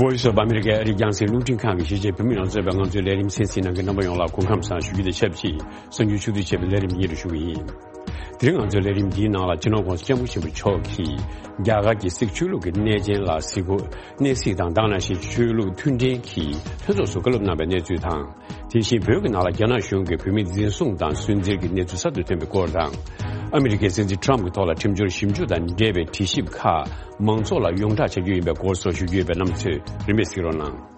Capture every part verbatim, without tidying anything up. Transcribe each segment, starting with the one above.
Voice of America ཨ་རིའི་རྒྱང་སྲིང་རླུང་འཕྲིན་ཁང་གི་གཞིས་བྱེས་བོད་མི་རྣམས་གཙོས་པའི་ང་ཚོའི་ལས་རིམ་གསན་གཟིགས་གནང་མཁན་རྣམ་པ་ཡོངས་ལ་སྐུ་ཁམས་བཟང་ཞུ་རྒྱུ་དང་ཆབས་ཅིག་གསར་འགྱུར་ཕྱོགས་བསྡུས་བྱས་པའི་ལས་རིམ་སྙན་སྒྲོན་ཞུ་གི་ཡིན། དེ་རིང་ང་ཚོའི་ལས་རིམ་འདིའི་ནང་ལ་སྤྱི་ནོར་༸གོང་ས་༸སྐྱབས་མགོན་ཆེན་པོ་མཆོག་གིས་རྒྱ་གར་གྱི་སིག་ཆོས་ལུགས་ཀྱི་གནས་ཆེན་ལ་གཟིགས་སྐོར། གནས་གཟིགས་དང་དེ་ནང་བཞིན་ཆོས་ལུགས་མཐུན་འབྲེལ་གྱི་ལྷན་ཚོགས་སུ་བཀའ་སློབ་གནང་བའི་གནས་ཚུལ་དང་། དེ་བཞིན་བོད་ཀྱི་ནང་ལ་རྒྱ་ནག་གཞུང་གིས་བོད་མི་འཛིན་བཟུང་དང་སུན་གཙེར་གྱི་གནས་ཚུལ་གསར་དུ་ཐོན་པའི་སྐོར་དང་། ཨ་མི་རི་ཀའི་སྲིད་འཛིན་ཊམ་གྱི་ཐོག་ལ་ཁྲིམས་སྦྱོར་ཞིབ་འཇུག་དང་འབྲེལ་བའི་དྲི་ཞིབ་ཁག་མང་ཚོགས་ལ་ཡོངས་བསྒྲགས་བྱ་རྒྱུ་ཡིན་པའི་སྐོར་སོགས་ཞུ་རྒྱུ་ཡོད་པའི་རྣམ་ཚོས་རིན་པས་གཟིགས་རོགས་གནང་།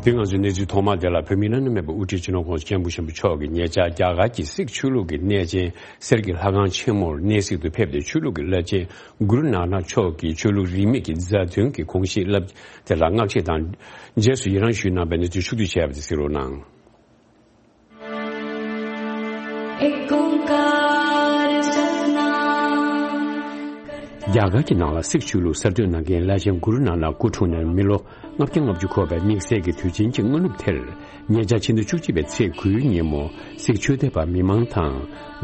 དེ་ང་ཚོའི་གནས་ཚུལ་ཐོག་མ་དེ་ལ། བོད་མིའི་བླ་ན་མེད་པའི་དབུ་ཁྲིད་སྤྱི་ནོར་༸གོང་ས་༸སྐྱབས་མགོན་ཆེན་པོ་མཆོག་གིས་ཉེ་ཆར་རྒྱ་གར་གྱི་སིག་ཆོས་ལུགས་ཀྱི་གནས་ཆེན་གསེར་གྱི་ལྷ་ཁང་ཆེན་མོར་གནས་གཟིགས་དུ་ཕེབས་ཏེ། ཆོས་ལུགས་ཀྱི་བླ་ཆེན་གུ་རུ་ནཱ་ནག་མཆོག་གིས་ཆོས་ལུགས་རིས་མེད་ཀྱི་མཛད་དོན་གྱི་དགོངས་བཞེད་བསླབ་དེ་ལ་བསྔགས་བརྗོད་དང་རྗེས་སུ་ཡི་རང་ཞུས་གནང་བའི་གནས་ཚུལ་ཕྱོགས་བསྡུས་བྱས་པ་དེ་གཟིགས་རོགས་གནང་། རྒྱ་གར་གྱི་ནང་ལ་སིག་ཆོས་ལུགས་གསར་གཏོད་གནང་མཁན་བླ་ཆེན་གུ་རུ་ནཱ་ནག་སྐུ་འཁྲུངས་ནས་མི་ལོ་ལྔ་བརྒྱ་ལྔ་བཅུ་འཁོར་བའི་དམིགས་བསལ་གྱི་དུས་ཆེན་གྱི་སྔ་ནུབ་དེར། ཉེ་ཆར་ཕྱི་ཟླ་བཅུ་གཅིག་པའི་ཚེས་དགུའི་ཉིན་མོ། སིག་ཆོས་དད་པ་མི་མང་དང་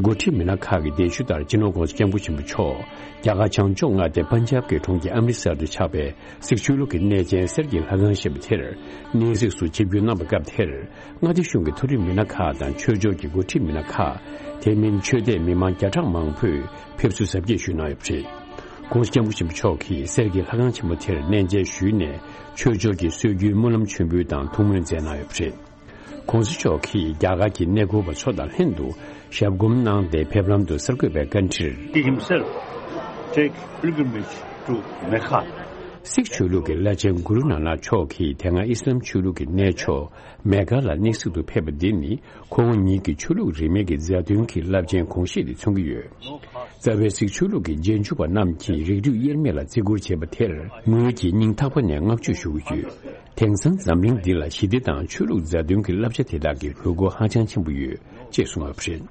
འགོ་ཁྲིད་མི་སྣ་ཁག་གིས་གདན་ཞུ་ལྟར་སྤྱི་ནོར་༸གོང་ས་༸སྐྱབས་མགོན་ཆེན་པོ་མཆོག་རྒྱ་གར་བྱང་ཕྱོགས་མངའ་སྡེ་པན་ཇབ་ཀྱི་གྲོང་ཁྱེར་ཨམ་རི་སར་དུ་ཆགས་པའི་སིག་ཆོས་ལུགས་ཀྱི་གནས་ཆེན་གསེར་གྱི་ལྷ་ཁང་ཞེས་པ་དེར་གནས་གཟིགས་སུ་ཆིབས་བསྒྱུར་གནང་བའི་སྐབས་དེར། མངའ་སྡེ་གཞུང་གི་མཐོ་རིམ་མི་སྣ་ཁག་དང་ཆོས་ཕྱོགས་ཀྱི་འགོ་ཁྲིད་མི་སྣ་ཁག་དེ་མིན་ཆོས་དད་མི་མང་བརྒྱ་ཕྲག་མང་པོས་ཕེབས་བསུ་གཟབ་རྒྱས་ཞུས་གནང་ཡོད་པ་རེད། ༸གོང་ས་༸སྐྱབས་མགོན་ཆེན་པོ་མཆོག་གིས་གསེར་གྱི་ལྷ་ཁང་ཆེན་མོ་དེར་གནས་མཇལ་ཞུས་ནས། ཆོས་ཕྱོགས་ཀྱི་སྲོལ་རྒྱུན་སྨོན་ལམ་མཆོད་འབུལ་དང་ཐུགས་སྨོན་མཛད་གནང་ཡོད་པ་རེད། ༸གོང་ས་མཆོག་གིས་རྒྱ་གར་གྱི་གནས་སྐོར་བ་ཚོ་དང་ལྷན་དུ་ཞབས་སྒོམ་གནང་སྟེ། ཕེབས་ལམ་དུ་གསར་འགོད་པའི་བཀའ་འཁྲིར། He himself take pilgrimage to Mecca. སིག་ཆོས་ལུགས་ཀྱི་བླ་ཆེན་གུ་རུ་ནཱ་ནག་མཆོག་གིས་དེ་སྔ་ཨི་སི་ལམ་ཆོས་ལུགས་ཀྱི་གནས་མཆོག་མེ་ཀ་ལ་གནས་གཟིགས་དུ་ཕེབས་པ་འདི་ནི། ཁོང་ཉིད་ཀྱི་ཆོས་ལུགས་རིས་མེད་ཀྱི་མཛད་དོན་གྱི་རླབས་ཆེན་དགོངས་བཞེད་དེ་མཚོན་གྱི་ཡོད། རྩ་བའི་སིག་ཆོས་ལུགས་ཀྱི་རྗེས་འཇུག་པ་རྣམས་ཀྱིས་རིགས་རུས་དབྱེར་མེད་ལ་བརྩི་བཀུར་བྱེད་པ་དེར། ངོས་ཀྱིས་སྙིང་ཐག་པ་ནས་བསྔགས་བརྗོད་ཞུ་གི་ཡོད། དེང་སང་འཛམ་གླིང་འདི་ལ་ཞི་བདེ་དང་ཆོས་ལུགས་མཛད་དོན་གྱི་བསླབ་བྱ་དེ་དག་གི་དགོས་མཁོ་ཧ་ཅང་ཆེན་པོ་ཡོད་ཅེས་གསུངས་ཡོད་པ་རེད།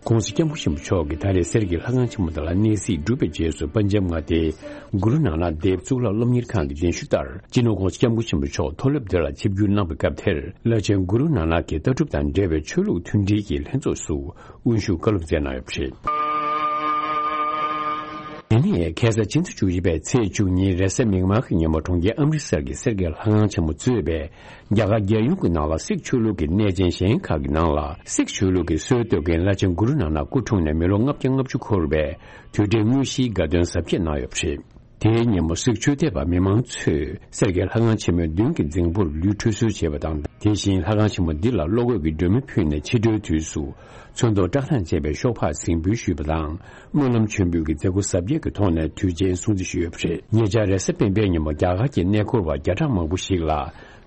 ༸གོང་ས་༸སྐྱབས་མགོན་ཆེན་པོ་མཆོག་གིས་ད་རེས་གསེར་གྱི་ལྷ་ཁང་ཆེན་མོ་དེ་ལ་གནས་གཟིགས་གྲུབ་པའི་རྗེས་སུ། པན་ཇབ་མངའ་སྡེའི་གུ་རུ་ནཱ་ནག་དེབ་གཙུག་ལག་སློབ་གཉེར་ཁང་གི་གདན་ཞུ་ལྟར། སྤྱི་ནོར་༸གོང་ས་༸སྐྱབས་མགོན་ཆེན་པོ་མཆོག་མཐོ་སློབ་དེ་ལ་ཆིབས་བསྒྱུར་གནང་བའི་སྐབས་དེར། བླ་ཆེན་གུ་རུ་ནཱ་ནག་གི་ལྟ་གྲུབ་དང་འབྲེལ་བའི་ཆོས་ལུགས་མཐུན་སྒྲིལ་གྱི་ལྷན་ཚོགས་སུ་དབུ་བཞུགས་བཀའ་སློབ་སྩལ་གནང་ཡོད་པ་རེད། དེ་ནས་ཁ་སང་ཕྱི་ཟླ་བཅུ་བཞི་པའི་ཚེས་བཅུ་གཉིས་རེས་གཟའ་མིག་དམར་གྱི་ཉིན་མོ། གྲོང་ཁྱེར་ཨམ་རི་སར་གྱི་གསེར་གྱི་ལྷ་ཁང་ཆེན་མོ་གཙོས་པའི་རྒྱ་གར་རྒྱལ་ཡོངས་ཀྱི་ནང་ལ་སིག་ཆོས་ལུགས་ཀྱི་གནས་ཆེན་གཞན་ཁག་གི་ནང་ལ། སིག་ཆོས་ལུགས་ཀྱི་སྲོལ་གཏོད་མཁན་བླ་ཆེན་གུ་རུ་ནཱ་ནག་སྐུ་འཁྲུངས་ནས་མི་ལོ་ལྔ་བརྒྱ་ལྔ་བཅུ་འཁོར་བའི་དུས་དྲན་དངོས་གཞིའི་དགའ་སྟོན་གཟབ་རྒྱས་གནང་ཡོད་པ་རེད། དེའི་ཉིན་མོ་སིག་ཆོས་དད་པ་མི་མང་ཚོས་གསེར་གྱི་ལྷ་ཁང་ཆེན་མོའི་མདུན་གྱི་རྫིང་བུར་ལུས་ཁྲུས་གསོལ་བྱས་པ་དང་། དེ་བཞིན་ལྷ་ཁང་ཆེན་མོ་འདི་ལ་བློ་འགུག་གི་སྒྲོན་མེ་ཕུལ་ནས། ཕྱི་དྲོའི་དུས་སུ་ཚོན་མདོག་བཀྲག་མདངས་ཅན་པའི་ཤོག་སྦག་གཟིགས་འབུལ་ཞུས་པ་དང་། སྨོན་ལམ་མཆོད་འབུལ་གྱི་མཛད་སྒོ་གཟབ་རྒྱས་ཀྱི་ཐོག་ནས་དུས་ཆེན་སྲུང་བརྩི་ཞུས་ཡོད་པ་རེད། ཉེ་ཆར་རེས་གཟའ་སྤེན་པའི་ཉིན་མོ་རྒྱ་གར་གྱི་གནས་སྐོར་བ་བརྒྱ་ཕྲག་མང་པོ་ཞིག་ལ་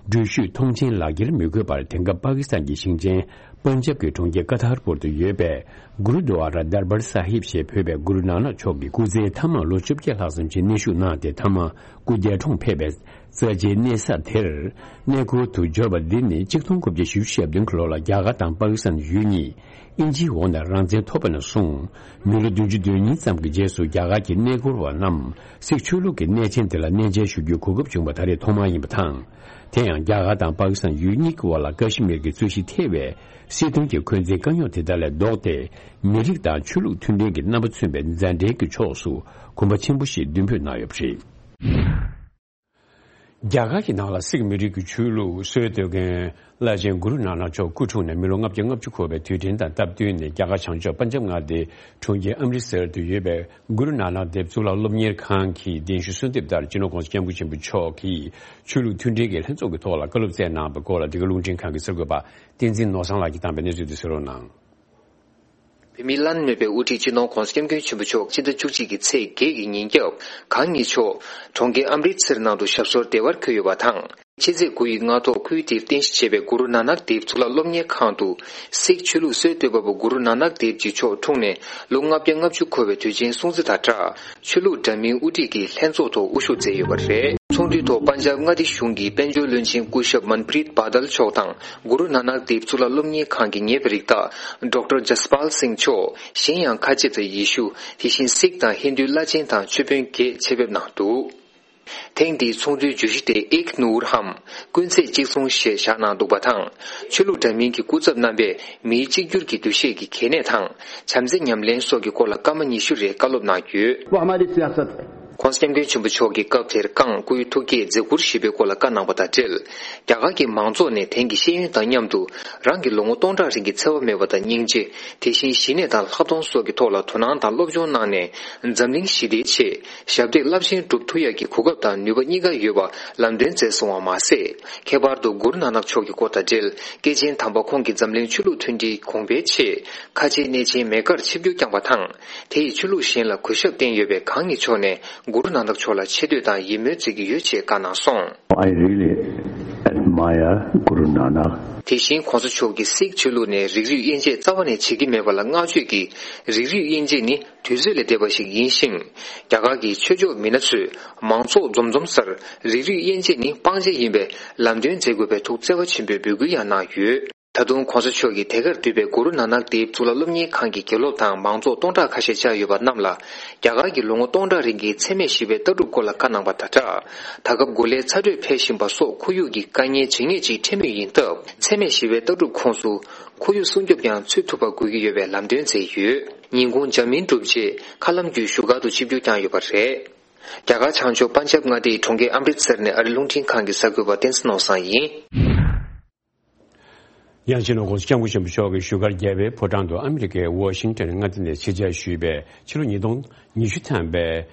འགྲུལ་བཞུད་མཐོང་མཆན་ལག་འཁྱེར་མི་དགོས་པར། དེང་སྐབས་པ་ཀི་སི་ཐན་གྱི་ཞིང་ཆེན་པན་ཇབ་ཀྱི་གྲོང་ཁྱེར་ཀ་ཐར་པུར་དུ་ཡོད་པའི་གུ་རུ་དུ་ཨ་ར་དར་བར་ས་ཧིབ་ཞེས་འབོད་པའི་གུ་རུ་ནཱ་ནག་མཆོག་གི་སྐུ་ཚེའི་མཐའ་མ་ལོ་བཅོ་བརྒྱད་ལྷག་ཙམ་ཞིག་གནས་བཞུགས་གནང་སྟེ། མཐའ་མ་སྐུ་འདས་གྲོངས་ཕེབས་པའི་རྩ་ཆེའི་གནས་ས་དེར་གནས་སྐོར་དུ་འབྱོར་བ་འདི་ནི་ཆིག་སྟོང་དགུ་བརྒྱ་བཞི་བཅུ་ཞེ་བདུན་གྱི་ལོ་ལ་རྒྱ་གར་དང་པ་ཀི་སི་ཐན་ཡུལ་གཉིས་དབྱིན་ཇིའི་འོག་ནས་རང་བཙན་ཐོབ་པ་ནས་བཟུང་། མི་ལོ་བདུན་ཅུ་དོན་གཉིས་ཙམ་གྱི་རྗེས་སུ་རྒྱ་གར་གྱི་གནས་སྐོར་བ་རྣམས་སིག་ཆོས་ལུགས་ཀྱི་གནས་ཆེན་དེ་ལ་གནས་མཇལ་ཞུ་རྒྱུའི་གོ་སྐབས་བྱུང་བ་ད་རེས་ཐོག་མ་ཡིན་པ་དང་། དེ་ཡང་རྒྱ་གར་དང་པ་ཀི་སི་ཐན་ཡུལ་གཉིས་ཀྱི་དབར་ལ་ཀ་ཤི་མིར་གྱི་རྩོད་གཞི་ཐེ་བའི་སྲིད་དོན་གྱི་འཁོན་འཛིན་དཀའ་རྙོག་དེ་དག་ལས་ལྡོག་སྟེ། མི་རིགས་དང་ཆོས་ལུགས་མཐུན་ལྡན་གྱི་རྣམ་པ་མཚོན་པའི་མཛའ་འབྲེལ་གྱི་ཕྱོགས་སུ་གོམ་པ་ཆེན་པོ་ཞིག་མདུན་སྤོས་གནང་ཡོད་པ་རེད། རྒྱ་གར་གྱི་ནང་ལ་སིག་མི་རིགས་ཀྱི་ཆོས་ལུགས་སྲོལ་གཏོད་མཁན་བླ་ཆེན་གུ་རུ་ནཱ་ནག་མཆོག་སྐུ་འཁྲུངས་ནས་མི་ལོ་ལྔ་བརྒྱ་ལྔ་བཅུ་འཁོར་བའི་དུས་དྲན་དང་སྟབས་བསྟུན་ནས། རྒྱ་གར་བྱང་ཕྱོགས་པན་ཇབ་མངའ་སྡེའི་གྲོང་ཁྱེར་ཨམ་རི་སར་དུ་ཡོད་པའི་གུ་རུ་ནཱ་ནག་དེབ་གཙུག་ལག་སློབ་གཉེར་ཁང་གི་གདན་ཞུ་གསོལ་འདེབས་ལྟར། སྤྱི་ནོར་༸གོང་ས་༸སྐྱབས་མགོན་ཆེན་པོ་མཆོག་གིས་ཆོས་ལུགས་མཐུན་སྒྲིལ་གྱི་ལྷན་ཚོགས་ཀྱི་ཐོག་ལ་བཀའ་སློབ་སྩལ་གནང་བའི་སྐོར་ལ། འདི་ག་རླུང་འཕྲིན་ཁང་གི་གསར་འགོད་པ་བསྟན་འཛིན་ནོར་བཟང་ལགས་ཀྱིས་བཏང་བའི་གནས་ཚུལ་དེ་གསན་རོགས་གནང་། བོད་མིའི་བླ་ན་མེད་པའི་དབུ་ཁྲིད་སྤྱི་ནོར་༸གོང་ས་༸སྐྱབས་མགོན་ཆེན་པོ་མཆོག་ཕྱི་ཟླ་བཅུ་གཅིག་གི་ཚེས་བརྒྱད་ཀྱི་ཉིན་རྒྱབ་གང་ཉིད་མཆོག་གྲོང་ཁྱེར་ཨམ་རི་ཚེར་ནང་དུ་ཞབས་སོར་བདེ་བར་འཁོད་ཡོད་པ་དང་། ཕྱི་ཚེས་དགུ་ཡི་སྔ་ཐོག་ཁོའི་དེབ་རྟེན་གཞི་བྱས་པའི་གུ་རུ་ནཱ་ནག་དེབ་གཙུག་ལག་སློབ་གཉེར་ཁང་དུ་སིག་ཆོས་ལུགས་སྲོལ་གཏོད་པ་པོ་གུ་རུ་ནཱ་ནག་དེབ་ཀྱི་མཆོག་འཁྲུངས་ནས་ལོ་ལྔ་བརྒྱ་ལྔ་བཅུ་འཁོར་བའི་དུས་ཆེན་སྲུང་བརྩི་དང་སྦྲགས། ཆོས་ལུགས་འདྲ་མིན་དབུ་ཁྲིད་ཀྱི་ལྷན་ཚོགས་ཐོག་དབུ་བཞུགས་མཛད་ཡོད་པ་རེད། ཚོགས་འདུའི་ཐོག་པན་ཇབ་མངའ་སྡེ་གཞུང་གི་དཔལ་འབྱོར་བློན་ཆེན་སྐུ་ཞབས་མན་པྲིད་བྷ་དལ་མཆོག་དང་། གུ་རུ་ནཱ་ནག་དེབ་གཙུག་ལག་སློབ་གཉེར་ཁང་གི་ངེས་པར་རིགས་བདག་ཌོག་ཊར་ཇ་སི་པཱལ་སིང་མཆོག་གཞན་ཡང་ཁ་ཆེ་དང་ཡེ་ཤུ། དེ་བཞིན་སིག་དང་ཧིན་དུའི་བླ་ཆེན་དང་ཆོས་དཔོན་བརྒྱད་ཆེད་ཕེབས་གནང་འདུག་ཐེངས་འདིའི་ཚོགས་འདུའི་བརྗོད་གཞི་དེ་ཨིག་ནུར་ཧམ། ཀུན་ཚེ་གཅིག་མཚུངས་ཞེས་བཞག་གནང་འདུག་པ་དང་། ཆོས་ལུགས་འདྲ་མིན་གྱི་སྐུ་ཚབ་རྣམ་པས་མིའི་གཅིག་གྱུར་གྱི་འདུ་ཤེས་ཀྱི་གལ་གནད་དང་། བྱམས་བརྩེ་ཉམས་ལེན་སོགས་ཀྱི་སྐོར་ལ་སྐར་མ་ཉི་ཤུ་རེ་བཀའ་སློབ་གནང་ཡོད། वो हमारी सियासत है। ྋགོང་ས་ྋསྐྱབས་མགོན་ཆེན་པོ་མཆོག་གིས་སྐབས་དེར་བསྐངས་སྐུའི་ཐུགས་བསྐྱེད་མཛད་ཁུར་ཞུས་པའི་སྐོར་ལ་བཀའ་གནང་བ་དང་འབྲེལ། རྒྱ་གར་གྱི་མང་ཚོགས་ནས་དེང་གི་ཤེས་ཡོན་དང་མཉམ་དུ་རང་གི་ལོ་ངོ་སྟོང་ཕྲག་རིང་གི་འཚེ་བ་མེད་པ་དང་སྙིང་རྗེ། དེ་བཞིན་ཞི་གནས་དང་ལྷག་མཐོང་སོགས་ཀྱི་ཐོག་ལ་དོ་སྣང་དང་སློབ་སྦྱོང་གནང་ནས། འཛམ་གླིང་ཞི་བདེའི་ཆེད་ཞབས་འདེགས་རླབས་ཆེན་སྒྲུབ་ཐུབ་ཡག་གི་གོ་སྐབས་དང་ནུས་པ་གཉིས་ཀ་ཡོད་པ་ལམ་སྟོན་མཛད་སོང་བ་མ་ཟད། ཁྱད་པར་དུ་གུ་རུ་ནཱ་ནག་མཆོག་གི་སྐོར་དང་འབྲེལ། སྐྱེས་ཆེན་དམ་པ་ཁོང་གིས་འཛམ་གླིང་ཆོས་ལུགས་མཐུན་སྒྲིལ་གོང་འཕེལ་ཆེད་ཁ་ཆེའི་གནས་ཆེན་མེ་ཀར་ཆིབས་བསྒྱུར་བསྐྱངས་པ་དང་། དེ་ཡིས་ཆོས་ལུགས་གཞན་ལ་གུས་ཞབས་བསྟན་ཡོད་པས། གང་ཉིད་མཆོག་ནས་གུ་རུ་ནཱ་ནག་མཆོག་ལ་ཆེ་བསྟོད་དང་ཡིད་སྨོན་མཛད་ཀྱི་ཡོད་ཅེས་བཀའ་གནང་སོང་། I really admire Guru Nanak. དེ་བཞིན་ྋགོང་ས་མཆོག་གིས་སིག་ཆོས་ལུགས་ནས་རིགས་རུས་དབྱེ་འབྱེད་རྩ་བ་ནས་བྱེད་ཀྱི་མེད་པ་ལ་བསྔགས་བརྗོད་ཀྱིས། རིགས་རུས་དབྱེ་འབྱེད་ནི་དུས་ཚོད་ལས་འདས་པ་ཞིག་ཡིན་ཞིང་། རྒྱ་གར་གྱི་ཆོས་ཕྱོགས་མི་སྣ་ཚོས་མང་ཚོགས་འཛོམས་འཛོམས་སར་རིགས་རུས་དབྱེ་འབྱེད་ནི་སྤང་བྱ་ཡིན་པས་ལམ་སྟོན་མཛད་དགོས་པའི་ཐུགས་བརྩེ་བ་ཆེན་པོས་འབོད་སྐུལ་ཡང་གནང་ཡོད། ད་དུང་ྋགོང་ས་མཆོག་གིས་དེ་གར་འདུས་པའི་གུ་རུ་ནཱ་ནག་དེབ་གཙུག་ལག་སློབ་གཉེར་ཁང་གི་དགེ་སློབ་དང་མང་ཚོགས་སྟོང་ཕྲག་ཁ་ཤས་བཅར་ཡོད་པ་རྣམས་ལ། རྒྱ་གར་གྱི་ལོ་ངོ་སྟོང་ཕྲག་རིང་གི་འཚེ་མེད་ཞི་བའི་ལྟ་གྲུབ་སྐོར་ལ་བཀའ་གནང་པ་དང་སྦྲགས། ད་སྐབས་གོ་ལའི་ཚ་དྲོད་འཕེལ་བཞིན་པ་སོགས་ཁོར་ཡུག་གི་དཀའ་ངལ་ཇེ་ངེས་ཅིག་འཕྲད་མུས་ཡིན་སྟབས། འཚེ་མེད་ཞི་བའི་ལྟ་གྲུབ་ཁོངས་སུ་ཁོར་ཡུག་སྲུང་སྐྱོབ་ཀྱང་ཚུད་ཐུབ་པ་དགོས་ཀྱི་ཡོད་པའི་ལམ་སྟོན་མཛད་ཡོད། ཉིན་གུང་འཇར་མན་གྲུབ་རྗེས་མཁའ་ལམ་བརྒྱུད་བཞུགས་སྒར་དུ་ཆིབས་བསྒྱུར་བསྐྱངས་ཡོད་པ་རེད། རྒྱ་གར་བྱང་ཕྱོགས་པན་ཇབ་མངའ་སྡེའི་གྲོང་ཁྱེར་ཨམ་རིད་སར་ནས་ཨ་རི་རླུང་འཕྲིན་ཁང་གི་གསར་འགོད་པ་བསྟན་འཛིན་ནོར་བཟང་ཡིན། ཡང་སྤྱི་ནོར་ྋགོང་ས་ྋསྐྱབས་མགོན་ཆེན་པོ་མཆོག་གིས་བཞུགས་སྒར་རྒྱལ་བའི་ཕོ་བྲང་དུ་ཨ་མི་རི་ཀའི་ཝ་ཤིང་ཊོན་མངའ་སྡེ་ནས་ཆེད་བཅར་ཞུས་པའི་ཕྱི་ལོ་ཉིས་སྟོང་ཉི་ཤུ་ཐམ་པའི་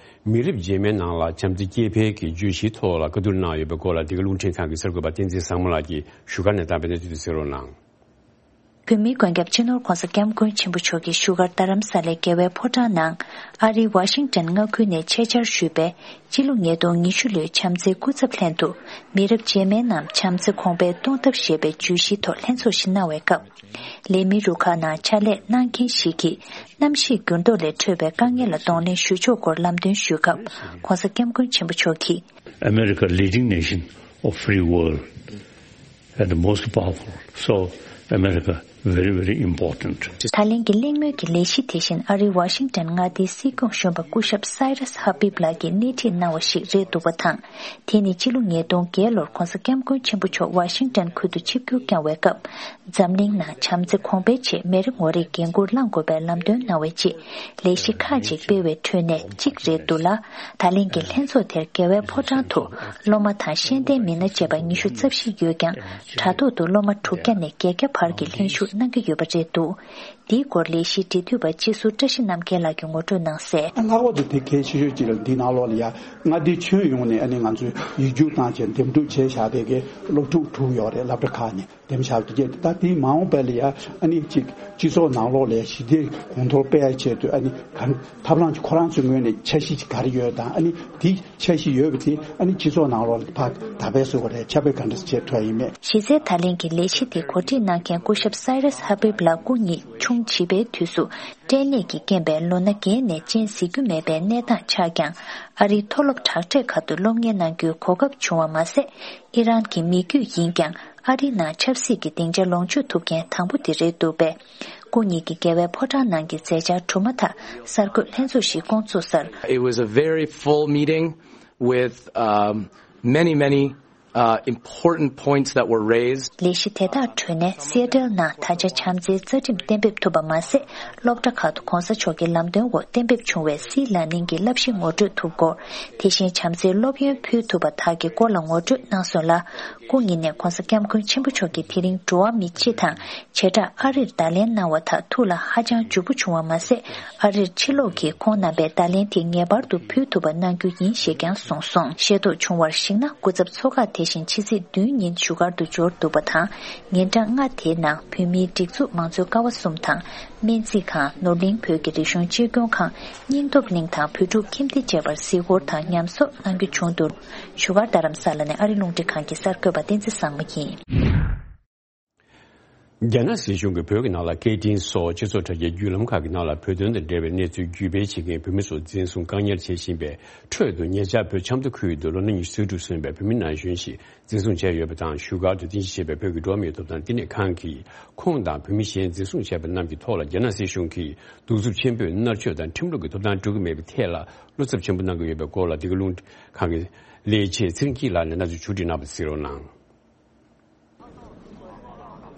མི་རབས་རྗེས་མའི་ནང་ལ་བྱམས་བརྩེ་སྐྱེད་འཕེལ་གྱི་བརྗོད་གཞིའི་ཐོག་ལ་བཀའ་བསྡུར་གནང་ཡོད་པའི་སྐོར་ལ། འདི་ག་རླུང་འཕྲིན་ཁང་གི་གསར་འགོད་པ་བསྟན་འཛིན་བཟང་མོ་ལགས་ཀྱིས་བཞུགས་སྒར་ནས་བཏང་བའི་གནས་ཚུལ་དེ་གསན་རོགས་གནང་། བོད་མིའི་མགོན་སྐྱབས་སྤྱི་ནོར་ྋགོང་ས་ྋསྐྱབས་མགོན་ཆེན་པོ་མཆོག་གིས་བཞུགས་སྒར་རྡ་རམ་ས་ལའི་རྒྱལ་བའི་ཕོ་བྲང་ནང་ཨ་རིའི་ཝ་ཤིང་ཊོན་མངའ་ཁུལ་ནས་ཆེད་བཅར་ཞུས་པའི་སྤྱི་ལོ་ཉིས་སྟོང་ཉི་ཤུ་ལོའི་བྱམས་བརྩེའི་སྐུ་ཚབ་ལྷན་དུ་མི་རབས་རྗེས་མའི་ནང་བྱམས་བརྩེ་གོང་འཕེལ་གཏོང་ཐབས་ཞེས་པའི་བརྗོད་གཞིའི་ཐོག་ལྷན་ཚོགས་ཤིག་གནང་བའི་སྐབས། ལས་མི་རུ་ཁག་ནང་ཕྱག་ལས་གནང་མཁན་ཞིག་གིས་གནམ་གཤིས་འགྱུར་ལྡོག་ལས་འཕྲོས་པའི་དཀའ་ངལ་ལ་གདོང་ལེན་ཞུ་ཕྱོགས་སྐོར་ལམ་སྟོན་ཞུས་སྐབས། ྋགོང་ས་ྋསྐྱབས་མགོན་ཆེན་པོ་མཆོག་གིས། America, leading nation of free world and the most powerful. So America very, very important. ད་ལན་གྱི་གླེང་མོལ་གྱི་ལས་གཞི་དེ་བཞིན་ཨ་རིའི་ཝ་ཤིང་ཊོན་མངའ་སྡེའི་སྲིད་སྐྱོང་གཞོན་པ་སྐུ་ཞབས་Cyrus Habib ལགས་ཀྱིས་སྣེ་ཁྲིད་གནང་བ་ཞིག་རེད་འདུག་པ་དང་། དེ་ནི་སྤྱི་ལོ་ཉིས་སྟོང་བརྒྱད་ལོར་ྋགོང་ས་ྋསྐྱབས་མགོན་ཆེན་པོ་མཆོག་ཝ་ཤིང་ཊོན་ཁུལ་དུ་ཆིབས་བསྒྱུར་བསྐྱངས་བའི་སྐབས། འཛམ་གླིང་ནང་བྱམས་བརྩེ་གོང་འཕེལ་ཆེད་མི་རེ་ངོ་རེས་འགན་འཁུར་བླང་དགོས་པའི་ལམ་སྟོན་གནང་བའི་རྗེས། ལས་གཞི་ཁག་ཅིག་སྤེལ་བའི་ཁྲོད་ནས་གཅིག་རེད་འདུག་ལ། ད་ལན་གྱི་ལྷན་ཚོགས་དེར་རྒྱལ་བའི་ཕོ་བྲང་དུ་སློབ་མ་དང་ཤེས་ལྡན་མི་སྣ་བཅས་པ་ཉི་ཤུ་རྩ་བཞི་ཡོད་ཀྱང་། དྲ་ཐོག་ཏུ་སློབ་མ་དྲུག་བརྒྱ་ནས་བརྒྱད་བརྒྱ་བར་གྱི་ལྷན་ཞུགས་གནང་གི་ཡོད་པ་རེད་འདུག་འདིའི་སྐོར་ལས་གཞིའི་འབྲེལ་མཐུད་པ་སྤྱི་ཟུར་བཀྲ་ཤིས་རྣམ་རྒྱལ་ལགས་ཀྱིས་ངོ་སྤྲོད་གནང་གསལ། ལྷག་པར་དུ་དེ་གལ་ཆེ་ཤོས་གཅིག་ལ་འདི་ནང་ལོགས་ལ་ཡ་མངའ་སྡེ་ཁྱོན་ཡོངས་ནས་ཨ་ནི་ང་ཚོས་ཡིག་རྒྱུགས་བཏང་བྱས་འདེམས་སྒྲུག་བྱས་བཞག་པའི་གི་སློབ་ཕྲུག་དྲུག་ཡོད་རེད། སློབ་གྲྭ་ཁག་ནས་འདེམས་བཞག་པ་དེ་གས། ད་དེའི་མ་འོངས་པ་ལ་ཡ་ཨ་ནི་གཅིག་སྤྱི་ཚོགས་ནང་ལོགས་ལ་ཡ་ཞི་བདེ་གོང་མཐོར་སྤེལ་ཡ་ཆེད་དུ་ཨ་ནི་ག་ཐབས་ལམ་ཁོ་རང་ཚོའི་ངོས་ནས་འཆར་གཞི་ག་རེ་ཡོད་དང་། ཨ་ནི་དེ་འཆར་གཞི་ཡོད་པ་དེ་ཨ་ནི་སྤྱི་ཚོགས་ནང་ལོགས་ལ་ཕར་དར་སྤེལ་བཟོ་དགོས་རེད། ཁྱབ་སྤེལ་ག་འདྲ་བྱེད་ཐུབ་ཡ་ཡིན་མེད། གཞི་རྩའི་ད་ལན་གྱི་ལས་གཞི་དེ་གོ་སྒྲིག་གནང་མཁན་སྐུ་ཞབས་Cyrus Habib ལགས་སྐུ་ཉིད་ཆུང་བྱིས་པའི་དུས་སུ་སྐྲན་ནད་ཀྱིས་རྐྱེན་པས་ལོ་ན་བརྒྱད་ནས་སྤྱན་གཟིགས་རྒྱུ་མེད་པའི་གནས་སྟངས་ཆགས་ཀྱང་། ཨ་རིའི་མཐོ་སློབ་དྲག་གྲས་ཁག་ཏུ་སློབ་གཉེར་གནང་རྒྱུའི་གོ་སྐབས་བྱུང་བ་མ་ཟད། ཨི་རན་གྱི་མི་རྒྱུད་ཡིན་ཀྱང་ཨ་རིའི་ནང་ཆབ་སྲིད་ཀྱི་སྡིངས་ཆ་ལོངས་སྤྱོད་ཐུབ་མཁན་དང་པོ་དེ་རེད་འདུག་པས། སྐུ་ཉིད་ཀྱི་རྒྱལ་བའི་ཕོ་བྲང་ནང་གི་མཛད་འཆར་གྲུབ་མ་ཐག་གསར་འགོད་ལྷན་ཚོགས་ཤིག་བསྐོང་ཚུགས་སར། It was a very full meeting with, um, many, many, uh, important points that were raised. ལས་གཞི་དེ་དག་ཁྲོད་ནས་སི་ཨེ་ཊལ་ནང་ད་ཆ་བྱམས་བརྩེའི་རྩ་ཁྲིམས་གཏན་འབེབས་ཐུབ་པ་མ་ཟད། སློབ་གྲྭ་ཁག་ཏུ་གོང་ས་མཆོག་གི་ལམ་སྟོན་འོག་གཏན་འབེབས་བྱུང་བའི་སིལ་ལ་ནིང་གི་བསླབ་གཞི་ངོ་སྤྲོད་ཐུབ་སྐོར། དེ་བཞིན་བྱམས་བརྩེའི་སློབ་ཡོན་ཕུལ་ཐུབ་པ་དག་གི་སྐོར་ལ་ངོ་སྤྲོད་གནང་སོང་ལ། སྐུ་ཉིད་ནས་ྋགོང་ས་ྋསྐྱབས་མགོན་ཆེན་པོ་མཆོག་གིས་དེ་རིང་འགྲོ་བ་མི་སྤྱི་དང་བྱེ་བྲག་ཨ་རིར་བརྡ་ལན་གནང་བ་དག་ཐུགས་ལ་ཧ་ཅང་འཇུག་པོ་བྱུང་བ་མ་ཟད། ཨ་རིར་ཕྱིར་ལོག་གིས་ཁོང་རྣམ་པའི་བརྡ་ལན་དེ་ངེས་པར་དུ་ཕུལ་ཐུབ་པ་གནང་རྒྱུ་ཡིན་ཞེས་ཀྱང་གསུངས་སོང་། ཤེས་རྟོགས་བྱུང་བར་གཞིགས་ན། སྐུ་ཚབ་ཚོགས་ཁག་དེ་བཞིན་ཕྱི་ཚེས་བདུན་ཉིན་བཞུགས་སྒར་དུ་འབྱོར་འདུག་པ་དང་། ཉིན་གྲངས་ལྔ་དེའི་ནང་བོད་མིའི་སྒྲིག་འཛུགས་མང་གཙོའི་ཀ་བ་གསུམ་དང་། སྨན་རྩིས་ཁང་། ནོར་གླིང་བོད་ཀྱི་རིག་གཞུང་གཅེས་སྐྱོང་ཁང་། སྙིང་སྟོབས་གླིང་དང་བོད་ཕྲུག་ཁྱིམ་སྡེ་བཅས་པར་གཟིགས་སྐོར་དང་ཉམས་གསོ་གནང་རྒྱུ་བྱུང་འདུག་བཞུགས་སྒར་རྡ་རམ་ས་ལ་ནས་ཨ་རི་རླུང་འཕྲིན་ཁང་གི་གསར་འགོད་པ་བསྟན་འཛིན་བཟང་མོ་ཡིན། རྒྱ་ནག་སྲིད་གཞུང་གིས་བོད་ཀྱི་ནང་ལ་སྐད་འཕྲིན་སོགས་སྤྱི་ཚོགས་དྲ་རྒྱའི་བརྒྱུད་ལམ་ཁག་གི་ནང་ལ་བོད་དོན་དང་འབྲེལ་བའི་གནས་ཚུལ་བརྒྱུད་སྤེལ་བྱེད་མཁན་བོད་མི་ཚོ་འཛིན་བཟུང་བཀག་ཉར་བྱེད་བཞིན་པའི་ཁྲོད་དུ། ཉེ་ཆར་བོད་ཆབ་མདོ་ཁུལ་དུ་ལོ་ན་ཉི་ཤུ་རྩ་དྲུག་སོན་པའི་བོད་མི་ན་གཞོན་ཞིག་འཛིན་བཟུང་བྱས་ཡོད་པ་དང་། བཞུགས་སྒར་དུ་རྟེན་གཞི་བྱས་པའི་བོད་ཀྱི་འགྲོ་བ་མིའི་ཐོབ་ཐང་བསྟི་གནས་ཁང་གིས་ཁོང་དང་བོད་མི་གཞན་འཛིན་བཟུང་བྱས་པ་རྣམས་ཀྱི་ཐོག་ལ་རྒྱ་ནག་སྲིད་གཞུང་གིས་གདུག་རྩུབ་ཆེན་པོས་མནར་གཅོད་དང་ཁྲིམས་ལུགས་ཀྱི་ཐོབ་ཐང་སྤྲོད་ཀྱི་མེད་པའི་ཐད་ལ་བློ་འཚབ་ཆེན་པོ་གནང་གི་ཡོད་པའི་སྐོར་ལ། འདི་ག་རླུང་འཕྲིན་ཁང་གི་ལས་བྱེད་ཚེ་རིང་སྐྱིད་ལགས་ནས་གནས་ཚུལ་ཕྱོགས་བསྒྲིགས་གནང་བ་གཟིགས་རོགས་གནང་།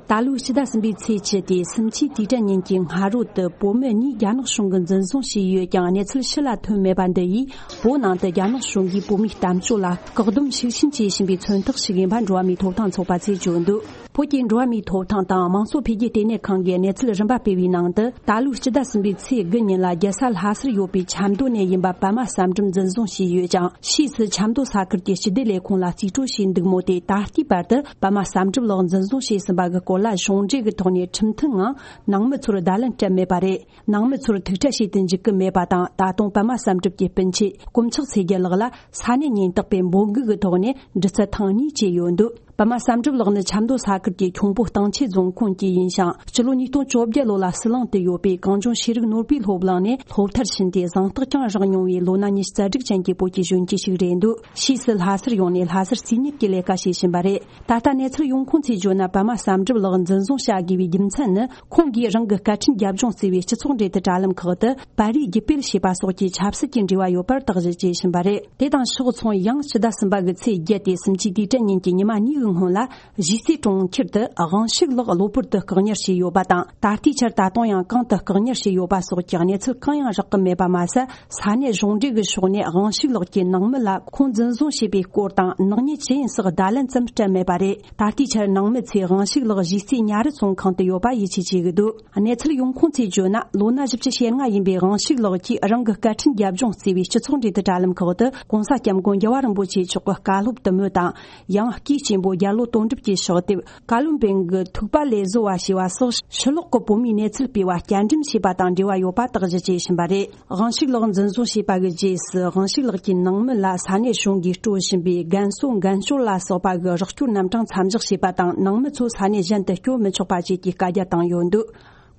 ད་ལོའི་ཕྱི་ཟླ་གསུམ་པའི་ཚེས་བཅུ་སྟེ་སུམ་ཅུའི་དུས་དྲན་ཉིན་གྱི་སྔ་དྲོ་དུ་བོད་མི་གཉིས་རྒྱ་ནག་གཞུང་གིས་འཛིན་བཟུང་བྱས་ཡོད་ཀྱང་། གནས་ཚུལ་ཕྱི་ལ་ཐོན་མེད་པ་འདི་ཡིས་བོད་ནང་དུ་རྒྱ་ནག་གཞུང་གིས་བོད་མིའི་གཏམ་བརྗོད་ལ་བཀག་སྡོམ་ཤུགས་ཆེན་བྱེད་བཞིན་པའི་མཚོན་རྟགས་ཤིག་ཡིན་པ་འགྲོ་བ་མིའི་ཐོབ་ཐང་ཚོགས་པ་ཚོས་བརྗོད་འདུག་བོད་ཀྱི་འགྲོ་བ་མིའི་ཐོབ་ཐང་དང་དམངས་གཙོ་འཕེལ་རྒྱས་ལྟེ་གནས་ཁང་གིས་གནས་ཚུལ་རིམ་པ་སྤེལ་བའི་ནང་དུ། ད་ལོའི་ཕྱི་ཟླ་གསུམ་པའི་ཚེས་དགུ་ཉིན་ལ་རྒྱལ་ས་ལྷ་སར་ཡོད་པའི་ཆབ་མདོ་ནས་ཡིན་པ་པདྨ་བསམ་གྲུབ་འཛིན་བཟུང་བྱས་ཡོད་ཅིང་། ཕྱིས་སུ་ཆབ་མདོ་ས་ཁུལ་གྱི་སྤྱི་བདེ་ལས་ཁུངས་ལ་རྩིས་སྤྲོད་བྱས་འདུག་མོད། དེ་ད་ལྟའི་བར་དུ་པདྨ་བསམ་གྲུབ་ལགས་འཛིན་བཟུང་བྱས་ཟིན་པ་གི་སྐོར་ལ་གཞུང་འབྲེལ་གྱི་ཐོག་ནས་ཁྲིམས་མཐུན་ངང་ནང་མི་ཚོར་བརྡ་ལན་སྤྲད་མེད་པ་རེད། ནང་མི་ཚོར་ཐུག་འཕྲད་བྱེད་དུ་འཇུག་གི་མེད་པ་དང་། ད་དུང་པདྨ་བསམ་གྲུབ་ཀྱི་སྤུན་མཆེད་དཀོན་མཆོག་ཚེ་རྒྱལ་ལགས་ལ་ས་གནས་ཉེན་རྟོག་པས་འབོད་འགུག་གི་ཐོག་ནས་འདྲི་རྩད་ཐེངས་གཉིས་བྱས་ཡོད་འདུག་པདྨ་བསམ་གྲུབ་ལགས་ནི་ཆབ་མདོ་ས་ཁུལ་གྱི་ཁྱུང་པོ་སྟེང་ཆེན་རྫོང་ཁོངས་ཀྱི་ཡིན་ཞིང་། སྤྱི་ལོ་ཉིས་སྟོང་བཅོ་བརྒྱད་ལོ་ལ་ཟི་ལིང་དུ་ཡོད་པའི་གངས་ལྗོངས་ཤེས་རིག་ནོར་བུའི་སློབ་གླིང་ནས་སློབ་མཐར་ཕྱིན་ཏེ། གཟེངས་རྟགས་ཀྱང་བཞེས་མྱོང་བའི་ལོ་ན་ཉི་ཤུ་རྩ་དྲུག་ཅན་གྱི་བོད་ཀྱི་གཞོན་སྐྱེས་ཤིག་རེད་འདུག་ཕྱིས་སུ་ལྷ་སར་ཡོང་ནས་ལྷ་སར་རྩིས་མེད་ཀྱི་ལས་ཀ་བྱེད་བཞིན་པ་རེད། ད་ལྟ་གནས་ཚུལ་ཡོང་ཁུངས་ཚོས་བརྗོད་ན། པདྨ་བསམ་གྲུབ་ལགས་འཛིན་བཟུང་བྱ་དགོས་པའི་རྒྱུ་མཚན་ནི། ཁོང་གིས་རང་གི་སྐད་འཕྲིན་རྒྱབ་ལྗོངས་བརྩི་བའི་སྤྱི་ཚོགས་འབྲེལ་མཐུད་དྲ་ལམ་ཁག་ཏུ་པར་རིས་བརྒྱུད་སྤེལ་བྱས་པ་སོགས་ཀྱི་ཆབ་སྲིད་ཀྱི་འབྲེལ་བ་ཡོད་པར་དག་གཞི་བྱས་བཞིན་པ་རེད། དེ་དང་ཕྱོགས་མཚུངས། ཡང་ཕྱི་ཟླ་གསུམ་པ་གི་ཚེས་བརྒྱད་དེ་སུམ་ཅུའི་དུས་དྲན་ཉིན་གྱི་ཉི་མ་གཉིས་ཀྱི་སྔོན་ལ། གཞིས་རྩེ་གྲོང་ཁྱེར་དུ་དབང་ཕྱུག་ལགས་གློ་བུར་དུ་བཀག་ཉར་བྱས་ཡོད་པ་དང་། ད་ལྟའི་ཆར་ད་དུང་ཡང་གང་དུ་བཀག་ཉར་བྱས་ཡོད་པ་སོགས་ཀྱི་གནས་ཚུལ་གང་ཡང་རག་གི་མེད་པ་མ་ཟད། ས་གནས་གཞུང་འབྲེལ་གྱི་ཕྱོགས་ནས་དབང་ཕྱུག་ལགས་ཀྱི་ནང་མི་ལ་ཁོང་འཛིན་བཟུང་བྱས་པའི་སྐོར་དང་ནག་ཉེས་ཇི་ཡིན་སོགས་བརྡ་ལན་ཙམ་སྤྲད་མེད་པ་རེད། ད་ལྟའི་ཆར་ནང་མི་ཚོས་དབང་ཕྱུག་ལགས་གཞིས་རྩེ་ཉ་རི་ཚོང་ཁང་དུ་ཡོད་པ་ཡིད་ཆེས་བྱེད་ཀྱི་འདུག་གནས་ཚུལ་ཡོང་ཁུངས་ཚོས་བརྗོད་ན། ལོ་ན་བཞི་བཅུ་ཞེ་ལྔ་ཡིན་པའི་དབང་ཕྱུག་ལགས་ཀྱིས་རང་གི་སྐད་འཕྲིན་རྒྱབ་ལྗོངས་བརྩི་བའི་སྤྱི་ཚོགས་འབྲེལ་མཐུད་དྲ་ལམ་ཁག་ཏུ་གོང་ས་སྐྱབས་མགོན་རྒྱལ་བ་རིན་པོ་ཆེ་མཆོག་གི་བཀའ་སློབ་དུ་མོ་དང་། ཡང་། སྐུའི་གཅེན་པོ་རྒྱལ་ལོ་དོན་གྲུབ་ཀྱི་ཕྱག་དེབ། བཀའ་བློན་པིང་གི་ཐུག་པ་ལས་བཟོ་བ་ཞེས་པ་སོགས་ཕྱི་ལོགས་ཀྱི་བོད་མིའི་གནས་ཚུལ་སྤེལ་བ་བསྐྱར་འགྲེམས་བྱས་པ་དང་འབྲེལ་བ་ཡོད་པ་དག་གཞི་བྱས་བཞིན་པ་རེད། དབང་ཕྱུག་ལགས་འཛིན་བཟུང་བྱས་པ་གི་རྗེས་སུ། དབང་ཕྱུག་ལགས་ཀྱི་ནང་མི་ལ་ས་གནས་གཞུང་གིས་སྤྲོད་བཞིན་པའི་རྒན་གསོ་འགན་བཅོལ་ལ་སོགས་པ་གི་རོགས་སྐྱོར་རྣམ་གྲངས་མཚམས་འཇོག་བྱས་པ་དང་། ནང་མི་ཚོ་ས་གནས་གཞན་དུ་བསྐྱོད་མི་ཆོག་པ་བཅས་ཀྱི་བཀའ་རྒྱ་བཏང་ཡོད་འདུག་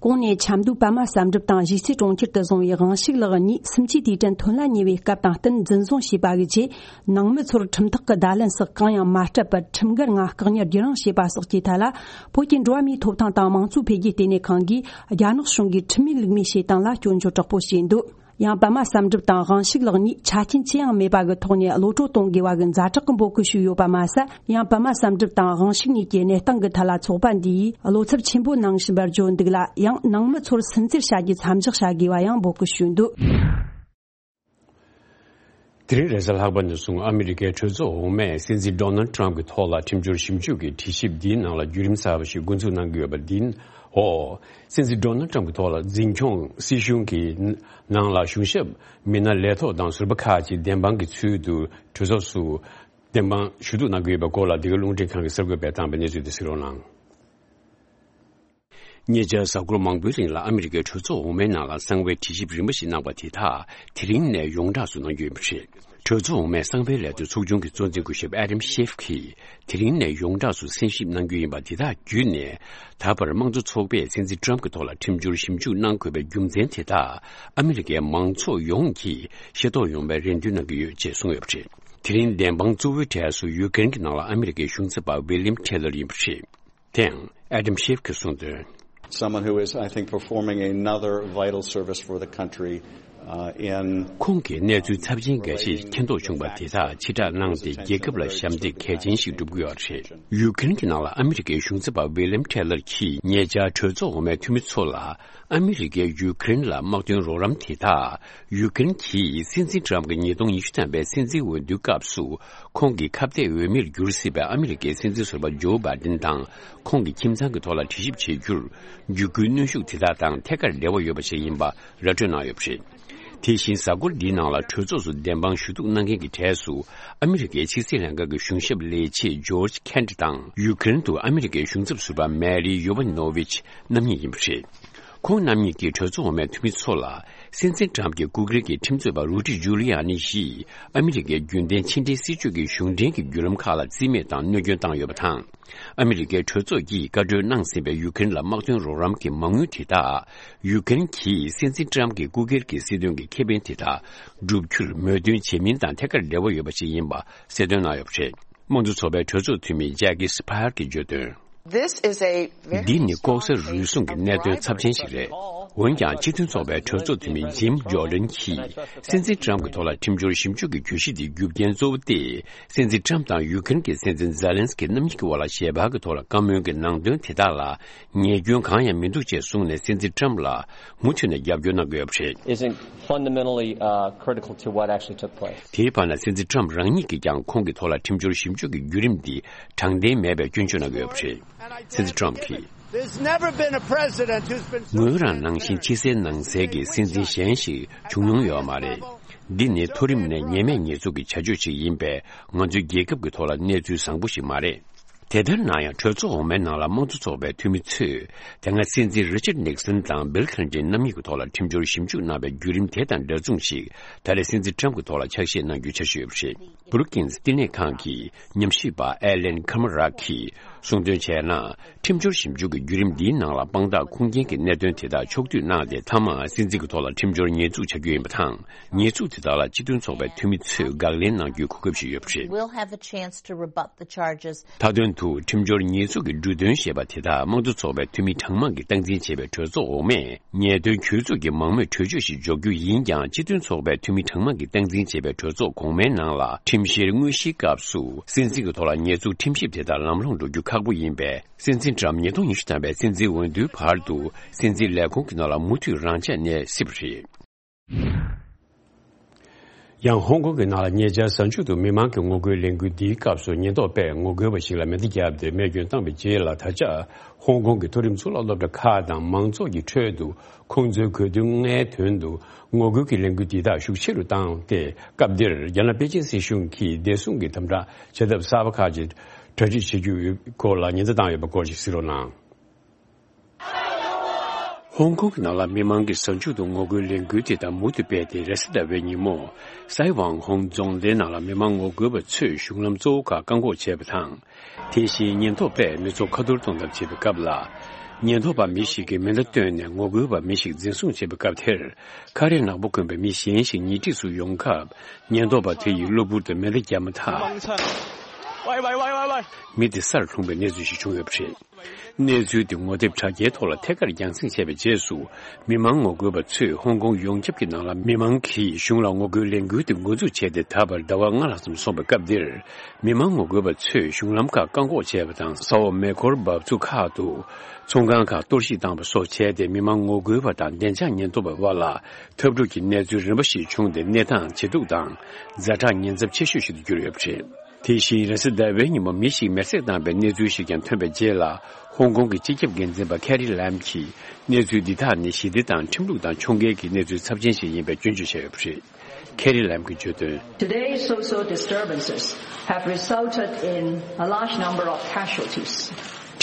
གོང་ནས་ཆབ་མདོའི་པདྨ་བསམ་གྲུབ་དང་གཞིས་རྩེ་གྲོང་ཁྱེར་དུ་བཟུང་བའི་དབང་ཕྱུག་ལགས་གཉིས་སུམ་ཅུའི་དུས་དྲན་ཐོན་ལ་ཉེ་བའི་སྐབས་དང་བསྟུན་འཛིན་བཟུང་བྱས་པ་གི་རྗེས། ནང་མི་ཚོར་ཁྲིམས་ཐག་གི་བརྡ་ལན་སོགས་གང་ཡང་མ་སྤྲད་པར། ཁྲིམས་འགལ་ངང་བཀག་ཉར་བརྒྱུད་རིང་བྱས་པ་སོགས་ཀྱི་ཐད་ལ། བོད་ཀྱི་འགྲོ་བ་མིའི་ཐོབ་ཐང་དང་དམངས་གཙོ་འཕེལ་རྒྱས་ལྟེ་གནས་ཁང་གིས་རྒྱ་ནག་གཞུང་གིས་ཁྲིམས་མེད་ལུགས་མེད་བྱེད་སྟངས་ལ་སྐྱོན་བརྗོད་དྲག་པོ་བྱས་འདུག་ཡང་། པདྨ་བསམ་གྲུབ་དང་དབང་ཕྱུག་ལགས་གཉིས་ཆ་རྐྱེན་ཅི་ཡང་མེད་པ་གི་ཐོག་ནས་གློད་བཀྲོལ་གཏོང་དགོས་པ་གི་ཛ་དྲག་གི་འབོད་སྐུལ་ཞུས་ཡོད་པ་མ་ཟད། ཡང་། པདྨ་བསམ་གྲུབ་དང་དབང་ཕྱུག་གཉིས་ཀྱི་གནས་སྟངས་ཀྱི་ཐད་ལ་ཚོགས་པ་འདིས་བློ་འཚབ་ཆེན་པོ་གནང་བཞིན་པར་བརྗོད་འདུག་ལ། ཡང་། ནང་མི་ཚོར་སུན་གཙེར་བྱ་རྒྱུ་མཚམས་འཇོག་བྱ་དགོས་པ་ཡང་འབོད་སྐུལ་ཞུས་འདུག་དེ་རིང་རེས་གཟའ་ལྷག་པ་ནས་བཟུང་ཨ་མི་རི་ཀའི་གྲོས་ཚོགས་འོག་མས་སྲིད་འཛིན་ཌོ་ནལ་ཊམ་གྱི་ཐོག་ལ་ཁྲིམས་སྦྱོར་ཞིབ་འཇུག་གི་དྲི་ཞིབ་འདིའི་ནང་ལ་བརྒྱུད་རིམ་གསར་པ་ཞིག་འགོ་འཛུགས་གནང་གི་ཡོད་པ་འདིའི་འོག་སྲིད་འཛིན་ཌོ་ནལ་ཊམ་གྱི་ཐོག་ལ་འཛིན་སྐྱོང་སྲིད་གཞུང་གི་ནང་ལ་གཞུང་ཞབས་མི་སྣ་ལས་ཐོག་དང་ཟུར་པ་ཁག་ཅིག་བདེན་དཔང་གི་ཚུལ་དུ་གྲོས་ཚོགས་སུ་བདེན་དཔང་ཞུ་གཏུག་གནང་གི་ཡོད་པའི་སྐོར་ལ། འདི་ག་རླུང་འཕྲིན་ཁང་གི་གསར་འགོད་པས་བཏང་བའི་གནས་ཚུལ་དེ་གཟིགས་རོགས་གནང་། ཉེ་ཆར་གཟའ་འཁོར་མང་པོའི་རིང་ལ་ཨ་མི་རི་ཀའི་གྲོས་ཚོགས་འོག་མའི་ནང་ལ་གསང་བའི་དྲི་ཞིབ་རིམ་པ་ཞིག་གནང་པ་དེ་དག་དེ་རིང་ནས་ཡོངས་གྲགས་སུ་གནང་རྒྱུ་ཡིན་པ་རེད། གྲོས་ཚོགས་འོག་མའི་གསང་བའི་ལས་དོན་ཚོགས་ཆུང་གི་གཙོ་འཛིན་སྐུ་ཞབས་ཨེ་ཌམ་ཤེབ་ཀྱིས་དེ་རིང་ནས་ཡོངས་གྲགས་སུ་གསན་ཞིབ་གནང་རྒྱུ་ཡིན་པ། དེ་དག་བརྒྱུད་ནས་ད་བར་དམངས་གཙོ་ཚོགས་པས་སྲིད་འཛིན་ཊམ་གྱི་ཐོག་ལ་ཁྲིམས་སྦྱོར་ཞིབ་འཇུག་གནང་དགོས་པའི་རྒྱུ་མཚན་དེ་དག་ཨ་མི་རི་ཀའི་མང་ཚོགས་ཡོངས་ཀྱིས་ཤེས་རྟོགས་ཡོང་བའི་རེ་འདུན་གནང་གི་ཡོད་ཅེས་གསུངས་ཡོད་པ་རེད། དེ་རིང་བདེན་དཔང་གཙོ་བོའི་གྲས་སུ་ཡུ་ཀེ་རེན་གྱི་ནང་ལ་ཨ་མི་རི་ཀའི་གཞུང་ཚབ་པ་ཝི་ལིམ་ཁྲེ་ལར་ཡིན་པ་རེད། དེའང་ཨེ་ཌམ་ཤེབ་ཀྱིས་གསུངས་དོན། Someone who is, I think, performing another vital service for the country, uh, in ཁོང་གིས་གནས་ཚུལ་ཚབས་ཆེན་འགའ་ཞིག་མཁྱེན་རྟོགས་བྱུང་བ་དེ་དག་ཕྱིར་བསྒྲགས་གནང་སྟེ། རྒྱལ་ཁབ་ལ་ཞབས་འདེགས་གལ་ཆེན་ཞིག་བསྒྲུབ་ཀྱི་ཡོད་རེད། ཡུ་ཀེ་རེན་གྱི་ནང་ལ་ཨ་མི་རི་ཀའི་གཞུང་ཚབ་པ་ཝི་ལིམ་ཁྲེ་ལར་གྱིས་ཉེ་ཆར་གྲོས་ཚོགས་འོག་མའི་འཐུས་མི་ཚོ་ལ། ཨ་མི་རི་ཀས་ཡུ་ཀེ་རེན་ལ་དམག་དོན་རོགས་རམ་དེ་དག་ཡུ་ཀེ་རེན་གྱིས་སྲིད་འཛིན་ཊམ་གྱི་ཉིས་སྟོང་ཉི་ཤུ་ཐམ་པའི་སྲིད་འཛིན་འོས་བསྡུའི་སྐབས་སུ་ཁོང་གི་ཁ་གཏད་འོས་མིར་གྱུར་སྲིད་པའི་ཨ་མི་རི་ཀའི་སྲིད་འཛིན་ཟུར་པ་ཇོ་བྷའི་ཌེན་དང་ཁོང་གི་ཁྱིམ་ཚང་གི་ཐོག་ལ་དྲི་ཞིབ་བྱེད་རྒྱུར་བརྒྱུད་སྐུལ་གནོན་ཤུགས་དེ་དག་དང་ཐད་ཀར་འབྲེལ་བ་ཡོད་པ་ཞིག་ཡིན་པ་ར་སྤྲོད་གནང་ཡོད་པ་རེད། དེ་བཞིན་གཟའ་འཁོར་འདིའི་ནང་ལ་གྲོས་ཚོགས་སུ་བདེན་དཔང་ཞུ་གཏུག་གནང་མཁན་གྱི་གྲས་སུ་ཨ་མི་རི་ཀའི་ཕྱི་སྲིད་ལྷན་ཁང་གི་གཞུང་ཞབས་ལས་བྱེད་ཇོརྗ་ཁེན་ཊི་དང་ཡུ་ཀེ་རེན་དུ་ཨ་མི་རི་ཀའི་གཞུང་ཚབ་ཟུར་པ་མེ་རི་ཡོ་ཝན་ནོ་ཝིཆ་རྣམ་གཉིས་ཡིན་པ་རེད། ཁོང་རྣམ་གཉིས་ཀྱིས་གྲོས་ཚོགས་འོག་མའི་འཐུས་མི་ཚོ་ལ་ སྲིད་འཛིན་ཊམ་གྱི་སྐུ་སྒེར་གྱི་ཁྲིམས་རྩོད་པ་རུ་ཌི་ཇུ་ལི་ཡ་ནི་ཡིས་ཨ་མི་རི་ཀའི་རྒྱུན་ལྡན་ཕྱི་འབྲེལ་སྲིད་ཇུས་ཀྱི་གཞུང་འབྲེལ་གྱི་བརྒྱུད་ལམ་ཁག་ལ་རྩིས་མེད་དང་གནོད་སྐྱོན་བཏང་ཡོད་པ་དང་། ཨ་མི་རི་ཀའི་གྲོས་ཚོགས་ཀྱིས་བཀའ་འཁྲོལ་གནང་ཟིན་པའི་ཡུ་ཀེ་རེན་ལ་དམག་དོན་རོགས་རམ་གྱི་མ་དངུལ་དེ་དག་ཡུ་ཀེ་རེན་གྱིས་སྲིད་འཛིན་ཊམ་གྱི་སྐུ་སྒེར་གྱི་སྲིད་དོན་གྱི་ཁེ་ཕན་དེ་དག་སྒྲུབ་རྒྱུར་མོས་མཐུན་བྱེད་མིན་དང་ཐད་ཀར་འབྲེལ་བ་ཡོད་པ་ཞིག་ཡིན་པ་གསལ་སྟོན་གནང་ཡོད་པ་རེད། དམངས་གཙོ་ཚོགས་པའི་གྲོས་ཚོགས་འཐུས་མི་ཇེ་ཀི་སི་ཕ་ཡར་གྱིས་བརྗོད་དོན། This is a very འདི་ནི་ལྐོག་ཟ་རུལ་སུངས་ཀྱི་གནད་དོན་ཚབས་ཆེན་ཞིག་རེད། འོན་ཀྱང་སྤྱི་མཐུན་ཚོགས་པའི་གྲོས་ཚོགས་འཐུས་མི་ཇིམ་ཇོར་ཌན་གྱིས་སྲིད་འཛིན་ཊམ་གྱི་ཐོག་ལ་ཁྲིམས་སྦྱོར་ཞིབ་འཇུག་གི་གྱོད་གཞི་འདིའི་རྒྱུ་རྐྱེན་གཙོ་བོ་སྟེ། སྲིད་འཛིན་ཊམ་དང་ཡུ་ཀེ་རེན་གྱི་སྲིད་འཛིན་ཛེ་ལན་སི་ཀི་རྣམ་གཉིས་ཀྱི་དབར་ལ་ཞལ་པར་གྱི་ཐོག་ལ་བཀའ་མོལ་གྱི་ནང་དོན་དེ་དག་ལ་ཉེས་སྐྱོན་གང་ཡང་མི་འདུག་ཅེས་གསུངས་ནས། སྲིད་འཛིན་ཊམ་ལ་མུ་མཐུད་ནས་རྒྱབ་སྐྱོར་གནང་གི་ཡོད་པ་རེད། Isn't fundamentally, uh, critical to what actually took place. དེའི་བར་ན་སྲིད་འཛིན་ཊམ་རང་ཉིད་ཀྱིས་ཀྱང་ཁོང་གི་ཐོག་ལ་ཁྲིམས་སྦྱོར་ཞིབ་འཇུག་གི་བརྒྱུད་རིམ་འདི་དྲང་བདེན་མེད་པའི་སྐྱོན་བརྗོད་གནང་གི་ཡོད་པ་རེད། སྲིད་འཛིན་ཊམ་གྱིས། There's never been a president who's been so ངོས་རང་ནང་བཞིན་ཕྱི་གསལ་ནང་གསལ་གྱི་སྲིད་འཛིན་གཞན་ཞིག་བྱུང་མྱོང་ཡོད་མ་རེད། འདི་ནི་མཐོ་རིམ་ནས་ཉེས་མེད་ཉེས་འཛུགས་ཀྱི་བྱ་སྤྱོད་ཅིག་ཡིན་པས། ང་ཚོའི་རྒྱལ་ཁབ་ཀྱི་ཐོག་ལ་གནས་ཚུལ་བཟང་པོ་ཞིག་མ་རེད། དེ་ལྟར་ན་ཡང་། གྲོས་ཚོགས་འོག་མའི་ནང་ལ་དམངས་གཙོ་ཚོགས་པའི་འཐུས་མི་ཚོས། དེ་སྔ་སྲིད་འཛིན་རི་ཅར་ནིག་སན་དང་བིལ་ཁི་ལིན་ཏན་རྣམ་གཉིས་ཀྱི་ཐོག་ལ་ཁྲིམས་སྦྱོར་ཞིབ་འཇུག་གནང་བའི་བརྒྱུད་རིམ་དེ་དང་འདྲ་མཚུངས་ཤིག་ད་རེས་སྲིད་འཛིན་ཊམ་གྱི་ཐོག་ལ་ཆགས་ཞེས་གནང་རྒྱུའི་འཆར་གཞི་ཡོད་པ་རེད། བུ་རུ་ཀིན་སི་བསྟི་གནས་ཁང་གི་ཉམས་ཞིབ་པ་ཨེ་ལན་ཁ་མ་རག་གིས་གསུངས་དོན་བྱས་ན། ཁྲིམས་སྦྱོར་ཞིབ་འཇུག་གི་བརྒྱུད་རིམ་འདིའི་ནང་ལ་དཔང་རྟགས་ཁུངས་སྐྱེལ་གྱི་གནད་དོན་དེ་དག་ཕྱོགས་བསྡུས་གནང་སྟེ། མཐའ་མ་སྲིད་འཛིན་གྱི་ཐོག་ལ་ཁྲིམས་སྦྱོར་ཉེས་འཛུགས་བྱ་རྒྱུ་ཡིན་པ་དང་། ཉེས་འཛུགས་དེ་དག་ལ་སྤྱི་མཐུན་ཚོགས་པའི་འཐུས་མི་ཚོས་དགག་ལན་གནང་རྒྱུའི་གོ་སྐབས་ཤིག་ཡོད་པ་རེད། We'll have a chance to rebut the charges. མཐའ་དོན་དུ་ཁྲིམས་སྦྱོར་ཉེས་འཛུགས་ཀྱི་འབྲུ་དོན་ཞེས་པ་དེ་དག་དམངས་གཙོ་ཚོགས་པའི་འཐུས་མི་གྲངས་མང་གིས་སྟངས་འཛིན་བྱས་པའི་གྲོས་ཚོགས་འོག་མས། ཉེས་དོན་གྱོད་འཛུགས་ཀྱི་མང་མོས་གྲོས་ཆོད་ཞིག་འཇོག་རྒྱུ་ཡིན་ཀྱང་། སྤྱི་མཐུན་ཚོགས་པའི་འཐུས་མི་གྲངས་མང་གིས་སྟངས་འཛིན་བྱས་པའི་གྲོས་ཚོགས་གོང་མའི་ནང་ལ་ཁྲིམས་བཤེར་དངོས་གཞིའི་སྐབས་སུ་སྲིད་འཛིན་གྱི་ཐོག་ལ་ཉེས་འཛུགས་ཁྲིམས་ཞིབ་དེ་དག་ལམ་ལྷོང་འགྲོ་རྒྱུ་ཁག་པོ་ཡིན་པས། སྲིད་འཛིན་ཊམ་ཉིས་སྟོང་ཉི་ཤུ་ཐམ་པའི་སྲིད་འཛིན་འོས་བསྡུའི་བར་དུ་སྲིད་འཛིན་ལས་ཁུངས་ཀྱི་ནང་ལ་མུ་མཐུད་རང་འཇགས་གནས་སྲིད་པ་རེད། ཡང་ཧོང་ཀོང་གི་ནང་ལ་ཉེ་ཆར་གཟའ་མཇུག་ཏུ་མི་མང་གི་ངོ་རྒོལ་ལས་འགུལ་འདིའི་སྐབས་སུ་ཉེན་རྟོག་པས་ངོ་རྒོལ་བ་ཞིག་ལ་མེ་མདའ་བརྒྱབ་སྟེ་རྨས་སྐྱོན་བཏང་བའི་རྗེས་ལ། ད་ཆ་ཧོང་ཀོང་གི་མཐོ་རིམ་གཙུག་ལག་སློབ་གྲྭ་ཁག་དང་མང་ཚོགས་ཀྱི་ཁྲོད་དུ་ཁོང་ཚོའི་གོ་དོན་ལྔའི་དོན་དུ་ངོ་རྒོལ་གྱི་ལས་འགུལ་འདི་དག་ཤུགས་ཆེ་རུ་བཏང་སྟེ། སྐབས་འདིར་རྒྱ་ནག་པེ་ཅིན་སྲིད་གཞུང་གིས་བདེ་སྲུང་གི་དམ་དྲག་བྱ་ཐབས་གསར་པ་ཁག་ཅིག་གྲ་སྒྲིག་བྱེད་རྒྱུའི་སྐོར་ལ་ཉེན་བརྡ་བཏང་ཡོད་པ་སྐོར་ཞིག་གཟིགས་རོགས་གནང་། ཧོང་ཀོང་གི་ནང་ལ་མི་མང་གིས་གཟའ་མཇུག་ཏུ་ངོ་རྒོལ་ལས་འགུལ་དེ་དག་མུ་མཐུད་སྤེལ་ཏེ། རེས་གཟའ་ཟླ་བའི་ཉིན་མོ། སའེ་ཝང་ཧོང་རྫོང་སྡེའི་ནང་ལ་མི་མང་ངོ་རྒོལ་བ་ཚོས་གཞུང་ལམ་གཙོ་བོ་ཁག་བཀག་འགོག་བྱས་པ་དང་། དེ་བཞིན་ཉེན་རྟོག་པས་མི་ཚོགས་ཁ་ཐོར་གཏོང་ཐབས་བྱེད་པའི་སྐབས་ལ། ཉེན་རྟོག་པ་མི་ཞིག་གིས་མེ་མདའ་བཏོན་ནས་ངོ་རྒོལ་བ་མི་ཞིག་འཛིན་བཟུང་བྱས་པའི་སྐབས་དེར། ཁ་རས་ནག་པོ་གོན་པའི་མི་གཞན་ཞིག་ཉེ་འཁྲིས་སུ་ཡོང་སྐབས། ཉེན་རྟོག་པ་དེ་ཡིས་གློ་བུར་དུ་མེ་མདའ་བརྒྱབ་མ་ཐག་མི་དེ་སར་ལྷུང་བའི་གནས་ཚུལ་ཞིག་བྱུང་ཡོད་པ་རེད། གནས་ཚུལ་དེ་ངོ་དེབ་དྲ་རྒྱའི་ཐོག་ལ་ཐད་ཀར་རྒྱང་སྲིང་བྱས་པའི་རྗེས་སུ། མི་མང་ངོ་རྒོལ་བ་ཚོས་ཧོང་ཀོང་ཡོངས་ཁྱབ་ཀྱི་ནང་ལ་མི་མང་གིས་གཞུང་ལ་ངོ་རྒོལ་ལས་འགུལ་དེ་འགོ་འཛུགས་བྱས་ཏེ། ད་བར་ཟླ་བ་ལྔ་ལྷག་ཙམ་སོང་བའི་སྐབས་འདིར། མི་མང་ངོ་རྒོལ་བ་ཚོས་གཞུང་ལམ་ཁག་བཀག་འགོག་བྱས་པ་དང་། ས་འོག་མེ་འཁོར་འབབ་ཚུགས་ཁག་ཏུ་ཚོང་ཁང་ཁག་གཏོར་བཤིག་བཏང་བ་སོགས་བྱས་ཏེ། མི་མང་ངོ་རྒོལ་བ་དང་བདེ་འཇགས་ཉེན་རྟོག་པའི་དབར་ལ་འཐབ་འཁྲུག་གི་གནས་ཚུལ་རིམ་པ་ཞིག་བྱུང་སྟེ། གནས་སྟངས་ཇེ་སྡུག་དང་ཛ་དྲག་ཉེན་ཚབས་ཆེ་ཤོས་ཤིག་ཏུ་གྱུར་ཡོད་པ་རེད། དེ་བཞིན་རེས་གཟའ་ཟླ་བའི་ཉིན་མོ་མི་ཞིག་མེར་སྲེག་བཏང་བའི་གནས་ཚུལ་ཞིག་ཀྱང་ཐོན་པའི་རྗེས་ལ། ཧོང་ཀོང་གི་སྤྱི་ཁྱབ་འགན་འཛིན་པ་ཁེ་རི་ལམ་གྱིས། གནས་ཚུལ་འདི་དག་ནི་ཞི་བདེ་དང་ཁྲིམས་ལུགས་དང་ཕྱོགས་འགལ་གྱི་གནས་ཚུལ་ཚབས་ཆེན་ཞིག་ཡིན་པའི་སྐྱོན་བརྗོད་བྱས་ཡོད་པ་རེད། ཁེ་རི་ལམ་གྱིས་བརྗོད་དོན། Today's social disturbances have resulted in a large number of casualties.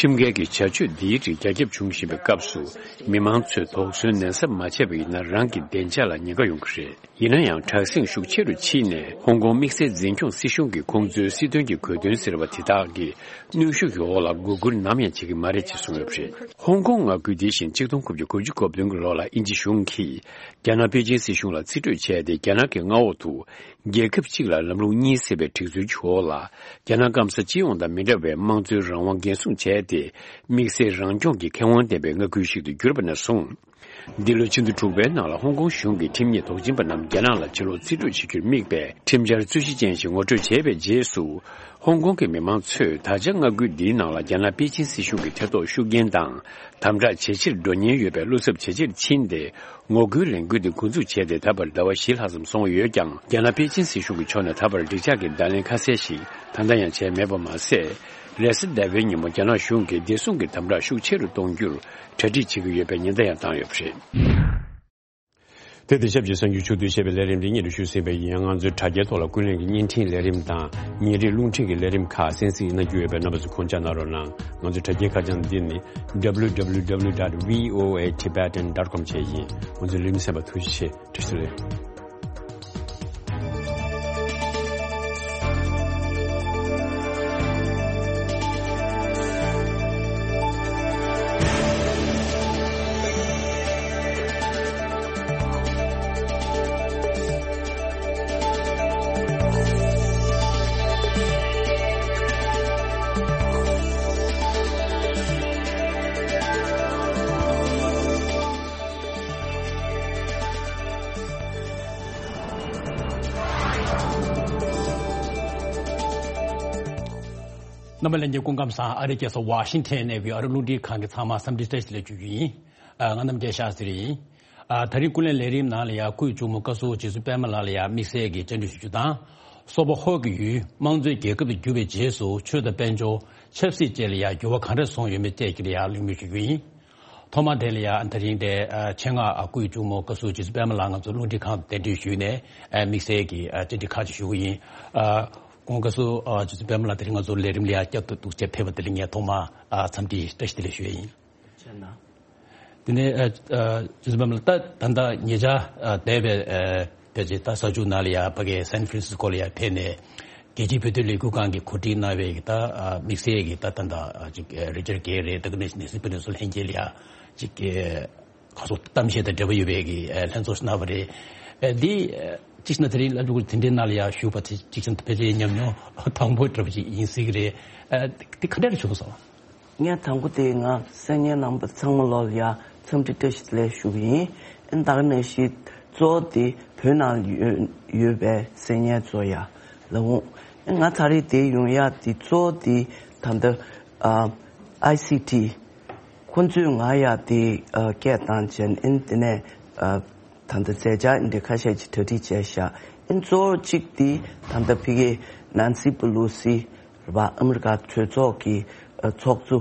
ཁྲིམས་འགལ་གྱི་བྱ་སྤྱོད་འདིའི་རིགས་རྒྱ་ཁྱབ་བྱུང་བཞིན་པའི་སྐབས་སུ། མི་མང་ཚོས་དོགས་ཟོན་ནན་གསབ་མ་བྱས་པ་ཡིན་ན། རང་གི་བདེ་འཇགས་ལ་ཉེན་ཁ་ཡོང་གི་རེད། ཡིན་ན་ཡང་། དྲག་ཟིང་ཤུགས་ཆེ་རུ་ཕྱིན་ནས། ཧོང་ཀོང་དམིགས་བསལ་འཛིན་སྐྱོང་སྲིད་གཞུང་གིས་ཁོང་ཚོའི་སྲིད་དོན་གྱི་གོ་དོན་ཟེར་བ་དེ་དག་གི་གནོན་ཤུགས་ཀྱི་འོག་ལ་མགོ་སྒུར་ནམ་ཡང་བྱེད་ཀྱི་མ་རེད་ཅེས་གསུངས་ཡོད་པ་རེད། ཧོང་ཀོང་མངའ་ཁུལ་འདི་བཞིན་གཅིག་སྟོང་དགུ་བརྒྱ་དགུ་བཅུ་གོ་བདུན་གྱི་ལོ་ལ་དབྱིན་ཇི་གཞུང་གིས་རྒྱ་ནག་པེ་ཅིན་སྲིད་གཞུང་ལ་རྩིས་སྤྲོད་བྱས་ཏེ། རྒྱ་ནག་གི་མངའ་འོག་ཏུ་རྒྱལ་ཁབ་གཅིག་ལ་ལམ་ལུགས་གཉིས་ཟེར་བའི་སྒྲིག་སྲོལ་གྱི་འོག་ལ། རྒྱ་ནག་སྐམ་ས་སྤྱི་ཡོངས་དང་མི་འདྲ་བའི་དམངས་གཙོའི་རང་དབང་འགན་སྲུང་བྱས་ཏེ། དམིགས་བསལ་རང་སྐྱོང་གི་ཁེ་དབང་ལྡན་པའི་མངའ་ཁུལ་ཞིག་ཏུ་གྱུར་པ་ནས་བཟུང་། འདི་ལོའི་ཕྱི་ཟླ་དྲུག་པའི་ནང་ལ་ཧོང་ཀོང་གཞུང་གིས་ཁྲིམས་ཉིད་དོགས་ཟོན་པ་རྣམས་རྒྱ་ནག་ལ་ཕྱིར་ལོག་རྩིས་སྤྲོད་བྱེད་རྒྱུར་དམིགས་པའི་ཁྲིམས་འཆར་རྩོད་གཞི་ཅན་ཞིག་ངོ་སྤྲོད་བྱས་པའི་རྗེས་སུ། ཧོང་ཀོང་གི་མི་མང་ཚོས་ད་ཆ་མངའ་ཁུལ་འདིའི་ནང་ལ་རྒྱ་ནག་པེ་ཅིན་སྲིད་གཞུང་གི་ཐེ་གཏོགས་ཤུགས་རྐྱེན་དང་དམ་དྲག་ཇེ་ཆེར་འགྲོ་ཉེན་ཡོད་པའི་བློ་འཚབ་ཇེ་ཆེར་ཕྱིན་ཏེ། ངོ་རྒོལ་ལས་འགུལ་འདི་འགོ་འཛུགས་བྱས་ཏེ་ད་བར་ཟླ་བ་བཞི་ལྷག་ཙམ་སོང་ཡོད་ཀྱང་། རྒྱ་ནག་པེ་ཅིན་སྲིད་གཞུང་གི་ཕྱོགས་ནས་ད་བར་འགྲིག་འཇགས་ཀྱི་བརྡ་ལན་ཁ་གསལ་ཞིག་ད་ལྟ་ཡང་བྱས་མེད་པ་མ་ཟད། རེས་གཟའ་ཟླ་བའི་ཉིན་མོ་རྒྱ་ནག་གཞུང་གིས་བདེ་སྲུང་གི་དམ་དྲག་ཤུགས་ཆེ་རུ་གཏོང་རྒྱུར་གྲ་སྒྲིག་བྱེད་ཀྱི་ཡོད་པའི་ཉེན་བརྡ་ཡང་བཏང་ཡོད་པ་རེད། དེ་དང་ཆབས་ཅིག་གསར་འགྱུར་ཕྱོགས་བསྡུས་བྱས་པའི་ལས་རིམ་འདི་སྙན་དུ་ཞུ་ཟིན་པ་ཡིན། ང་ཚོའི་དྲ་རྒྱའི་ཐོག་ལ་ཀུན་གླེང་གི་བརྙན་འཕྲིན་ལས་རིམ་དང་ཉིན་རེའི་རླུང་འཕྲིན་གྱི་ལས་རིམ་ཁག་གསན་གཟིགས་གནང་རྒྱུ་ཡོད་པས། རྣམ་པ་ཚོས་ཁོང་ཆ་གནང་རོགས་གནང་། ང་ཚོའི་དྲ་རྒྱའི་ཁ་བྱང་འདི་ནི་W W W dot V O A Tibetan dot com བཅས་ཡིན། ང་ཚོའི་ལས་རིམ་གསན་པར་ཐུགས་རྗེ་ཆེ། བཀྲ་ཤིས་བདེ་ལེགས། རྣམ་པ་ལྷན་རྒྱས་སྐུ་ཁམས་བཟང་། ཨ་རིའི་རྒྱལ་ས་ཝ་ཤིང་ཐན་ནས་བྷི་ཨ་རི་རླུང་འཕྲིན་ཁང་གི་ཚང་མ་འཚམས་འདྲི་བཀྲ་ཤིས་བདེ་ལེགས་ཞུ་རྒྱུ་ཡིན། ཨ། ང་རྣམ་རྒྱལ་ཤཱ་སྟྲི་ཡིན། ཨ། ད་རིང་ཀུན་གླེང་ལས་རིམ་ནང་ལ་ཡང་སྐུའི་གཅུང་མོ་བཀའ་ཟུར་རྗེ་བཙུན་པད་མ་ལགས་ལ་ཡང་དམིགས་བསལ་གྱི་བཅར་འདྲི་ཞུ་རྒྱུ་དང་། སོག་པོ་ཧོར་གྱི་ཡུལ་དམངས་གཙོའི་རྒྱལ་ཁབ་ཏུ་གྱུར་པའི་རྗེས་སུ་ཆོས་དང་དཔལ་འབྱོར། ཆབ་སྲིད་བཅས་ལ་ཡང་འགྱུར་བ་གང་འདྲ་སོང་ཡོད་མེད་བཅས་ཀྱི་ལ་ཡང་གླེང་མོལ་ཞུ་རྒྱུ་ཡིན། ཐོག་མ་དེ་ལ་ཡང་ད་རིང་དེ་ཆེད་མངགས་སྐུའི་གཅུང་མོ་བཀའ་ཟུར་རྗེ་བཙུན་པད་མ་ལགས་ང་ཚོ་རླུང་འཕྲིན་ཁང་དུ་གདན་འདྲེན་ཞུས་ནས་དམིགས་བསལ་གྱི་བཅར་འདྲི་ཁག་ཅིག་ཞུ་གི་ཡིན། སྐུ་ངོ་བཀའ་ཟུར་རྗེ་བཙུན་པད་མ་ལགས་དེ་རིང་ང་ཚོ་ལས་རིམ་ལ་ཡང་བསྐྱར་དུ་འདུག་སེ་ཕེབས་པ་དེ་ལ་ངས་ཐོག་མར་འཚམས་འདྲི་བཀྲ་ཤིས་བདེ་ལེགས་ཞུ་ཡ་ཡིན། ཆེ་ན། དེ་ནས་ཨ་ཨ་རྗེ་བཙུན་པད་མ་ལགས། ད་ད་ལྟ་ཉེ་ཆར་ཨ་འདས་པའི་ཨ་ཕལ་ཆེར་ད་ས་ཆུ་ནང་ལ་ཡ་ཕ་གི་སན་ཧྥ་རན་སིས་ཀོ་ལ་ཡ་ཕེབས་ནས་རྒྱལ་སྤྱིའི་བོད་དོན་ལས་འགུལ་ཁང་གིས་གོ་སྒྲིག་གནང་བའི་ད་ཨ་དམིགས་བསལ་གྱི་ད་ད་ད་ཨ་ཅིག་ཨ་རི་ཅར་གྷེ་རེད། ད་ག་ནང་བཞིན་ནེན་སི་པེ་ལོ་སི་ལྷན་རྒྱས་ལ་ཡ་ཅིག་ཨ་ག་སོ་གཏམ་བཤད་དང་འབྲེལ་བ་ཡོད་པའི་གི་ཨ་ལྷན་ཚོགས་ཤིག་གནང་བ་རེད། ཨ་འདི་ཨ་གཅིག་བྱས་ན་དེ་རིང་སློབ་ཕྲུག་དེ་འདྲའི་ནང་ལ་ཡ་ཞུགས་པ་དེ་གཅིག་བྱས་ན་ཕལ་ཆེར་ཉམས་མྱོང་དང་པོ་འདྲ་པོ་ཅིག་ཡིན་སྲིད་ཀྱི་རེད། ཨ་འདི་ག་འདྲ་བྱུང་སོང་། ངས་དང་པོ་དེ་ང་གསན་མཁན་རྣམ་པ་ཚང་མ་ལོག་ལ་ཡ་འཚམས་འདྲི་བཀྲ་ཤིས་བདེ་ལེགས་ཞུ་གི་ཡིན། ཨ་ནི་ད་ག་ནང་བཞིན་གཙོ་བོ་དེ་བོད་ནང་ཡོད་ཡོད་པའི་གསན་མཁན་ཚོ་ཡ་ལ་འོང་། ཨ་ནི་ང་ད་རེས་དེ་ཡོང་ཡ་དེ་གཙོ་བོ་དེ་ད་ལྟ་ཨ་ཨའི་སི་ཊི་ཁོ་ཚོས་ང་ཡ་དེ་ཨ་སྐད་བཏང་བྱས། ཨ་ནི་དེ་ནས་ཨ་ད་ལྟ་མཛད་འཆར་འདི་འདྲ་ཁ་ཤས་ཅིག་གྲ་སྒྲིག་བྱས་ཤག་ཨ་ནི་གཙོ་བོ་གཅིག་དེ་ད་ལྟ་ཕ་གི་ནན་སི་པེ་ལོ་སི་རེད་པ། ཨ་མི་རི་ཀ་གྲོས་ཚོགས་ཀྱི་ཨ་ཚོགས་གཙོ་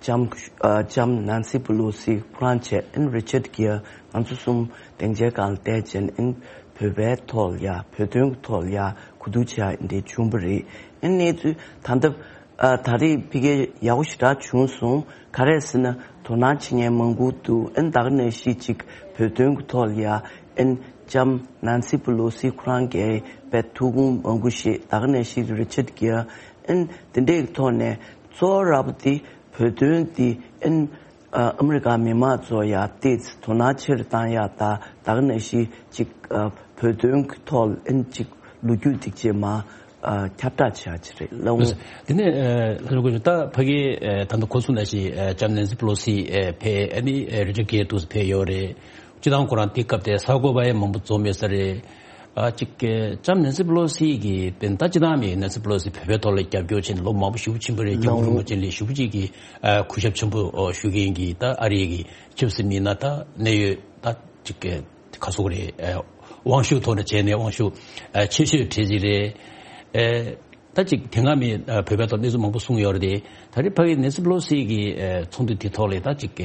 ལྕམ་ཨ་ལྕམ་ནན་སི་པེ་ལོ་སི་ཁོ་རང་བྱས། ཨ་ནི་རི་ཆར་གྷེར། ང་ཚོ་གསུམ་སྡིངས་ཆའི་སྒང་ལ་བསྡད་བྱས། ཨ་ནི་བོད་པའི་ཐོག་ལ་ཡ་བོད་དོན་གྱི་ཐོག་ལ་ཡ་གོ་བསྡུར་བྱས་འདི་བྱུང་བ་རེད། ཨ་ནི་གནས་ཚུལ་ད་ལྟ་ཨ་ད་རེས་ཕ་གི་ཡག་པོ་ཞེ་དྲག་བྱུང་སོང་། ག་རེ་ཟེར་ན་དོ་སྣང་བྱེད་མཁན་མང་པོ་འདུག་ཨ་ནི་ད་ག་ནང་བཞིན་ཅིག་བོད་དོན་གྱི་ཐོག་ལ་ཡ་ཨ་ནི་ལྕམ་ནན་སི་པེ་ལོ་སི་ཁོ་རང་གིས་དཔེ་ཐུགས་དགོངས་མང་པོ་བཞེས། ད་ག་ནང་བཞིན་རི་ཆར་གྷེར། ཨ་ནི་དེ་འདྲའི་ཐོག་ནས་གཙོ་བོ་ར་བ་དེ་བོད་དོན་དེ་ཨ་ནི་ཨ་ཨ་མི་རི་ཀ་མི་མང་ཚོ་ཡ་ཏོག་ཙམ་དོ་སྣང་ཆེ་རུ་བཏང་ཡ་དང་། ད་ག་ནང་བཞིན་ཅིག་ཨ་བོད་དོན་གྱི་ཐོག་ཨ་ནི་ཅིག་ལོ་རྒྱུས་སྒྲིག་བྱེད་མ། ཨ་ཁྱབ་བསྒྲགས་བྱ་ཆེད་རེད་ལབ་འོང་། དེ་ནས་ཨ་ལྷན་རྒྱས་ཀྱིས་ད་ཕ་གི་ཨ་ད་ལྟ་གོང་གསུངས་ནང་བཞིན་ཨ་ལྕམ་ནན་སི་པེ་ལོ་སི་ཨ་ཕེབས། ཨ་ནི་ཨ་རི་ཅར་གྷེར་དུ་ཕེབས་ཡོད་རེད། སྤྱིར་བཏང་ཁོ་རང་དེ་སྐབས་དེ་གསར་འགོད་པ་ཡང་མང་པོ་འཛོམས་ཡོད་ས་རེད། ཨ་ཅིག་ཨ་ལྕམ་ནན་སི་པེ་ལོ་སི་གི་དཔེར་ན་ད་སྤྱིར་བཏང་མི་ནན་སི་པེ་ལོ་སི་བོད་པའི་ཐོག་ལ་རྒྱབ་སྐྱོར་བྱས་ནས་ལོ་མང་པོ་ཞེ་པོ་ཕྱིན་པ་རེད། སྐྱབས་མགོན་རིན་པོ་ཆེ་ལ་ཞེ་པོ་ཅིག་གི་ཨ་གུས་ཞབས་ཆེན་པོ་ཨ་ཞུ་མཁན་གྱི་ད་ཨ་རི་གི་ཆབ་སྲིད་མི་སྣ་ད་གནད་ཡོད་ད་ཅིག་ག་སོགས་རེད། ཨ་དབང་ཤུགས་ཐོག་ནས་བྱས་ནས་དབང་ཤུགས་ཨ་ཆེ་ཤོས་གྲས་ཅིག་རེད། ཨ་ད་ཅིག་དེ་སྔ་མི་ཨ་བོད་པའི་ཐོག་གནས་ཚུལ་མང་པོ་གསུངས་ཡོད་རེད་དེ། ད་རེས་ཕ་གི་ནན་སི་པེ་ལོ་སི་གི་ཨ་ཚོགས་འདུ་དེ་ཐོག་ལ་ད་ཅིག་ག་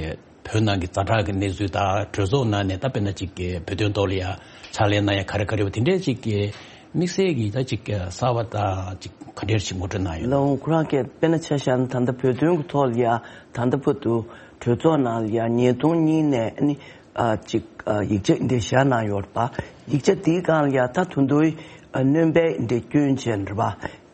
བོད་ནང་གི་ཛ་དྲག་གི་གནས་ཚུལ་དང་གྲོས་ཚོགས་ནང་ནས་ད་དཔེར་ན་ཅིག་ག་བོད་དོན་ཐོག་ལ་ཡ་ཕྱག་ལས་གནང་ཡ་ག་རེ་ག་རེ་ཡོད་པ་དེ་འདྲའི་ཅིག་ག་དམིགས་བསལ་གྱི་ད་ཅིག་ག་གསར་པ་དང་ཅིག་ག་འདྲ་ཞིག་ངོ་སྤྲོད་གནང་ཡོད་ན། ལགས་འོང་། ཁོ་རང་གིས་དཔེར་ན་ཆ་བཞག་ན་ད་ལྟ་བོད་དོན་གྱི་ཐོག་ལ་ཡ་ད་ལྟ་བར་དུ་གྲོས་ཚོགས་ནང་ལ་ཡ་ཉིས་སྟོང་གཉིས་ནས་ཨ་ནི་ཨ་ཅིག་ཨ་ཡིག་ཆ་འདི་བཞག་གནང་ཡོད་པ། ཡིག་ཆ་དེའི་སྒང་ལ་ཡ་ད་དོན་དུ་ཨ་སྣོན་པ་འདི་བསྐྱོན་བྱས་རེད་པ།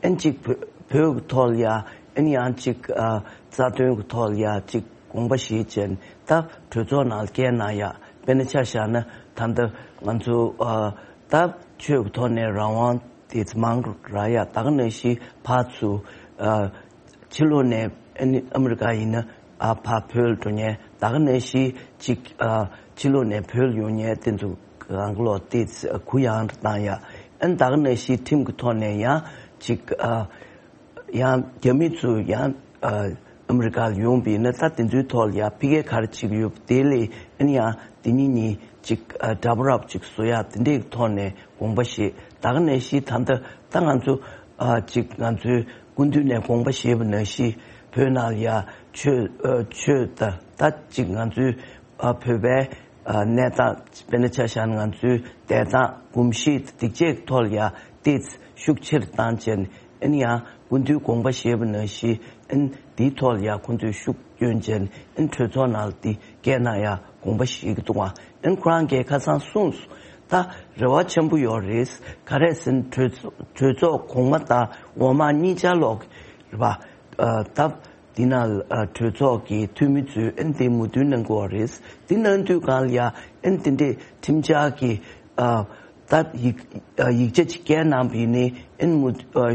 ཨ་ནི་ཅིག་བོད་བོད་ཀྱི་ཐོག་ལ་ཡ་ཨ་ནི་ཡང་ཅིག་ཨ་རྩ་དོན་གྱི་ཐོག་ལ་ཡ་ཅིག་དགོངས་པ་བཞེས་བྱས་ད་གྲོས་ཚོགས་ནང་ལ་བསྐྱལ་གནང་ཡ། དཔེར་ན་ཆ་བཞག་ན་ད་ལྟ་ང་ཚོ་ཨ་ད་ཆོས་ཀྱི་ཐོག་ནས་རང་དབང་དེ་ཚོ་མང་ར་ཡ། ད་ག་ནང་བཞིན་ཕར་ཚུར་ཨ་ཕྱི་ལོགས་ནས་ཨ་ནི་ཨ་མི་རི་ཀ་ཡིན་ན་ཨ་ཕར་བོད་ལ་འགྲོ་མཁན། ད་ག་ནང་བཞིན་ཅིག་ཨ་ཕྱི་ལོགས་ནས་བོད་ལ་ཡོང་མཁན་དེ་ཚོ་གང་ལོག་དེ་གུ་ཡངས་རུ་བཏང་ཡ། ཨ་ནི་ད་ག་ནང་བཞིན་ཁྲིམས་ཀྱི་ཐོག་ནས་ཡང་ཅིག་ཨ་ཡང་རྒྱ་མི་ཚོ་ཡང་ཨ་ཨ་མི་རི་ཀ་ལ་ཡོང་བ་ཡིན་ན་ད་དེ་ཚོའི་ཐོག་ལ་ཡ་ཕ་གིར་ག་རེ་བྱེད་ཀྱི་ཡོད་པ་དེ་ལས་ཨ་ནི་ཡང་དེ་གཉིས་གཉིས་ཅིག་ཨ་འདྲ་པོ་རབ་ཅིག་བཟོ་ཡ་དེ་འདྲའི་ཐོག་ནས་དགོངས་པ་བཞེས། ད་ག་ནང་བཞིན་ད་ལྟ་ད་ང་ཚོ་ཨ་ཅིག་ང་ཚོའི་སྐུ་མདུན་ནས་དགོངས་པ་བཞེས་པ་ནང་བཞིན་བོད་ནང་ལ་ཡ་ཆོས་ཨ་ཆོས་ད་ད་ཅིག་ང་ཚོའི་ཨ་བོད་པའི་ གནས་སྟངས་དཔེར་ན་ཆ་བཞག་ན་ང་ཚོའི་བདེ་ཐང་གོམས་གཤིས་སྡིག་ཆས་ཀྱི་ཐོག་ལ་ཡ་ཏོག་ཙམ་ཤུགས་ཆེར་བཏང་བྱས་ནས་ཨ་ནི་ཡང་སྐུ་མདུན་དགོངས་པ་བཞེས་པ་ནང་བཞིན་ཨ་ནི་འདིའི་ཐོག་ལ་ཡ་ཁོང་ཚོས་ཤུགས་བསྐྱོན་བྱས་ནས་ཨ་ནི་གྲོས་ཚོགས་ནང་ལ་འདི་སྐད་གནང་ཡ་དགོངས་པ་བཞེས་ཀྱི་འདུག་ཨ། ཨ་ནི་ཁོ་རང་གིས་ཁ་སང་གསུངས་སོང་། ད་རེ་བ་ཆེན་པོ་ཡོད་རེད། ག་རེ་ཟེར་ན་གྲོས་ཚོགས་གྲོས་ཚོགས་གོང་མ་དང་འོག་མ་གཉིས་ཆ་ལོག་རེད་པ། ད་འདི་ནང་ལ་ཨ་གྲོས་ཚོགས་ཀྱི་འཐུས་མི་ཚོས་ཨ་ནི་འདི་མོས་མཐུན་གནང་གི་ཡོད་རེད། འདི་གནང་དུས་སྒང་ལ་ཡ་ཨ་ནི་འདི་འདྲའི་ཁྲིམས་འཆར་གྱི་ཨ་ད་ཡིག་ཨ་ཡིག་ཆ་ཅིག་བཀལ་གནང་བ་ཡིན་ནའི་ཨ་ནི་མོས་ཨ་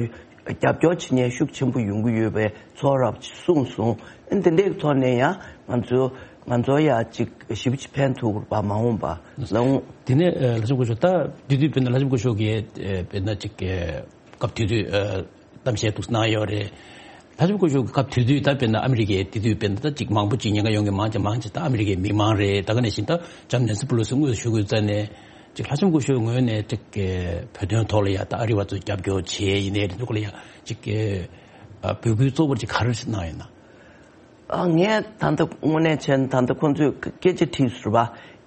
རྒྱབ་སྐྱོར་བྱེད་མཁན་ཤུགས་ཆེན་པོ་ཡོང་གི་ཡོད་པའི་ཚོར་རབ་ཅིག་གསུངས་སོང་། ཨ་ནི་འདི་འདྲའི་ཐོག་ནས་ཡང་ང་ཚོ་ང་ཚོ་ཡ་ཅིག་ཞེ་པོ་ཅིག་ཕན་ཐོགས་པ་མ་འོངས་པ་ལ་འོང་། དེ་ནས་ཨ་ལྷ་ལྕམ་སྐུ་ཞབས་ད་དེ་དུས་དཔེར་ན་ལྷ་ལྕམ་སྐུ་ཞབས་ཀྱིས་ཨ་དཔེར་ན་ཅིག་ཨ་སྐབས་དེ་དུས་ཨ་གཏམ་བཤད་འདུག་གནང་ཡོད་རེད། ལྷ་ལྕམ་སྐུ་ཞབས་ཀྱི་སྐབས་དེ་དུས་ད་དཔེར་ན་ཨ་མི་རི་ཀའི་དེ་དུས་དཔེར་ན་ད་ཅིག་མང་པོ་ཅིག་ཉེན་ཁ་ཡོང་གི་མང་ཆེ་མང་ཆེ་ད་ཨ་མི་རི་ཀའི་མི་མང་རེད། ད་ག་ནང་བཞིན་ད་ལྕམ་ནེན་སི་པེ་ལོ་སི་དངོས་སུ་བཞུགས་ཡོད་རྩ་ནས་ཅིག་ལྷ་ལྕམ་སྐུ་ཞབས་ངོས་ནས་ཅིག་བོད་དོན་ཐོག་ལ་ཡ་ད་ཨ་རི་བ་ཚོ་རྒྱབ་སྐྱོར་བྱེད་ཡིན་ནའི་རེད་འདུག་ལ་ཡ་ཅིག་འབོད་སྐུལ་གཙོ་བོར་ཅིག་ག་རེ་གནང་ཡོད་ན། ཨ་ངས་ད་ལྟ་དངོས་གནས་བྱས་ན་ད་ལྟ་ཁོང་ཚོས་སྐད་ཆ་དྲིས་ཟེར་བ།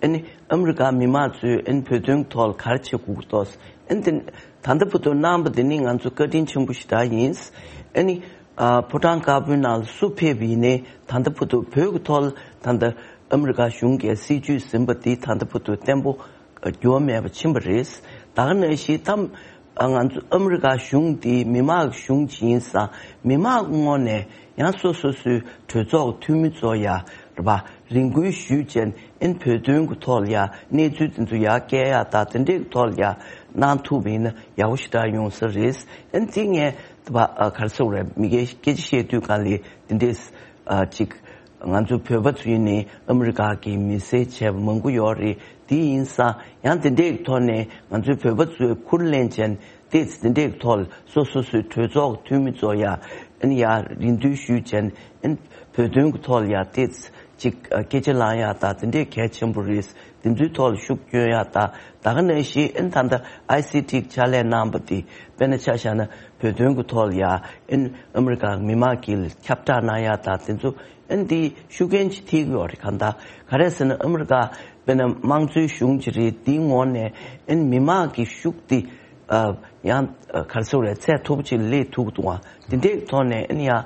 ཨ་ནི་ཨ་མི་རི་ཀ་མི་མང་ཚོས་ཨ་ནི་བོད་དོན་ཐོག་ལ་ག་རེ་བྱེད་དགོས་ཀྱི་འདུག་ཨ་ནི་དེ་ད་ལྟ་བར་དུ་གནང་བ་དེ་ནི་ང་ཚོ་བཀའ་དྲིན་ཆེན་པོ་ཞེ་དྲག་ཡིན། ཨ་ནི་ཨ་ཕོ་བྲང་དཀར་པོའི་ནང་ལ་སུ་ཕེབས་པ་ཡིན་ནའི་ད་ལྟ་བར་དུ་བོད་ཀྱི་ཐོག་ལ་ད་ལྟ་ཨ་མི་རི་ཀ་གཞུང་གིས་སྲིད་ཇུས་ཟིན་པ་འདི་ད་ལྟ་བར་དུ་བརྟན་པོ་འགྱུར་བ་མེད་པ་ཕྱིན་པ་རེད། ད་ག་ནང་བཞིན་ད་ང་ཚོ་ཨ་མི་རི་ཀ་གཞུང་འདི་མི་དམངས་ཀྱི་གཞུང་ཅིག་ཡིན་ཙང་མི་དམངས་ཀྱི་ངོས་ནས་ཡང་སོ་སོ་སོའི་གྲོས་ཚོགས་ཀྱི་འཐུས་མི་ཚོ་ཡ་རེད་པ། རེ་སྐུལ་ཞུས་བྱས་ཨིན་བོད་དོན་གྱི་ཐོག་ལ་ཡ་གནས་ཚུལ་དེ་ཚོ་ཡ་སྐད་ཡ་ད་དེ་འདྲའི་ཐོག་ལ་ཡ་གནང་ཐུབ་པ་ཡིན་ན་ཡག་པོ་ཞེ་དྲག་ཡོང་ས་རེད། ཨིན་དེ་ངས་ད་ག་རེ་ཟེར་དགོས་རེད། མི་སྒེར་སྐད་ཆ་བཤད་དུས་གང་ལ་དེ་འདྲའི་ཅིག་ང་ཚོ་བོད་པ་ཚོ་ཡིན་ནའི་ཨ་མི་རི་ཀ་གི་མི་སེར་བྱས་པ་མང་པོ་ཡོད་རེད། དེ་ཡིན་ཙང་ཡང་དེ་འདྲའི་ཐོག་ནས་ང་ཚོའི་བོད་པ་ཚོས་ཁུར་ལེན་བྱས་ཏེ་དེ་འདྲའི་ཐོག་སོ་སོ་སོའི་གྲོས་ཚོགས་འཐུས་མི་ཚོ་ཡ་ཨ་ནི་ཡ་རེ་འདུན་ཞུས་བྱས་ཨ་ནི་བོད་དོན་གྱི་ཐོག་ལ་ཡ་ཏེ་ཅིག་སྐད་ཆ་ལངས་ཡ་ད་དེ་འདྲའི་གལ་ཆེན་པོ་རེད། དེ་ཚོའི་ཐོག་ལ་ཤུགས་སྐྱོན་ཡ་ད་ད་ག་ནང་བཞིན་ཨ་ནི་ད་ལྟ་ཨའི་སི་ཊི་ཕྱག་ལས་གནང་བ་དེ་དཔེར་ན་ཆ་བཞག་ན་བོད་དོན་གྱི་ཐོག་ལ་ཡ་ཨ་ནི་ཨ་མི་རི་ཀ་མི་མང་གིས་ཁྱབ་བསྒྲགས་གནང་ཡ་ད་དེ་ཚོ་ཨ་ནི་དེ་ཤུགས་རྐྱེན་ཅིག་ཐེབས་ཀྱི་ཡོད་རེད། གང་ལྟར་ག་རེ་ཟེར་ན་ཨ་མི་རི་ཀ་དཔེར་ན་དམངས་གཙོའི་གཞུང་ཅིག་རེད། དེའི་ངོས་ནས་ཨ་ནི་མི་མང་གི་ཤུགས་དེ་ཨ་ཡང་ཨ་ག་རེ་ཟེར་དགོས་རེད། ཚད་མཐོ་པོ་ཅིག་སླེབས་ཐུབ་ཀྱི་འདུག་ཨ། དེ་འདྲའི་ཐོག་ནས་ཨ་ནི་ཡང་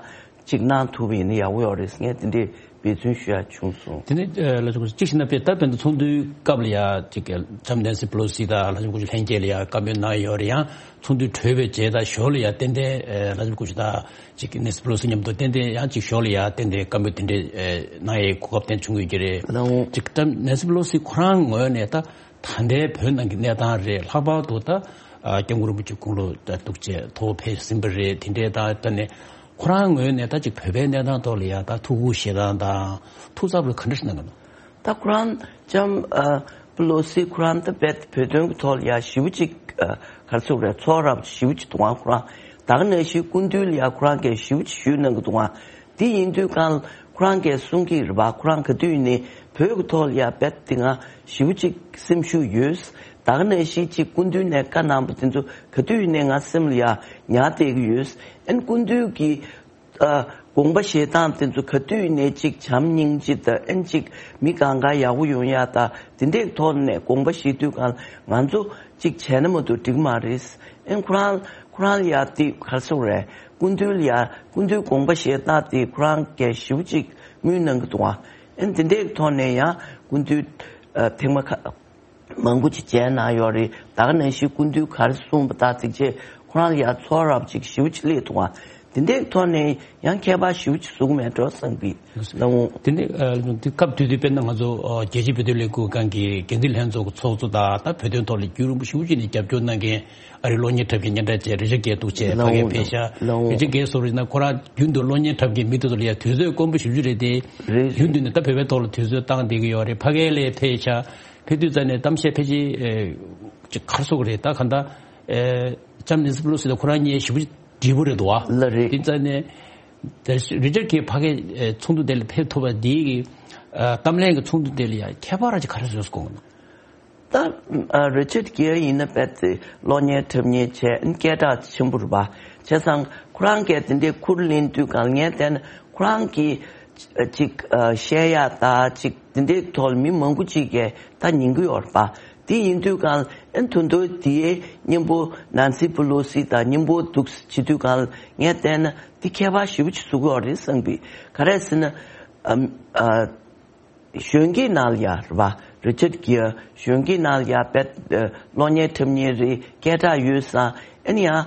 ཅིག་གནང་ཐུབ་པ་ཡིན་ན་ཡག་པོ་ཡོད་རེད་ཟེར་ངས་དེ་འདྲའི་འབད་བརྩོན་ཞུ་ཡ་བྱུང་སོང་། དེ་ནས་ཨ་ལྷ་ལྕམ་སྐུ་ཞབས་གཅིག་བྱས་ན་དཔེ་ད་དཔེར་ན་ཚོགས་འདུའི་སྐབས་ལ་ཡ་ཅིག་ལྕམ་ནེན་སི་པེ་ལོ་སི་དང་ལྷ་ལྕམ་སྐུ་ཞབས་ལྷན་རྒྱས་ལ་ཡ་བཀའ་མོལ་གནང་ཡོད་རེད། ཡང་ཚོགས་འདུ་གྲོལ་བའི་རྗེས་དང་ཞོར་ལ་ཡ་ཏན་ཏན་ཨ་ལྷ་ལྕམ་སྐུ་ཞབས་དང་ཅིག་ནེན་སི་པེ་ལོ་སི་མཉམ་དུ་ཏན་ཏན་ཡང་ཅིག་ཞོར་ལ་ཡ་ཏན་ཏན་བཀའ་མོལ་དེ་འདྲའི་ཨ་གནང་ཡའི་གོ་སྐབས་དེ་བྱུང་ཡོད་ཀྱི་རེད། ལགས་འོང་། ཅིག་ད་ནེན་སི་པེ་ལོ་སི་ཁོ་རང་ངོས་ནས་ད་ད་ལྟའི་བོད་ནང་གི་གནས་སྟངས་རེད། ལྷག་པར་དུ་ད་ཨ་སྐྱབས་མགོན་རིན་པོ་ཆེ་དགུང་ལོ་ད་སྟོང་ཕྲག་གཅིག་ཐོག་ཕེབས་ཟིན་པ་རེད། དེ་འདྲའི་ད་ད་ནས་ཁོ་རང་ངོས་ནས་ད་ཅིག་བོད་པའི་གནས་སྟངས་ཐོག་ལ་ཡ་ད་ཐུགས་ཁུར་བཞེས་སྟངས་དང་ཐུགས་འཚབ་ལ་ག་འདྲ་ཞིག་གནང་གི་འདུག་ད་ཁོ་རང་ལྕམ་ཨ་པེ་ལོ་སི་ཁོ་རང་ད་བོད་བོད་དོན་གྱི་ཐོག་ལ་ཡ་ཞེ་པོ་ཅིག་ཨ་ག་རེ་ཟེར་དགོས་རེད། ཚོར་རབ་ཞེ་པོ་ཅིག་འདུག་ཨང་། ཁོ་རང་ད་ག་ནང་བཞིན་སྐུ་མདུན་ལ་ཡ་ཁོ་རང་གིས་ཞེ་པོ་ཅིག་ཞུས་གནང་གི་འདུག་ཨང་། དེ་ཡིན་དུས་གང་ཁོ་རང་གིས་གསུང་གི་རེད་པ། ཁོ་རང་ག་དུས་ནས་བོད་ཀྱི་ཐོག་ལ་ཡ་བེད་དེ་ང་ཞེ་པོ་ཅིག་སེམས་ཤུགས་ཡོད། ད་ག་ནང་བཞིན་ཅིག་སྐུ་མདུན་ནས་བཀའ་གནང་པ་དེ་ཚོ་ག་དུས་ནས་ང་སེམས་ལ་ཡ་ཉར་བསྡད་ཀྱི་ཡོད། ཨན་སྐུ་མདུན་གྱི་ཨ་དགོངས་པ་བཞེས་སྟངས་དེ་ཚོ་ག་དུས་ནས་ཅིག་བྱམས་སྙིང་རྗེ་དང་ཨན་ཅིག་མི་གང་ག་ཡག་པོ་ཡོང་ཡ་ད་དེ་འདྲའི་ཐོག་ནས་དགོངས་པ་བཞེས་དུས་གང་ང་ཚོ་ཅིག་བྱས་ན་མ་གཏོགས་འགྲིག་མ་རེད། ཨན་ཁོ་རང་ཁོ་རང་ལ་ཡ་དེ་ག་རེ་ཟེར་དགོས་རེད། སྐུ་མདུན་ལ་ཡ་སྐུ་མདུན་དགོངས་པ་བཞེས་སྟངས་དེ་ཁོ་རང་གིས་ཞེ་པོ་ཅིག་དངུལ་གནང་གི་འདུག་ཨ། ཨན་དེ་འདྲའི་ཐོག་ནས་ཡང་སྐུ་མདུན་ཨ་ཐེངས་མ་ཁ་མང་པོ་ཅིག་མཇལ་གནང་ཡོད་རེད། ད་ག་ནང་བཞིན་སྐུ་མདུན་ག་རེ་གསུངས་པ་དང་ཚིག་བཅད་ཁོ་རང་ལ་ཡང་ཚོར་རབ་ཅིག་ཞེ་པོ་ཅིག་སླེབས་འདུག་ཨ། དེ་འདྲའི་ཐོག་ནས་ཡང་ཁྱད་པར་ཞེ་པོ་ཅིག་བཟོ་གི་མེད་འགྲོ་བསམ་གི་ལགས་འོང་། དེ་ནས་ཨ་དེ་སྐབས་དེ་དུས་དཔེར་ན་ང་ཚོ་ཨ་རྒྱལ་སྤྱིའི་བོད་དོན་ལས་འགུལ་ཁང་གི་འགན་འཛིན་ལྷན་ཚོགས་ཀྱི་ཚོགས་གཙོ་དང་ད་བོད་དོན་ཐོག་ལ་རྒྱུན་རིང་པོ་ཞེ་པོ་ཅིག་ནས་རྒྱབ་སྐྱོར་གནང་མཁན་ཨ་རིའི་གློག་བརྙན་འཁྲབ་མཁན་སྙན་གྲགས་ཅན་རི་ཅར་གེ་འདུག་བྱས་ཕ་གིར་ཕེབས་ཤག་ལགས་འོང་། རི་ཅར་གེ་སོགས་རེད་ན་ཁོ་རང་རྒྱུན་དུ་གློག་བརྙན་འཁྲབ་མཁན་མི་དེ་ཚོ་ལ་ཡང་དུས་ཚོད་དཀོན་པོ་ཞེ་པོ་ཅིག་རེད་དེ། རེད། རྒྱུན་དུ་ནས་ད་བོད་པའི་ཐོག་ལ་དུས་ཚོད་བཏང་བསྡད་ཀྱི་ཡོད་རེད། ཕ་གི་ལ་ཕེབས་ཤག་ཕེབས་དུས་ཙམ་ནས་གཏམ་བཤད་ཕལ་ཆེར་ཨེ་ཅིག་ག་རེ་ཟེར་དགོས་རེད། ད་གང་ལྟར་ཨེ་ལྕམ་ནེན་སི་པེ་ལོ་སི་དང་ཁོ་རང་གཉིས་ཞེ་པོ་ཅིག་འདྲིས་པོ་རེད་འདུག་བ། ལགས་རེད། དེ་ཙམ་ནས་ད་རི་ཅར་གེ་ཕ་གིའི་ཨེ་ཚོགས་འདུ་དེ་ལ་ཕེབས་ཐུབ་པ་འདི་གི་ཨ་གཏམ་གླེང་གི་ཚོགས་འདུ་དེ་ལ་ཡང་ཁྱད་པར་ཅིག་ག་རེ་བཟོས་སོང་གོ། ད་ཨ་རི་ཅར་གེ་ཡིན་ན་དཔེ་དེ་གློག་བརྙན་འཁྲབ་མཁན་བྱས་སྐད་གྲགས་ཆེན་པོ་རེད་པ། བྱས་ཙང་ཁོ་རང་གིས་དེ་འདྲའི་ཁུར་ལེན་དུས་གང་ངས་བལྟས་ན་ཁོ་རང་གིས་ ཅིག་བཤད་ཡག་ད་ཅིག་དེ་འདྲའི་ཐོག་ལ་མི་མང་པོ་ཅིག་གིས་ད་ཉན་གི་ཡོད་རེད་པ། དེ་ཡིན་དུས་གང་ཨན་དོན་དུ་དེའི་མཉམ་པོ་ནན་སི་པི་ལོ་སི་དང་མཉམ་པོ་འདུག་བྱེད་དུས་གང་ངས་བལྟས་ན་དེ་ཁྱད་པར་ཞེ་པོ་ཅིག་བཟོ་གི་ཡོད་རེད་བསམ་གི། ག་རེ་ཟེར་ན། གཞོན་སྐྱེས་ནང་ལ་ཡ་རེད་པ། རི་ཅར་གྱིར་གཞོན་སྐྱེས་ནང་ལ་ཡ་བེད་གློག་བརྙན་འཁྲབ་མཁན་རེད། སྐད་གྲགས་ཡོད་ཙང་ཨ་ནི་ཡང་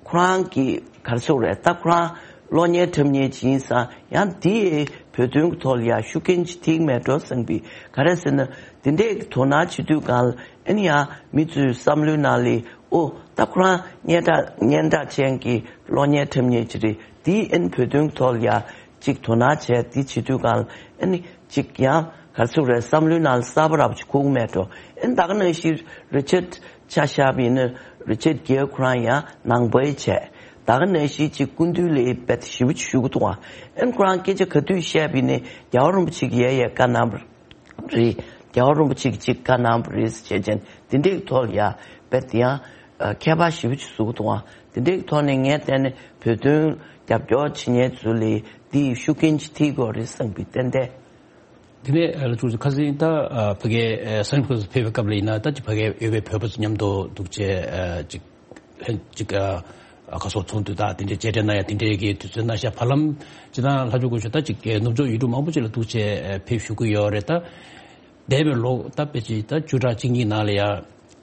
ཁོ་རང་གི་ག་རེ་ཟེར་དགོས་རེད། ད་ཁོ་རང་གློག་བརྙན་འཁྲབ་མཁན་ཅིག་ཡིན་ཙང་ཡང་དེ་ཡི་བོད་དོན་གྱི་ཐོག་ལ་ཡ་ཤུགས་རྐྱེན་ཅིག་ཐེབས་མེད་འགྲོ་བསམ་གི། ག་རེ་ཟེར་ན་དེ་འདྲས་ཀྱི་དོ་སྣང་བྱེད་དུས་གང་ལ་ཨ་ནི་ཡང་མི་ཚོའི་བསམ་བློའི་ནང་ལ་ཨོ་ད་ཁོ་རང་སྙན་གྲགས་སྙན་གྲགས་ཅན་གྱི་གློག་བརྙན་འཁྲབ་མཁན་ཅིག་རེད། དེ་ཨ་ནི་བོད་དོན་གྱི་ཐོག་ལ་ཡ། ཅིག་དོ་སྣང་བྱས་དེ་བྱེད་དུས་གང་ཨ་ནི་ཅིག་ཡང་ག་རེ་ཟེར་དགོས་རེད། བསམ་བློའི་ནང་ལ་གསར་པ་ར་བ་ཅིག་གོ་གི་མེད་འགྲོ། ཨ་ནི་ད་ག་ནང་བཞིན་རི་ཅར་ཆ་བཞག་པ་ཡིན་ན་རི་ཅར་གྱིར་ཁོ་རང་ཡང་ནང་པའི་བྱས། ད་ག་ནང་བཞིན་ཅིག་སྐུ་མདུན་ལ་དཔེ་ཞེ་པོ་ཅིག་ཞུ་གི་འདུག་ཨ། ཨ་ནི་ཁོ་རང་སྐད་ཆ་ག་དུས་བཤད་པ་ཡིན་ན་རྒྱལ་བ་རིན་པོ་ཆེ་གིས་ཡ་ཡ་བཀའ་གནང་བ་རེད། རྒྱལ་བ་རིན་པོ་ཆེ་གིས་ཅིག་བཀའ་གནང་བ་རེད་ཟེར་བྱས་ཅན་དེ་འདྲའི་ཐོག་ལ་ཡ་དཔེ་དེ་ཡང་ཁྱད་པར་ཞེ་པོ་ཅིག་བཟོ་གི་འདུག་ཨ། དེ་འདྲའི་ཐོག་ནས་ངས་བལྟས་ན་བོད་དོན་རྒྱབ་སྐྱོར་བྱེད་མཁན་ཚོ་ལ་དེ་ཡི་ཤུགས་རྐྱེན་ཅིག་ཐེབས་དགོས་རེད་བསམ་གི་ཏན་ཏན། དེ་ནས་ལ་ཅུང་ཙམ་ཁ་སང་ད་ཕ་གའི་སན་ཕ་རན་སི་སི་ཕེབས་པའི་སྐབས་ལ་ཡིན་ན་ད་ཅིག་ཕ་གའི་ཡོད་པའི་བོད་པ་ཚོ་མཉམ་དུ་འདུག་བྱས་ཅིག་ལྷན་ཅིག་ཁ་སོགས་ཚོགས་འདུ་དང་དེ་འདྲའི་མཇལ་འཕྲད་གནང་ཡ་དེ་འདྲའི་གི་དུས་ཚོད་གནང་ཤག་བར་ལམ་ཅི་ད་ལྷ་ཆོས་སྐུ་ཞབས་ད་ཅིག་ནུབ་ཕྱོགས་ཡུལ་གྲུ་མང་པོ་ཅིག་ལ་འདུག་བྱས་ཕེབས་བཞུགས་ཀྱི་ཡོད་རེད་ད། འདས་པའི་ལོ་ད་དཔེ་ཅིག་ད་བཅུ་ཕྲག་གཅིག་གཉིས་ནང་ལ་ཡ།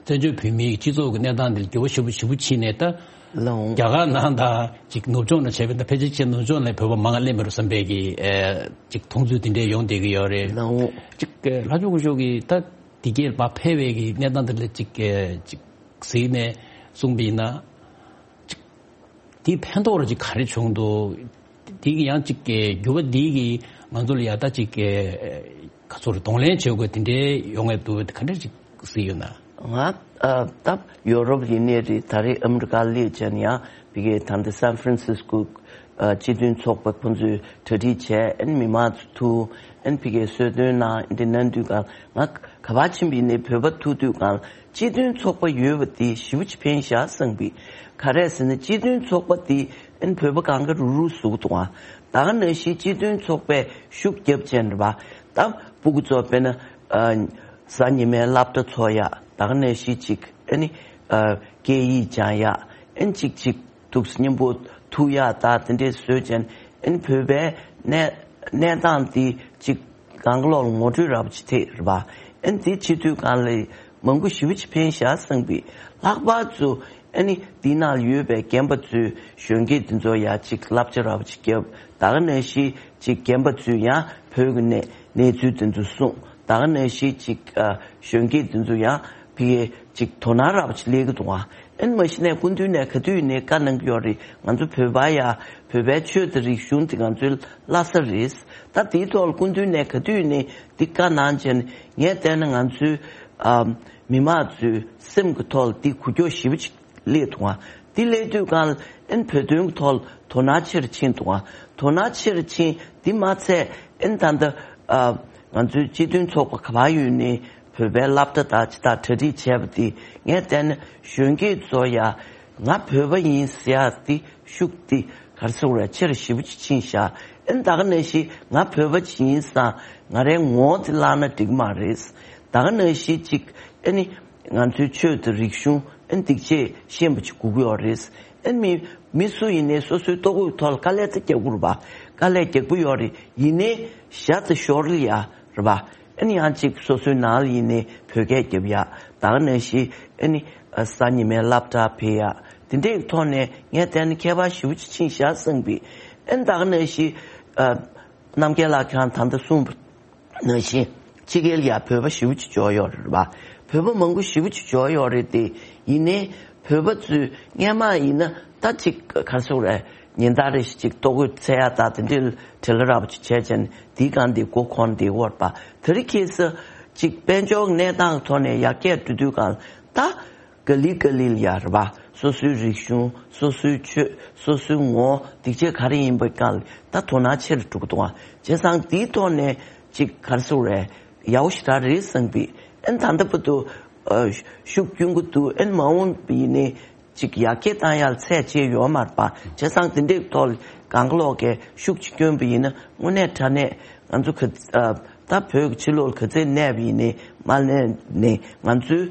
བཙན་བྱོལ་བོད་མིའི་སྤྱི་ཚོགས་ཀྱི་གནས་སྟངས་འདི་ལ་འགྱུར་བ་ཞེ་པོ་ཞེ་པོ་ཕྱིན་ནས་ད། ལའོ། རྒྱ་གར་ནང་དང་ཅིག་ནུབ་ཕྱོགས་ནང་བྱས་པའི་ད་ཕལ་ཆེར་ཅིག་ནུབ་ཕྱོགས་ནས་བོད་པ་མང་ང་སླེབས་མི་རུང་བསམ་པའི་གི་ཨེ་ཅིག་མཐོང་ཚུལ་དེ་འདྲའི་ཡོང་བསྡད་ཀྱི་ཡོད་རེད། ལའོ། ཅིག་ལྷ་ཆོས་སྐུ་ཞབས་ཀྱིས་ད་འདི་གའི་བར་ཕེབས་པའི་གི་གནས་སྟངས་དེ་ལ་ཅིག་ཨེ་ཅིག་གཟིགས་ནས་གསུངས་པ་ཡིན་ན། དེའི་ཕན་ཐོགས་ར་ཅིག་ག་རེ་བྱུང་འདུག་དེ་གི་ཡང་ཅིག་གི་འགྱུར་བ་འདི་གི་ང་ཚོ་ལ་ཡ་ད་ཅིག་གི་ག་ཚོད་རེད་གདོང་ལེན་བྱེད་དགོས་དེ་འདྲའི་ཡོང་ངེས་འདུག་ག་འདྲ་ཅིག་གཟིགས་ཡོད་ན། ང་ཨ་ད་ཡོ་རོབ་ཡིན་ནའི་རེད། ད་རེས་ཨ་མི་རི་ཀ་སླེབས་བྱས་ནས་ཡང་ཕ་གིའི་ད་ལྟ་སན་ཧྥ་རན་སིས་ཀོ་སྤྱི་མཐུན་ཚོགས་པ་ཁོང་ཚོས་གྲ་སྒྲིག་བྱས་ཨ་ནི་མི་མང་ཚོ་ཐུག་ཨ་ནི་ཕ་གིའི་གསོལ་སྟོན་གནང་འདི་གནང་དུས་གང་ང་ག་པར་ཕྱིན་པ་ཡིན་ནའི་བོད་པ་ཐུག་དུས་གང་སྤྱི་མཐུན་ཚོགས་པ་ཡོད་པ་དེ་ཞེ་པོ་ཅིག་ཕན་ཤག་བསམ་གི། ག་རེ་ཟེར་ན་སྤྱི་མཐུན་ཚོགས་པ་དེ་ཨན་བོད་པ་གང་ག་རུ་རུ་ཟུག་འདུག་ཨ། ད་ག་ནང་བཞིན་སྤྱི་མཐུན་ཚོགས་པས་ཤུགས་རྒྱབ་ཅན་རེད་པ། ད་སྤུ་གུ་ཚོ་དཔེར་ན་ཨ་གཟའ་ཉི་མའི་སློབ་གྲྭ་ཚོགས་ཡག་ད་ག་ནང་བཞིན་ཅིག་ཨ་ནི་ཨ་སྐད་ཡིག་སྦྱང་ཡག་ཨན་ཅིག་ཅིག་འདུག་སེ་མཉམ་པོ་ཐུག་ཡག་ད་དེ་འདྲས་བཟོས་ཅན་ཨན་བོད་པའི་གནས་གནས་སྟངས་དེ་ཅིག་གང་ག་ལོག་ལ་ངོ་སྤྲོད་ར་བ་ཅིག་ཐེབས་རེད་པ། ཨན་དེ་བྱེད་དུས་གང་ལ་མང་པོ་ཞེ་པོ་ཅིག་ཕན་ཤག་བསམ་གི། ལྷག་པར་དུ་ཨ་ནི་འདི་ནང་ལ་ཡོད་པའི་རྒན་པ་ཚོས་གཞོན་སྐྱེས་འདི་ཚོ་ཡ་ཅིག་བསླབ་བྱ་ར་བ་ཅིག་བརྒྱབ། ད་ག་ནང་བཞིན་ཅིག་རྒན་པ་ཚོས་ཡང་བོད་ཀྱི་གནས་གནས་ཚུལ་འདི་ཚོ་གསུངས། ད་ག་ནང་བཞིན་ཅིག་ཨ་གཞོན་སྐྱེས་འདི་ཚོ་ཡང་ཕ་གིའི་ཅིག་དོ་སྣང་ར་བ་ཅིག་སླེབས་ཀྱི་འདུག་ཨ། ཨ་ནི་མ་གཞི་ནས་སྐུ་མདུན་ནས་ག་དུས་ནས་བཀའ་གནང་གི་ཡོད་རེད། ང་ཚོ་བོད་པ་ཡ་བོད་པའི་ཆོས་དང་རིག་གཞུང་དེ་ང་ཚོའི་བླ་གཟའ་རེད། ད་དེའི་ཐོག་ལ་སྐུ་མདུན་ནས་ག་དུས་ནས་འདི་བཀའ་གནང་བྱས་ནས་ངས་བལྟས་ན་ང་ཚོའི་ཨ་མི་མང་ཚོའི་སེམས་ཀྱི་ཐོག་ལ་འདི་འགུལ་སྐྱོད་ཞེ་པོ་ཅིག་སླེབས་འདུག་ཨ། འདི་སླེབས་དུས་གང་ལ་ཨན་བོད་དོན་གྱི་ཐོག་ལ་དོ་སྣང་ཆེ་རུ་ཕྱིན་འདུག་ཨ། དོ་སྣང་ཆེ་རུ་ཕྱིན་འདི་མ་ཚད་ཨན་ད་ལྟ་ཨ་ང་ཚོའི་སྤྱི་མཐུན་ཚོགས་པ་ག་པར་ཡོད་ནའི་བོད་པའི་སློབ་གྲྭ་དང་ཅི་དང་གྲ་སྒྲིག་བྱས་པ་འདི་ངས་བལྟས་ན་གཞོན་སྐྱེས་ཚོ་ཡ་ང་བོད་པ་ཡིན་ཟེར་ཡག་འདི་ཤུགས་འདི་ག་རེ་ཟེར་དགོས་རེད། ཆེ་རུ་ཞེ་པོ་ཅིག་ཕྱིན་ཤག་ཨན་ད་ག་ནང་བཞིན་ང་བོད་པ་ཅིག་ཡིན་ཙང་ང་རའི་ངོ་བོ་འདི་བརླག་ན་འགྲིག་མ་རེད། ད་ག་ནང་བཞིན་ཅིག་ཨ་ནི་ང་ཚོའི་ཆོས་དང་རིག་གཞུང་ཨ་ནི་སྡིག་ཆེ་ཤེས་པ་ཅིག་དགོས་ཀྱི་ཡོད་རེད། ཨ་ནི་མི་མི་སུ་ཡིན་ནའི་སོ་སོའི་ལྟོ་གོས་ཐོག་ལ་དཀའ་ལས་ཚ་རྒྱག་དགོས་རེད་པ། དཀའ་ལས་རྒྱག་པོ་ཡོད་རེད། ཡིན་ནའི་ཞག་ཙམ་ཞོར་ལ་ཡ་རེད་པ། ཨ་ནི་ཡང་ཅིག་སོ་སོའི་ནང་ལ་ཡིན་ནའི་བོད་སྐད་རྒྱབ་ཡག་ད་ག་ནང་བཞིན་ཨ་ནི་གཟའ་ཉི་མའི་སློབ་གྲྭ་ཕེབས་ཡག་དེ་འདྲའི་ཐོག་ནས་ངས་བལྟས་ན་ཁྱད་པར་ཞེ་པོ་ཅིག་ཕྱིན་ཤག་བསམ་གི། ཨ་ནི་ད་ག་ནང་བཞིན་རྣམ་རྒྱལ་ལགས་ཁྱེད་རང་ད་ལྟ་གསུངས་པ་ནང་བཞིན་ཕྱི་རྒྱལ་ལ་ཡ་བོད་པ་ཞེ་པོ་ཅིག་འབྱོར་ཡོད་རེད་པ། བོད་པ་མང་པོ་ཞེ་པོ་ཅིག་འབྱོར་ཡོད་རེད་དེ། ཡིན་ནའི་བོད་པ་ཚོས་སྔན་མ་ཡིན་ན་ད་ཅིག་ག་རེ་ཟེར་དགོས་རེད། ཉིན་ལྟར་རེ་བཞིན་ཅིག་ལྟོ་གོས་འཚོལ་ཡག་ད་དེ་འདྲའི་བྲེལ་ར་བ་ཅིག་བྱས་བྱས་ནས་དེའི་སྒང་དེ་མགོ་འཁོར་བསྡད་ཡོད་རེད་པ། དེ་རིང་ཁ་སང་ཅིག་དཔལ་འབྱོར་གནས་སྟངས་ཐོག་ནས་ཡར་རྒྱས་འགྲོ་དུས་སྒང་ད་ག་ལེ་ག་ལེ་ལ་ཡ་རེད་པ། སོ་སོའི་རིག་གཞུང་། སོ་སོའི་ཆོས། སོ་སོའི་ངོ་བོ། སྡིག་ཆེ་ག་རེ་ཡིན་པའི་སྒང་ལ་ད་དོ་སྣང་ཆེ་རུ་འགྲོ་གི་འདུག་ཨ། བྱས་ཙང་དེའི་ཐོག་ནས་ཅིག་ག་རེ་ཟེར་དགོས་རེད། ཡག་པོ་ཞེ་དྲག་རེད་བསམ་གི། ཨན་ད་ལྟ་བར་དུ་ཨ་ཤུགས་སྐྱོན་གི་འདུག་ཨན་མ་འོངས་པ་ཡིན་ནའི་ ཅིག་ཡར་རྒྱས་བཏང་ཡག་ལ་ཚད་ཆེ་ཡོད་མ་རེད་པ། བྱས་ཙང་དེ་འདྲའི་ཐོག་ལ་གང་ག་ལོག་གིས་ཤུགས་ཅིག་བསྐྱོན་པ་ཡིན་ན་དངོས་གནས་དྲང་གནས་ང་ཚོ་ག་ཨ་ད་བོད་ཀྱི་ཕྱི་ལོགས་ལ་ག་ཚོད་གནས་པ་ཡིན་ནའི་མ་གནས་ནའི་ང་ཚོའི་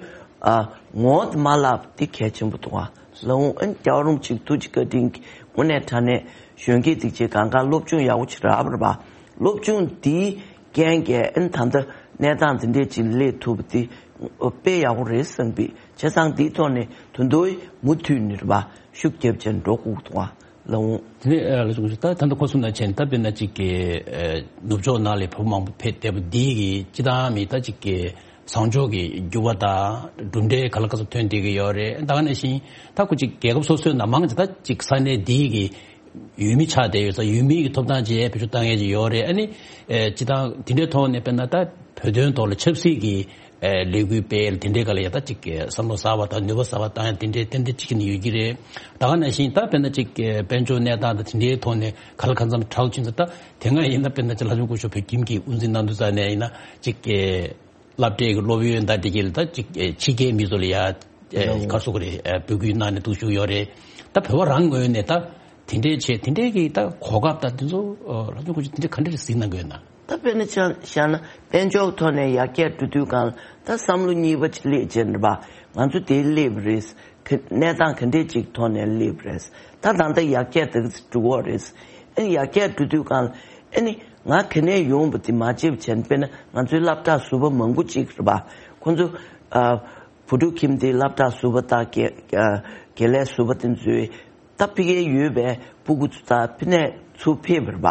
ཨ་ངོ་བོ་དེ་མ་བརླག་པ་དེ་གལ་ཆེན་པོ་འདུག་ཨ། ལགས་འོང་། ཨ་ནི་རྒྱལ་བ་རིན་པོ་ཆེ་ཐུགས་རྗེ་བཀའ་དྲིན་གྱིས་དངོས་གནས་དྲང་གནས་གཞོན་སྐྱེས་དེ་ཚོས་གང་ག་སློབ་སྦྱོང་ཡག་པོ་ཅིག་རག་པ་རེད་པ། སློབ་སྦྱོང་དེའི་རྐྱེན་གྱིས་ཨ་ནི་ད་ལྟ་གནས་སྟངས་དེ་འདྲས་ཅིག་སླེབས་ཐུབ་པ་དེ་དཔེ་ཡག་པོ་རེད་བསམ་པའི། བྱས་ཙང་དེའི་ཐོག་ནས་དོན་དུ་མུ་མཐུད་ནས་རེད་པ། ཤུགས་རྒྱབ་བྱས་འགྲོ་དགོས་འདུག་ཨ། ལགས་འོང་། དེ་ནས་ཨ་ལགས་སོ། ད་ད་ལྟ་ཁོ་གསུངས་ནང་བཞིན་ད་དཔེར་ན་ཅིག་གི་ཨ་ནུབ་ཕྱོགས་ནང་ལ་བོད་པ་མང་པོ་ཕེབས་བསྡད་པ་འདི་གི་སྤྱིར་བཏང་མི་ད་ཅིག་གི་བཟང་ཕྱོགས་ཀྱི་འགྱུར་བ་དང་གྲུབ་འབྲས་ག་ལ་ག་ཚོད་ཐོན་བསྡད་ཀྱི་ཡོད་རེད། ད་ག་ནང་བཞིན་ད་ཁོ་ཅིག་རྒྱལ་ཁབ་སོ་སོའི་ནང་མང་ཆེ་ད་ཅིག་ས་གནས་འདི་གི་ཡུལ་མི་ཆགས་བསྡད་ཡོད་ཙང་ཡུལ་མི་གི་ཐོབ་ཐང་བཅས་བེད་སྤྱོད་བཏང་མཁན་ཅིག་ཡོད་རེད། ཨ་ནི་ཨ་སྤྱིར་བཏང་དེ་འདྲའི་ཐོག་ནས་དཔེར་ན་ད་བོད་དོན་ཐོག་ལ་ཆབ་སྲིད་ཀྱི་ཨ་ལས་འགུལ་སྤེལ་དེ་འདྲའི་སྒང་ལ་ཡ་ད་ཅིག་བསམ་བློ་གསར་པ་དང་ནུས་པ་གསར་པ་བཏང་ཡ་དེ་འདྲའི་ཏན་ཏན་ཅིག་ནས་ཡོད་ཀྱི་རེད། ད་ག་ནང་བཞིན་ད་དཔེར་ན་ཅིག་དཔལ་འབྱོར་གནས་སྟངས་དང་དེ་འདྲའི་ཐོག་ནས་ག་ལ་གང་འཚམ་དྲག་ཕྱིན་ཙང་ད་དེ་སྔ་ཡིན་ན་དཔེར་ན་ཅིག་ལྷ་ལྕམ་སྐུ་ཞབས་བོད་ཁྱིམ་གྱི་དབུ་འཛིན་གནང་དུས་ཙང་ནས་ཡིན་ན་ཅིག་སློབ་གྲྭའི་གི་སློབ་ཡོན་དང་དེ་གྱད་ལ་ད་ཅིག་ཨེ་ཕྱི་རྒྱལ་མི་ཚོ་ལ་ཡ་ཨེ་ཨོ་ག་རེ་ཟེར་དགོས་རེད། ཨེ་འབོད་སྐུལ་གནང་ནས་འདུག་བཞུགས་ཡོད་རེད། ད་བོད་པ་རང་ངོས་ནས་ད་དེ་འདྲའི་བྱས་དེ་འདྲའི་གི་ད་གོ་སྐབས་ད་དེ་ཚོ་ཨོ་ལྷ་ལྕམ་སྐུ་ཞབས་དེ་འདྲ་ག་འདྲ་རེ་གཟིགས་གནང་གི་ཡོད་ན། ད་དཔེར་ན་ཆ་བཞག་ན་དཔལ་འབྱོར་ཐོག་ནས་ཡར་རྒྱས་འགྲོ་དུས་སྒང་ལ་ད་བསམ་བློ་གཉིས་པ་ཅིག་སླེབས་བྱས་ནས་རེད་པ། ང་ཚོ་དེ་སླེབས་རེད། ག་གནས་སྟངས་ག་འདྲས་ཅིག་ཐོག་ནས་སླེབས་རེད། ད་ད་ལྟ་ཡར་རྒྱས་དེ་འགྲོ་གི་རེད། ཨ་ནི་ཡར་རྒྱས་འགྲོ་དུས་སྒང་ལ་ཨ་ནི་ང་ག་ནས་ཡོང་བ་དེ་མ་བརྗེད་པ་བྱས་ནས། དཔེར་ན་ང་ཚོའི་སློབ་གྲྭ་ཟུར་པ་མང་པོ་ཅིག་རེད་པ། ཁོང་ཚོ་ཨ་བུ་ཕྲུག་ཁྱིམ་སྡེའི་སློབ་གྲྭ་ཟུར་པ་དང་དགེ་ཨ་དགེ་ལས་ཟུར་པ་དེ་ཚོས་ད་ཕ་གིར་ཡོད་པའི་སྤུ་གུ་ཚོ་དང་ཕ་ནས་ཚུར་ཕེབས་པ་རེད་པ།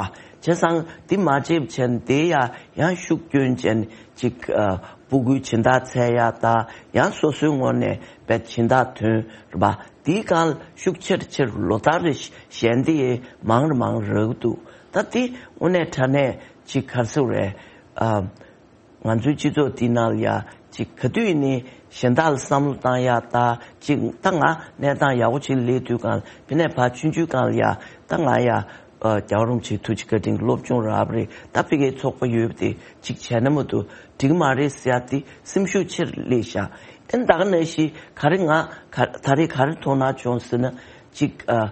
བྱས་ཙང་དེ་མ་བརྗེད་པ་བྱས་ནས་དེ་ཡང་ཡང་ཤུགས་བསྐྱོན་བྱས་ནས་ཅིག་ཨ་སྤུ་གུའི་སྦྱིན་བདག་འཚོལ་ཡག་དང་ཡང་སོ་སོའི་ངོས་ནས་དཔེ་སྦྱིན་བདག་ཐོན་རེད་པ། དེའི་སྒང་ལ་ཤུགས་ཆེར་ཆེར་ལོ་ལྟར་རེ་བཞིན་དེ་མང་རུ་མང་རུ་རག་གི་འདུག་ད་དེ་དངོས་གནས་དྲང་གནས་ཅིག་ག་རེ་ཟེར་དགོས་རེད། ཨ། ང་ཚོའི་སྤྱི་ཚོགས་འདི་ནང་ལ་ཡ་ཅིག་ག་དུས་ཡིན་ནའི་གཞན་དག་ལ་བསམ་བློ་བཏང་ཡག་ད་ཅིག་ད་ང་གནས་སྟངས་ཡག་པོ་ཅིག་སླེབས་དུས་སྒང་ལ་ཕ་ནས་ཕར་ཆུང་ཆུང་སྒང་ལ་ཡ་ད་ང་ཡ་ཨ་རྒྱལ་བ་རིན་པོ་ཆེའི་ཐུགས་རྗེ་བཀའ་དྲིན་གྱིས་སློབ་སྦྱོང་རག་པ་རེད། ད་ཕ་གིའི་ཚོགས་པ་ཡོད་པ་དེ་ཅིག་བྱས་ན་མ་གཏོགས་འགྲིག་མ་རེད་ཟེར་ཡག་དེ་སེམས་ཤུགས་ཆེར་སླེབས་ཤག་ཨ་ནི་ད་ག་ནང་བཞིན་ག་རེ་ང་ག་ད་རེས་ག་རེ་དོ་སྣང་བྱུང་ཟེར་ན་ཅིག་ཨ།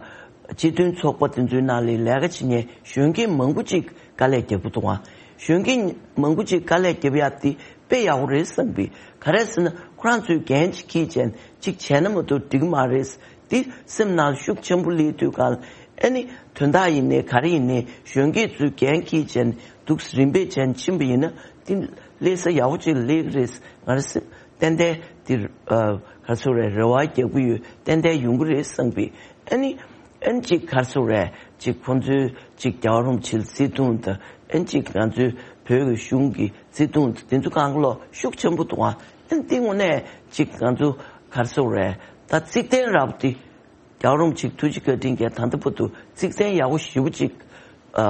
སྤྱི་མཐུན་ཚོགས་པ་དེ་ཚོའི་ནང་ལ་ལས་ཀ་བྱེད་མཁན་གཞོན་སྐྱེས་མང་པོ་ཅིག་དཀའ་ལས་རྒྱག་གི་འདུག་ཨ། གཞོན་སྐྱེས་མང་པོ་ཅིག་དཀའ་ལས་རྒྱབ་ཡག་དེ་དཔེ་ཡག་པོ་རེད་བསམ་པའི། ག་རེ་ཟེར་ན་ཁོ་རང་ཚོས་འགན་ཅིག་འཁྱེར་བྱས་ཅིག་བྱས་ན་མ་གཏོགས་འགྲིག་མ་རེད། དེ་སེམས་ནང་ཤུགས་ཆེན་པོ་སླེབས་དུས་སྒང་ལ་ཨ་ནི་དོན་དག་ཡིན་ནའི་ག་རེ་ཡིན་ནའི་གཞོན་སྐྱེས་ཚོས་འགན་འཁྱེར་བྱས་འདུག་རིམ་པས་བྱས་ཕྱིན་པ་ཡིན་ན་དེ་སླེབས་ས་ཡག་པོ་ཅིག་སླེབས་ཀྱི་རེད། ང་རང་སེམས་ཏན་ཏན་དེ་ཨ་ག་རེ་ཟེར་དགོས་རེད། རེ་བ་རྒྱག་གི་ཡོད། ཏན་ཏན་ཡོང་གི་རེད་བསམ་པའི། ཨ་ནི། ཨན་ཅིག་ག་རེ་ཟེར་དགོས་རེད། ཅིག་ཁོང་ཚོའི་ཅིག་རྒྱལ་བ་རིན་པོ་ཆེའི་བརྩེ་དུང་དང་ཨན་ཅིག་ང་ཚོའི་བོད་ཀྱི་གཞུང་གི་བརྩེ་དུང་དང་དེ་ཚོ་གང་ག་ལོག་ཤུགས་ཆེན་པོ་འདུག་ཨ། ཨན་དེ་དངོས་གནས་ཅིག་ང་ཚོ་ག་རེ་ཟེར་དགོས་རེད། ད་གཙིགས་རྟེན་རབ་དེ་རྒྱལ་བ་རིན་པོ་ཆེའི་ཐུགས་རྗེ་བཀའ་དྲིན་གྱིས་ད་ལྟ་བར་དུ་གཙིགས་རྟེན་ཡག་པོ་ཞེ་པོ་ཅིག་ཨ་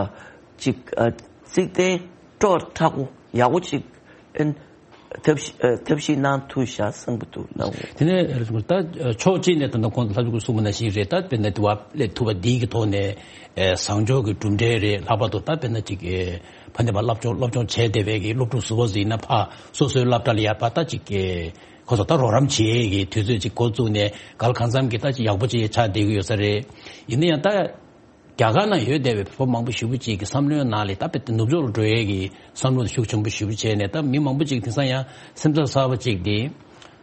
ཅིག་ཨ་གཙིགས་རྟེན་སྤྲོ་མཁྲེགས་པོ་ཡག་པོ་ཅིག་ཨན། ཐབས་ཤེས་ཨ་ཐབས་ཤེས་གནང་ཐུབ་ཤག་བསམ་གྱི་འདུག་ལགས་འོང་། དེ་ནས་ད་ཕྱོགས་གཅིག་ནས་ད་ལྟ་ཁོང་ཚོ་ལྷ་ལྕམ་སྐུ་གསུངས་པ་ནང་བཞིན་རེད། ད་དཔེར་ན་དེ་བ་སླེབས་ཐུབ་པ་འདི་གི་ཐོག་ནས་ཨེ་བཟང་ཕྱོགས་ཀྱི་གྲུབ་འབྲས་རེད། ལྷག་པར་དུ་ད་དཔེར་ན་ཅིག་ཨེ་ཕ་ནས་ཕར་སློབ་སྦྱོང་སློབ་སྦྱོང་བྱས་བསྡད་པའི་གི་སློབ་ཕྲུག་ཟུར་པ་ཟིག་ཡིན་ན་ཕར་སོ་སོའི་སློབ་གྲྭ་ལ་ཡར་ཕར་ད་ཅིག་ཨེ་ཁོ་ཚོ་ད་རོགས་རམ་བྱེད་ཀྱི་དུས་ཚོད་ཅིག་འགོ་བཙུགས་ནས་ག་ལ་གང་འཚམ་གྱི་ད་ཅིག་ཡག་པོ་ཅིག་ཆགས་བསྡད་ཀྱི་ཡོད་ས་རེད། ཡིན་ན་ཡང་ད། རྒྱ་གར་ནང་ཡོད་བསྡད་པའི་བོད་པ་མང་པོ་ཞེ་པོ་ཅིག་གི་བསམ་བློའི་ནང་ལ་ད་དཔེ་ནུབ་ཕྱོགས་ལ་འགྲོ་ཡས་ཀྱི་བསམ་བློ་ཤུགས་ཆེན་པོ་ཞེ་པོ་བྱས་ནས། ད་མི་མང་པོ་ཅིག་དེང་སང་ཡང་སེམས་འཚབ་གསར་པ་ཅིག་དེ་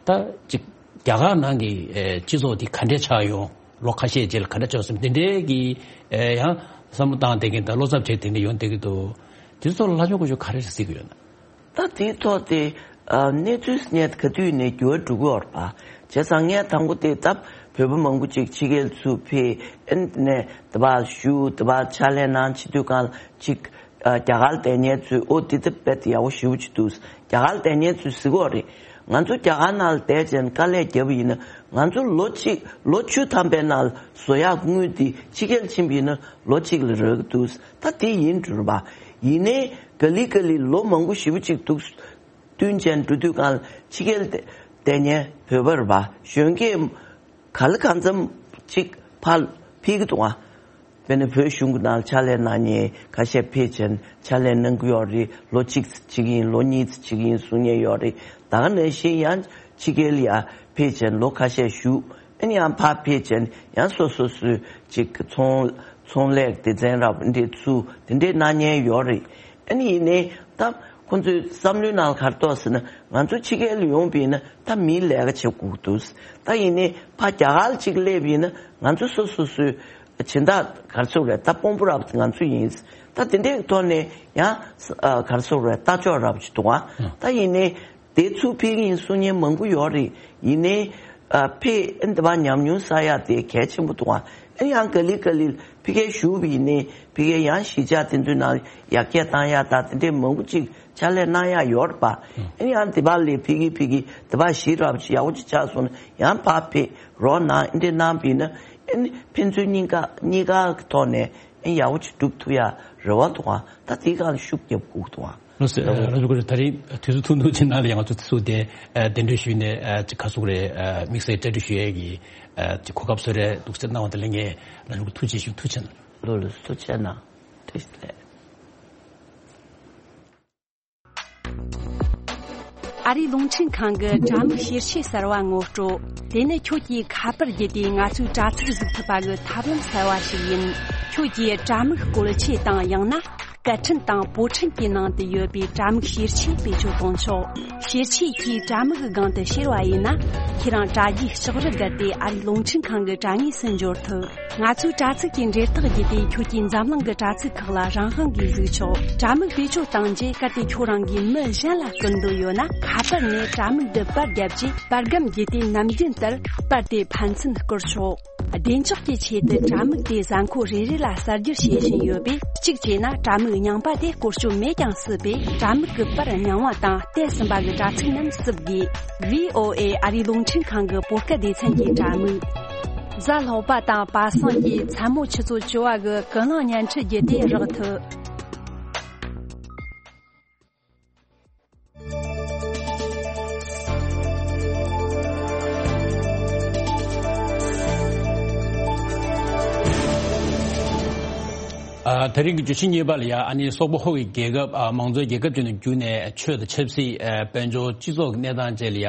ད་ཅིག་རྒྱ་གར་ནང་གི་ཨེ་སྤྱི་ཚོགས་དེ་ག་འདྲས་ཆགས་ཡོང་། ལོ་ཁ་ཤས་རྗེས་ལ་ག་འདྲས་ཆགས་སོང་དེ་འདྲས་ཀྱི་ཨེ་ཡང་བསམ་བློ་བཏང་བསྡད་མཁན་དང་བློ་འཚབ་བྱས་དེ་འདྲས་ཡོང་བསྡད་ཀྱི་འདུག་དེ་ཚོ་ལ་ལྷ་ལྕམ་སྐུ་ཞབས་ག་རེ་གཟིགས་ཀྱི་ཡོད་ན། ད་དེའི་ཐོག་དེ་ཨ་གནས་ཚུལ་སྙན་ག་དུས་ནས་འགྱུར་བ་འགྲོ་གི་ཡོད་རེད་པ། བྱས་ཙང་ངས་དང་པོ་དེ་ད་བོད་པ་མང་པོ་ཅིག་ཕྱི་རྒྱལ་ཚུར་ཕེབས་ཨེ་ནས་དེ་པར་བཞུགས་དེ་པར་ཕྱག་ལས་གནང་བྱེད་དུས་སྒང་ལ་ཅིག་ཨ་རྒྱ་གར་བསྡད་མཁན་ཚོས་ཨོ་དེ་ད་དཔེ་ཡག་པོ་ཞེ་པོ་ཅིག་འདུག་རྒྱ་གར་བསྡད་མཁན་ཚོས་ཟེར་གི་ཡོད་རེད། ང་ཚོ་རྒྱ་གར་ནང་ལ་བསྡད་བྱས་ནས་དཀའ་ལས་བརྒྱབ་པ་ཡིན་ན་ང་ཚོ་ལོ་གཅིག་ལོ་བཅུ་ཐམ་པའི་ནང་ལ་བཟོ་ཡག་དངུལ་དེ་ཕྱི་རྒྱལ་ཕྱིན་པ་ཡིན་ན་ལོ་གཅིག་ལ་རག་གི་འདུག་ད་དེ་ཡིན་འགྲོ་རེད་པ། ཡིན་ནའི་ག་ལེ་ག་ལེ་ལོ་མང་པོ་ཞེ་པོ་ཅིག་འདུག་བསྟུན་བྱས་འགྲོ་དུས་སྒང་ལ་ཕྱི་རྒྱལ་བསྡད་མཁན་བོད་པ་རེད་པ། གཞོན་སྐྱེས་ག་ལ་གང་འཚམ་ཅིག་ཕར་ཕེབས་ཀྱི་འདུག་ཨ། དཔེར་ན་བོད་གཞུང་གི་ནང་ལ་ཕྱག་ལས་གནང་མཁན་ཁ་ཤས་ཕེབས་བྱས་ནས་ཕྱག་ལས་གནང་གི་ཡོད་རེད། ལོ་གཅིག་ཙམ་བྱེད་ཀྱི་ཡིན། ལོ་གཉིས་ཙམ་བྱེད་ཀྱི་ཡིན་གསུང་མཁན་ཡོད་རེད། ད་ག་ནང་བཞིན་ཡང་ཕྱི་རྒྱལ་ལ་ཡར་ཕེབས་བྱས་ནས་ལོ་ཁ་ཤས་བཞུགས་ ཨ་ནི་ཡང་ཕར་ཕེབས་བྱས་ནས་ཡང་སོ་སོ་སོའི་ཅིག་ཚོང་ཚོང་ལས་སྡེ་ཚན་རབ་འདི་ཚུ་དེ་འདྲའི་གནང་མཁན་ཡོད་རེད། ཨ་ནི་ཡིན་ནའི་ད་ཁོང་ཚོའི་བསམ་བློའི་ནང་ག་རེ་འདུག་ཟེར་ན། ང་ཚོ་ཕྱི་རྒྱལ་ལ་ཡོང་པ་ཡིན་ན་ད་མིའི་ལས་ཀ་བྱེད་དགོས་ཀྱི་འདུག། ད་ཡིན་ནའི་ཕར་རྒྱ་གར་ལ་ཅིག་སླེབས་པ་ཡིན་ན་ང་ཚོ་སོ་སོ་སོའི་སྦྱིན་བདག་ག་རེ་ཟེར་དགོས་རེད། ད་དཔོན་པོ་རབ་ང་ཚོ་ཡིན། ད་དེ་འདྲའི་ཐོག་ནས་ཡང་ཨ་ག་རེ་ཟེར་དགོས་རེད། ལྟ་ཕྱོགས་རབ་ཅིག་འདུག་ཨ། ད་ཡིན་ནའི་དེ་ཚུར་ཕེབས་ཀྱི་ཡིན་གསུང་མཁན་མང་པོ་ཡོད་རེད། ཡིན་ནའི་ཨ་ཕེབས་ཨ་འདི་པར་ཉམས་མྱོང་བསགས་ཡག་དེ་གལ་ཆེན་པོ་འདུག་ཨ། ཨ་ཡང་ག་ལེ་ག་ལེ་ཕ་གིར་བཞུགས་པ་ཡིན་ནའི་ཕ་གིར་ཡང་གཞིས་ཆགས་དེ་ཚོའི་ནང་ཡར་རྒྱས་བཏང་ཡག་དང་དེ་འདྲའི་མང་པོ་ཅིག་ཕྱག་ལས་གནང་ཡག་ཡོད་རེད་པ། ཨ་ནི་ཡང་དེ་པར་ལས་ཕ་གི་ཕ་གི་དེ་པར་གཞིས་རབ་ཅིག་ཡག་པོ་ཅིག་ཆགས་སོང་ན་ཡང་ཕར་ཕེབས་རོགས་གནང་། ཨ་འདྲ་གནང་བ་ཡིན་ན་ཨ་ནི་ཕན་ཚུན་གཉིས་ཀ་གཉིས་ཀ་གི་ཐོག་ནས་ཨ་ཡག་པོ་ཅིག་སྒྲུབ་ཐུབ་ཡག་རེ་བ་འདུག་ཨ། ད་དེའི་སྒང་ཤུགས་རྒྱབ་དགོས་འདུག་ཨ། ལགས་སོ། ལགས་སོ། ད་རེས་དུས་ཚོད་ཐུང་ཐུང་ཅིག་ནང་ལ་ཡང་ང་ཚོ་དེ་ཚོ་དེ་གདན་འདྲེན་ཞུས་ནས་ཅིག་ག་ཟེར་དགོས་རེད། དམིགས་བསལ་གྲ་སྒྲིག་ཞུ་ཡས་ཀྱི་ཅིག་གོ་སྐབས་བཟོས་རེད་འདུག་ཟེར་གནང་བ་དེ་ལ་ངས་རྣམ་པ་ཚོ་ཐུགས་རྗེ་ཆེ་ཞུ། ཐུགས་རྗེ་གནང་། ལགས་ལགས་སོ། ཐུགས་རྗེ་གནང་། ཐུགས་རྗེ་ཆེ། ཨ་རིའི་རླུང་འཕྲིན་ཁང་གི་དྲ་མིག་བྱེད་ཆས་གསར་བ་ངོ་སྤྲོད། དེ་ནི་ཁྱོད་ཀྱིས་ཁ་པར་བརྒྱུད་དེ་ང་ཚོའི་དྲ་ཚིགས་གཟིགས་ཐུབ་པ་གི་ཐབས་ལམ་གསར་བ་ཞིག་ཡིན། ཁྱོད་ཀྱིས་དྲ་མིག་བཀོལ་ཆས་དང་ཡང་ན་སྐད་འཕྲིན་དང་པོ་འཕྲིན་གྱི་ནང་དུ་ཡོད་པའི་དྲ་མིག་བྱེད་ཆས་བེད་སྤྱོད་གཏོང་ཆོག། བྱེད་ཆས་ཀྱིས་དྲ་མིག་གི་སྒང་དུ་བྱེར་བ་ཡིན་ན། ཁྱེད་རང་དྲ་རྒྱའི་ལྕགས་རི་བརྒལ་ཏེ་ཨ་རིའི་རླུང་འཕྲིན་ཁང་གི་དྲ་ངོས་སུ་འབྱོར་ཐུབ། ང་ཚོའི་དྲ་ཚིགས་ཀྱི་འབྲེལ་ཐག་བརྒྱུད་དེ་ཁྱོད་ཀྱིས་འཛམ་གླིང་གི་དྲ་ཚིགས་ཁག་ལ་རང་དབང་གིས་གཟིགས་ཆོག། དྲ་མིག་བེད་སྤྱོད་བཏང་རྗེས་གལ་ཏེ་ཁྱོད་རང་གིས་མི་གཞན་ལ་བསྐུར་འདོད་ཡོད་ན། ཁ་པར་ནས་དྲ་མིག་འདི་པར་བརྒྱབ་རྗེས་པར་སྒམ་བརྒྱུད་དེ་ནམ་རྒྱུན་ལྟར་པར་དེ་ཕན་ཚུན་བསྐུར་ཆོག། བདེ་འཇགས་ཀྱི་ཆེད་དུ་དྲ་མིག་དེ་གཟའ་འཁོར་རེ་རེ་ལ་གསར་བསྒྱུར་བྱེད་བཞིན་ཡོད་པས། གཅིག་བྱས་ན་དྲ་མིག་རྙིང་པ་དེ་བཀོལ་སྤྱོད་མེད་ཀྱང་སྲིད་པས། དྲ་མིག་གི་པར་རྙིང་བ་དང་བལྟས་ཟིན་པ་གི་དྲ་ཚིགས་རྣམས་བསུབ་དགོས། ཝི་ཨོ་ཨེ་ཨ་རིའི་རླུང་འཕྲིན་ཁང་གི་བོད་སྐད་སྡེ་ཚན་གྱི་དྲ་མིག། གཟའ་ལྷག་པ་དང་པ་སངས་ཀྱི་མཚན་མོ་ཆུ་ཚོད་བཅུ་པ་གི་ཀུན་གླེང་བརྙན་འཕྲིན་བརྒྱུད་དེ་རག་ཐུབ། ཨ། དེ་རིང་གི་བརྗོད་གཞི་གཉིས་པ་ལ་ཡ། ཨ་ནི་སོག་པོ་ཧོ་ཡི་རྒྱལ་ཁབ། ཨ། མང་གཙོའི་རྒྱལ་ཁབ་ཅིག་ནས་བརྒྱུད་ནས་ཆོས་དང་ཆབ་སྲིད། ཨ། དཔལ་འབྱོར་སྤྱི་ཚོགས་ཀྱི་གནས་སྟངས་བཅས་ལ་ཡ་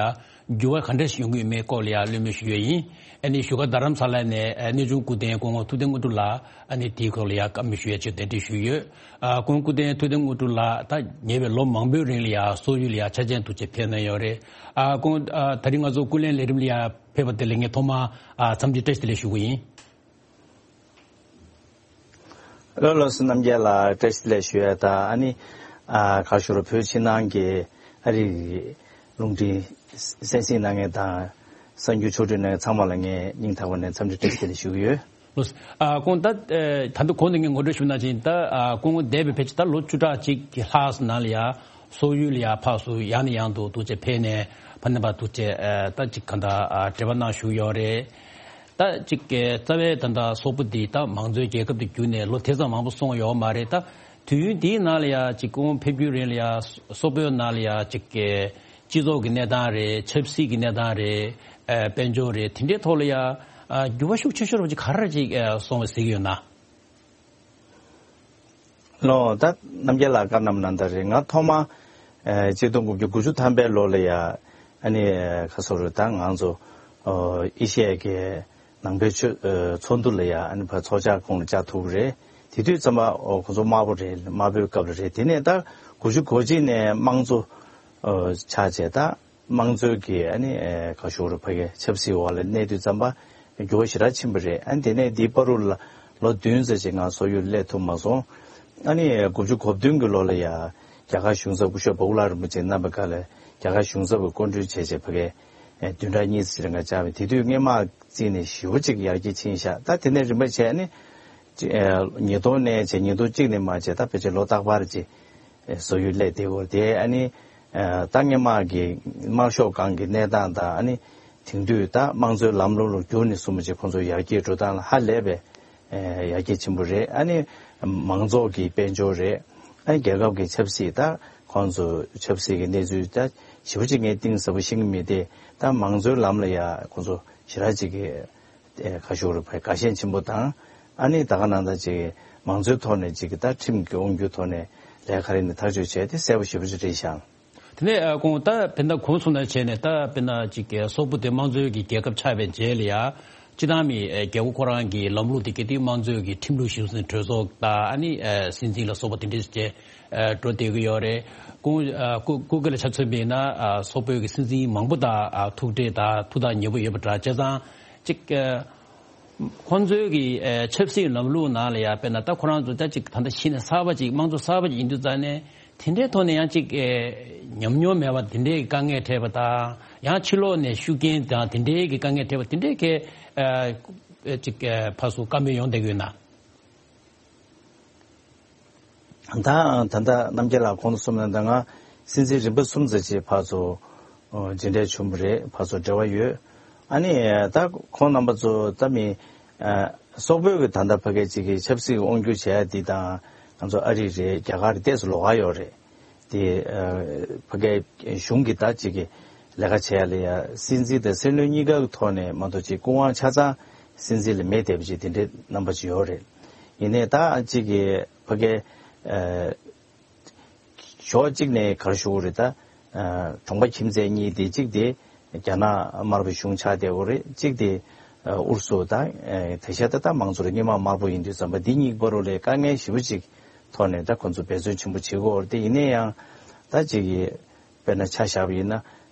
འགྱུར་བ་ག་འདྲ་ཞིག་ཡོང་གི་ཡོད་མེད་སྐོར་ལ་ཡ་གླེང་མོལ་ཞུ་ཡས་ཡིན། ཨ་ནི་བཞུགས་སྒར་རྡ་རམ་ས་ལ་ནས། ཨ། གནས་ཆུང་སྐུ་རྟེན་སྐུ་ངོ་ཐུབ་བསྟན་དངོས་གྲུབ་ལགས། ཨ་ནི་དེའི་སྐོར་ལ་ཡ་བཀའ་མོལ་ཞུ་ཡས་ཆེད་གདན་འདྲེན་ཞུས་ཡོད། ཨ། སྐུ་ངོ་སྐུ་རྟེན་ཐུབ་བསྟན་དངོས་གྲུབ་ལགས། ད་ཉེ་བའི་ལོ་མང་པོའི་རིང་ལ་ཡ་སོག་ཡུལ་ལ་ཡ་ཆ་རྐྱེན་ཐུག་ཆེད་ཕེབས་གནང་ཡོད་རེད། ཨ། སྐུ་ངོ། ཨ། དེ་རིང་ང་ཚོ་སྐུ་ལས་ལས་རིམ་ལ་ཡ་ཕེབས་པ་དེ་ལ་ངས་ཐོག་མར། ཨ། འཚམས་འདྲི་བཀྲ་ཤིས་བདེ་ལེགས་ཞུ་གི་ཡིན། ལགས་ལགས་སོ། རྣམ་རྒྱལ་ལགས་བཀྲ་ཤིས་བདེ་ལེགས་ཞུ་ཡས་དང་། ཨ་ནི། ཨ། ག་ཞུ་རོགས། བོད་ཕྱི་ནང་གི་ཨ་རིའི་རླུང་འཕྲིན་གསན་གཟིགས་གནང་མཁན་དང་གསར་འགྱུར་ཕྱོགས་བསྒྲིགས་གནང་མཁན་ཚང་མ་ལ་ངས་སྙིང་ཐག་པ་ནས་འཚམས་འདྲི་བཀྲ་ཤིས་བདེ་ལེགས་ཞུ་གི་ཡོད། ལགས་སོ། ཨ། སྐུ་ངོ། ད་ད་ལྟ་གོང་དུ་ངས་ངོ་སྤྲོད་ཞུས་ནང་བཞིན། ད། ཨ། སྐུ་ངོ་འདས་པའི་ཕལ་ཆེར་ད་ལོ་བཅུ་ཕྲག་གཅིག་གི་ལྷག་ཙམ་ནང་ལ་ཡ་སོག་ཡུལ་ལ་ཡ་ཕར་ཚུར་ཡང་ནས་ཡང་དུ་ཐུག་ཆེད་ཕེབས་ནས་ཕ་ནས་ཕར་ཐུག་ཆེད། ཨ། ད་ཅིག་གང་ལྟར། ཨ། འབྲེལ་བ་གནང་བཞུགས་ཡོད་རེད། ད་ཅིག་གི་རྩ་བའི་ད་ལྟ་སོག་པོ་འདི་ད་མང་གཙོའི་རྒྱལ་ཁབ་ཏུ་གྱུར་ནས་ལོ་དེ་ཙམ་མང་པོ་སོང་ཡོད་མ་རེད། ད་དུས་ཡུན་འདིའི་ནང་ལ་ཡ་ཅིག་སྐུ་ངོ་ཕེབས་རྒྱུའི་རིང་ལ་ཡ་སོག་པོའི་ནང་ལ་ཡ་ཅིག་གི་སྤྱི་ཚོགས་ཀྱི་གནས་སྟངས་རེད། ཆབ་སྲིད་ཀྱི་གནས་སྟངས་རེད། ཨ། དཔལ་འབྱོར་རེད། དེ་འདྲའི་ཐོག་ལ་ཡ། ཨ། འགྱུར་བ་ཤུགས་ཆེ་ཤོས་རུ་ཅིག་ག་རེ་ཅིག། ཨ། སོང་བ་གཟིགས་ཡོད་ན། ལགས། ད་རྣམ་རྒྱལ་ལགས་བཀའ་གནང་ནང་ལྟར་རེད། ང་ཐོག་མ། ཨ། གཅིག་སྟོང་དགུ་བརྒྱ་དགུ་བཅུ་ཐམ་པའི་ལོ་ལ་ཡ། ཨ་ནི་ཁ་སོ་རུ་ད་ང་ཚོ། ཨ། ཨེ་ཤི་ཡའི་གི་ནང་པའི་ཆོས། ཨ། ཚོགས་འདུ་ལ་ཡ། ཨ་ནི་ཕར་ཚོགས་བཅར་ཁོངས་ལ་བཅར་ཐུབ་ཀྱི་རེད། དེ་དུས་ཙམ་པ། ཨོ། ཁོ་ཚོ་དམར་པོ་རེད། དམར་པོའི་སྐབས་ལ་རེད། དེ་ནས་ད་དགུ་བཅུ་གོ་གཅིག་ནས་དམངས་གཙོ། ཨ། ཆགས་བྱས་ད། དམངས་གཙོའི་གི། ཨ་ནི། ཨེ། ག་ཞུ་རུ་ཕ་གི་ཆབ་སྲིད་འོག་ལ་གནས་དུས་ཙམ་པ་འགྱུར་བ་ཞེ་དྲག་ཕྱིན་པ་རེད། ཨ་ནི་དེ་ནས་འདིའི་བར་དུ་ལ་ལོ་བདུན་ཙམ་ཅིག་ང་སོག་ཡུལ་སླེབས་ཐུབ་མ་སོང་། ཨ་ནི་དགུ་བཅུ་གོ་བདུན་གི་ལོ་ལ་ཡ་རྒྱ་གར་གཞུང་ཚབ་སྐུ་ཞབས་བྷོ་ལ་རིན་པོ་ཆེ་གནང་བའི་སྐབས་ལ་རྒྱ་གར་གཞུང་ཚབ་ཀྱི་སྐུ་མགྲོན་བྱས་བྱས་ཕ་གི། ཨེ། བདུན་ཕྲག་གཉིས་ཙམ་ཅིག་ལ་ང་བཅར་བས། དེ་དུས་སྔས་མ་བརྩིས་ནས་ཞེ་པོ་ཅིག་ཡར་རྒྱས་ཕྱིན་ཤག། ད་དེ་ནས་རིམ་པ་བྱས་ནས། ཨེ། ཉིས་སྟོང་ནས་བྱས། ཉིས་སྟོང་གཅིག་ནས་མར་བྱས། ད་ཕལ་ཆེར་ལོ་རྟག་པར་ཅིག། ཨེ། སོག་ཡུལ་སླེབས་བསྡད་ཡོད་རེད། དེ་ཨ་ནི། ཨ། ད་སྔས་མ་གི་དམར་ཤོག་སྒང་གི་གནས་སྟངས་དང་། ཨ་ནི་དེང་དུས་ད་དམངས་གཙོའི་ལམ་ལུགས་ལ་བསྒྱུར་ནས་བཟུང་བྱས་ཁོང་ཚོ་ཡར་རྒྱས་འགྲོ་སྟངས་ལ་ཧ་ལས་པའི། ཨེ། ཡར་རྒྱས་ཆེན་པོ་རེད། ཨ་ནི་མང་ཚོགས་ཀྱི་དཔལ་འབྱོར་རེད། ཨ་ནི་རྒྱལ་ཁབ་ཀྱི་ཆབ་སྲིད། ད་ཁོང་ཚོ་ཆབ་སྲིད་ཀྱི་གནས་ཚུལ་ད་ཞེ་པོ་ཅིག་ངས་གཏིང་ཟབ་པོ་ཤེས་ཀྱི་མེད་དེ། ད་མང་གཙོའི་ལམ་ལ་ཡ་ཁོང་ཚོ་ཞེ་དྲག་ཅིག་གི། ཨེ། ག་ཞུ་རུ་ཕ་གི་དགའ་ཞེན་ཆེན་པོ་དང་། ཨ་ནི་ད་ག་ནང་ད་ཅིག་མང་གཙོའི་ཐོག་ནས་ཅིག་ད་ཁྲིམས་ཀྱི་དབང་སྒྱུར་ཐོག་ནས་ལས་ཀ་རེ་ནས་ཐག་གཅོད་བྱས་ཏེ་གསལ་པོ་ཞེ་པོ་ཅིག་རེད་ཤག། དེ་ནས་ཨ་ཁོང་ད་དཔེར་ན་གོང་གསུངས་ནང་བྱས་ནས་ད་དཔེར་ན་ཅིག་གི་སོག་པོ་དེ་དམངས་གཙོའི་གི་རྒྱལ་ཁབ་ཆགས་པའི་རྗེས་ལ་ཡ། སྤྱི་བཏང་མི་ཨ་རྒྱལ་པོ་ཁོ་རང་གི་ལམ་ལུགས་དེ་གལ་ཏེ་དམངས་གཙོའི་གི་ཁྲིམས་ལུགས་གཞི་བཟུང་གྲོས་ཚོགས་དང་ཨ་ནི་ཨ་སྲིད་འཛིན་ལ་སོགས་པ་དེ་འདྲས་བྱས་ཨ་འགྲོ་བསྡད་ཀྱི་ཡོད་རེད། ཁོང་ཨ་སྐུ་སྐུ་སྒེར་ལ་ཆ་མཚོན་པ་ཡིན་ན་ཨ་སོག་པོའི་གི་སྲིད་འཛིན་མང་པོ་དང་ཨ་ཐུག་འཕྲད་དང་ཐུགས་ཐག་ཉེ་པོ་ཡོད་པ་འདྲ། བྱས་ཙང་ཅིག་ཨ། ཁོང་ཚོའི་གི་ཨེ་ཆབ་སྲིད་ལམ་ལུགས་ནང་ལ་ཡ་དཔེར་ན་ད་ཁོ་རང་ཚོ་ད་ཅིག་ད་ལྟ་གཞི་ནས་གསར་པ་ཅིག་དམངས་གཙོ་གསར་པ་ཅིག་ཡིན་དུས་ཙང་ནས་དེ་འདྲའི་ཐོག་ནས་ཡང་ཅིག་ཨེ་ཉམས་མྱོང་མེད་པ་དེ་འདྲའི་གི་དཀའ་ངལ་འཕྲད་པ་དང་ཡང་ཕྱི་ལོགས་ནས་ཤུགས་རྐྱེན་དང་དེ་འདྲའི་གི་དཀའ་ངལ་འཕྲད་པ་དེ་འདྲའི་གི་ཨེ་ཅིག་ཨེ་ཕར་ཚུར་བཀའ་མོལ་ཡོང་བསྡད་ཀྱི་ཡོད་ན། ད་ད་ལྟ་རྣམ་རྒྱལ་ལགས་གོང་དུ་གསུངས་ནང་ད་ང་སྲིད་འཛིན་རིམ་པ་གསུམ་ཙམ་ཅིག་ཕར་ཚུར་ཨོ་མཇལ་འཕྲད་བྱུང་བ་རེད། ཕར་ཚུར་འབྲེལ་བ་ཡོད། ཨ་ནི་ད་ཁོང་རྣམ་པ་ཚོ་ད་མི་ཨ་སོག་པོའི་གི་ད་ལྟ་ཕ་གི་ཅིག་གི་ཆབ་སྲིད་དབང་སྒྱུར་བྱེད་ཡ་འདི་དང་ང་ཚོ་ཨ་རི་རེད། རྒྱ་གར་རེད། ཏོག་ཙམ་ལོགས་ཀ་ཡོད་རེད། དེ་ཨ་ཕ་གི་གཞུང་གི་ད་ཅིག་གི་ལས་ཀ་བྱེད་ཡ་ལ་ཡ་སྲིད་འཛིན་དང་སྲིད་བློན་གཉིས་ཀ་གི་ཐོག་ནས་མ་གཏོགས་ཅིག་སྐུ་དབང་ཆ་ཚང་སྲིད་འཛིན་ལ་མེད་བསྡད་པ་ཅིག་དེ་འདྲའི་རྣམ་པ་ཅིག་ཡོད་རེད། ཡིན་ནའི་ད་ཅིག་གི་ཕ་གི་ཨ་ཕྱོགས་གཅིག་ནས་ག་རེ་ཞུ་དགོས་རེད། ད་ཨ་གྲོང་པ་ཁྱིམ་མཚེས་གཉིས་དེ་གཅིག་དེ་རྒྱ་ནག་དམར་པོའི་གཞུང་ཆགས་བསྡད་ཡོད་རེད། གཅིག་དེ་ཨ་ཨུ་རུ་སུ་དང་ཨ་དེ་ཤ་ད་ད་མང་གཙོ་རེད། སྔོན་མ་དམར་པོ་ཡིན་དུས་ཙམ་པ་འདི་གཉིས་བར་ལ་དཀའ་ངལ་ཞེ་པོ་ཅིག་ཐོག་ནས་ད་ཁོ་ཚོ་འབད་བརྩོན་ཆེན་པོ་བྱེད་ཀྱི་ཡོད་རེད། དེ་ཡིན་ན་ཡང་ད་ཅིག་གི་དཔེར་ན་ཆ་བཞག་པ་ཡིན་ན་ཨ་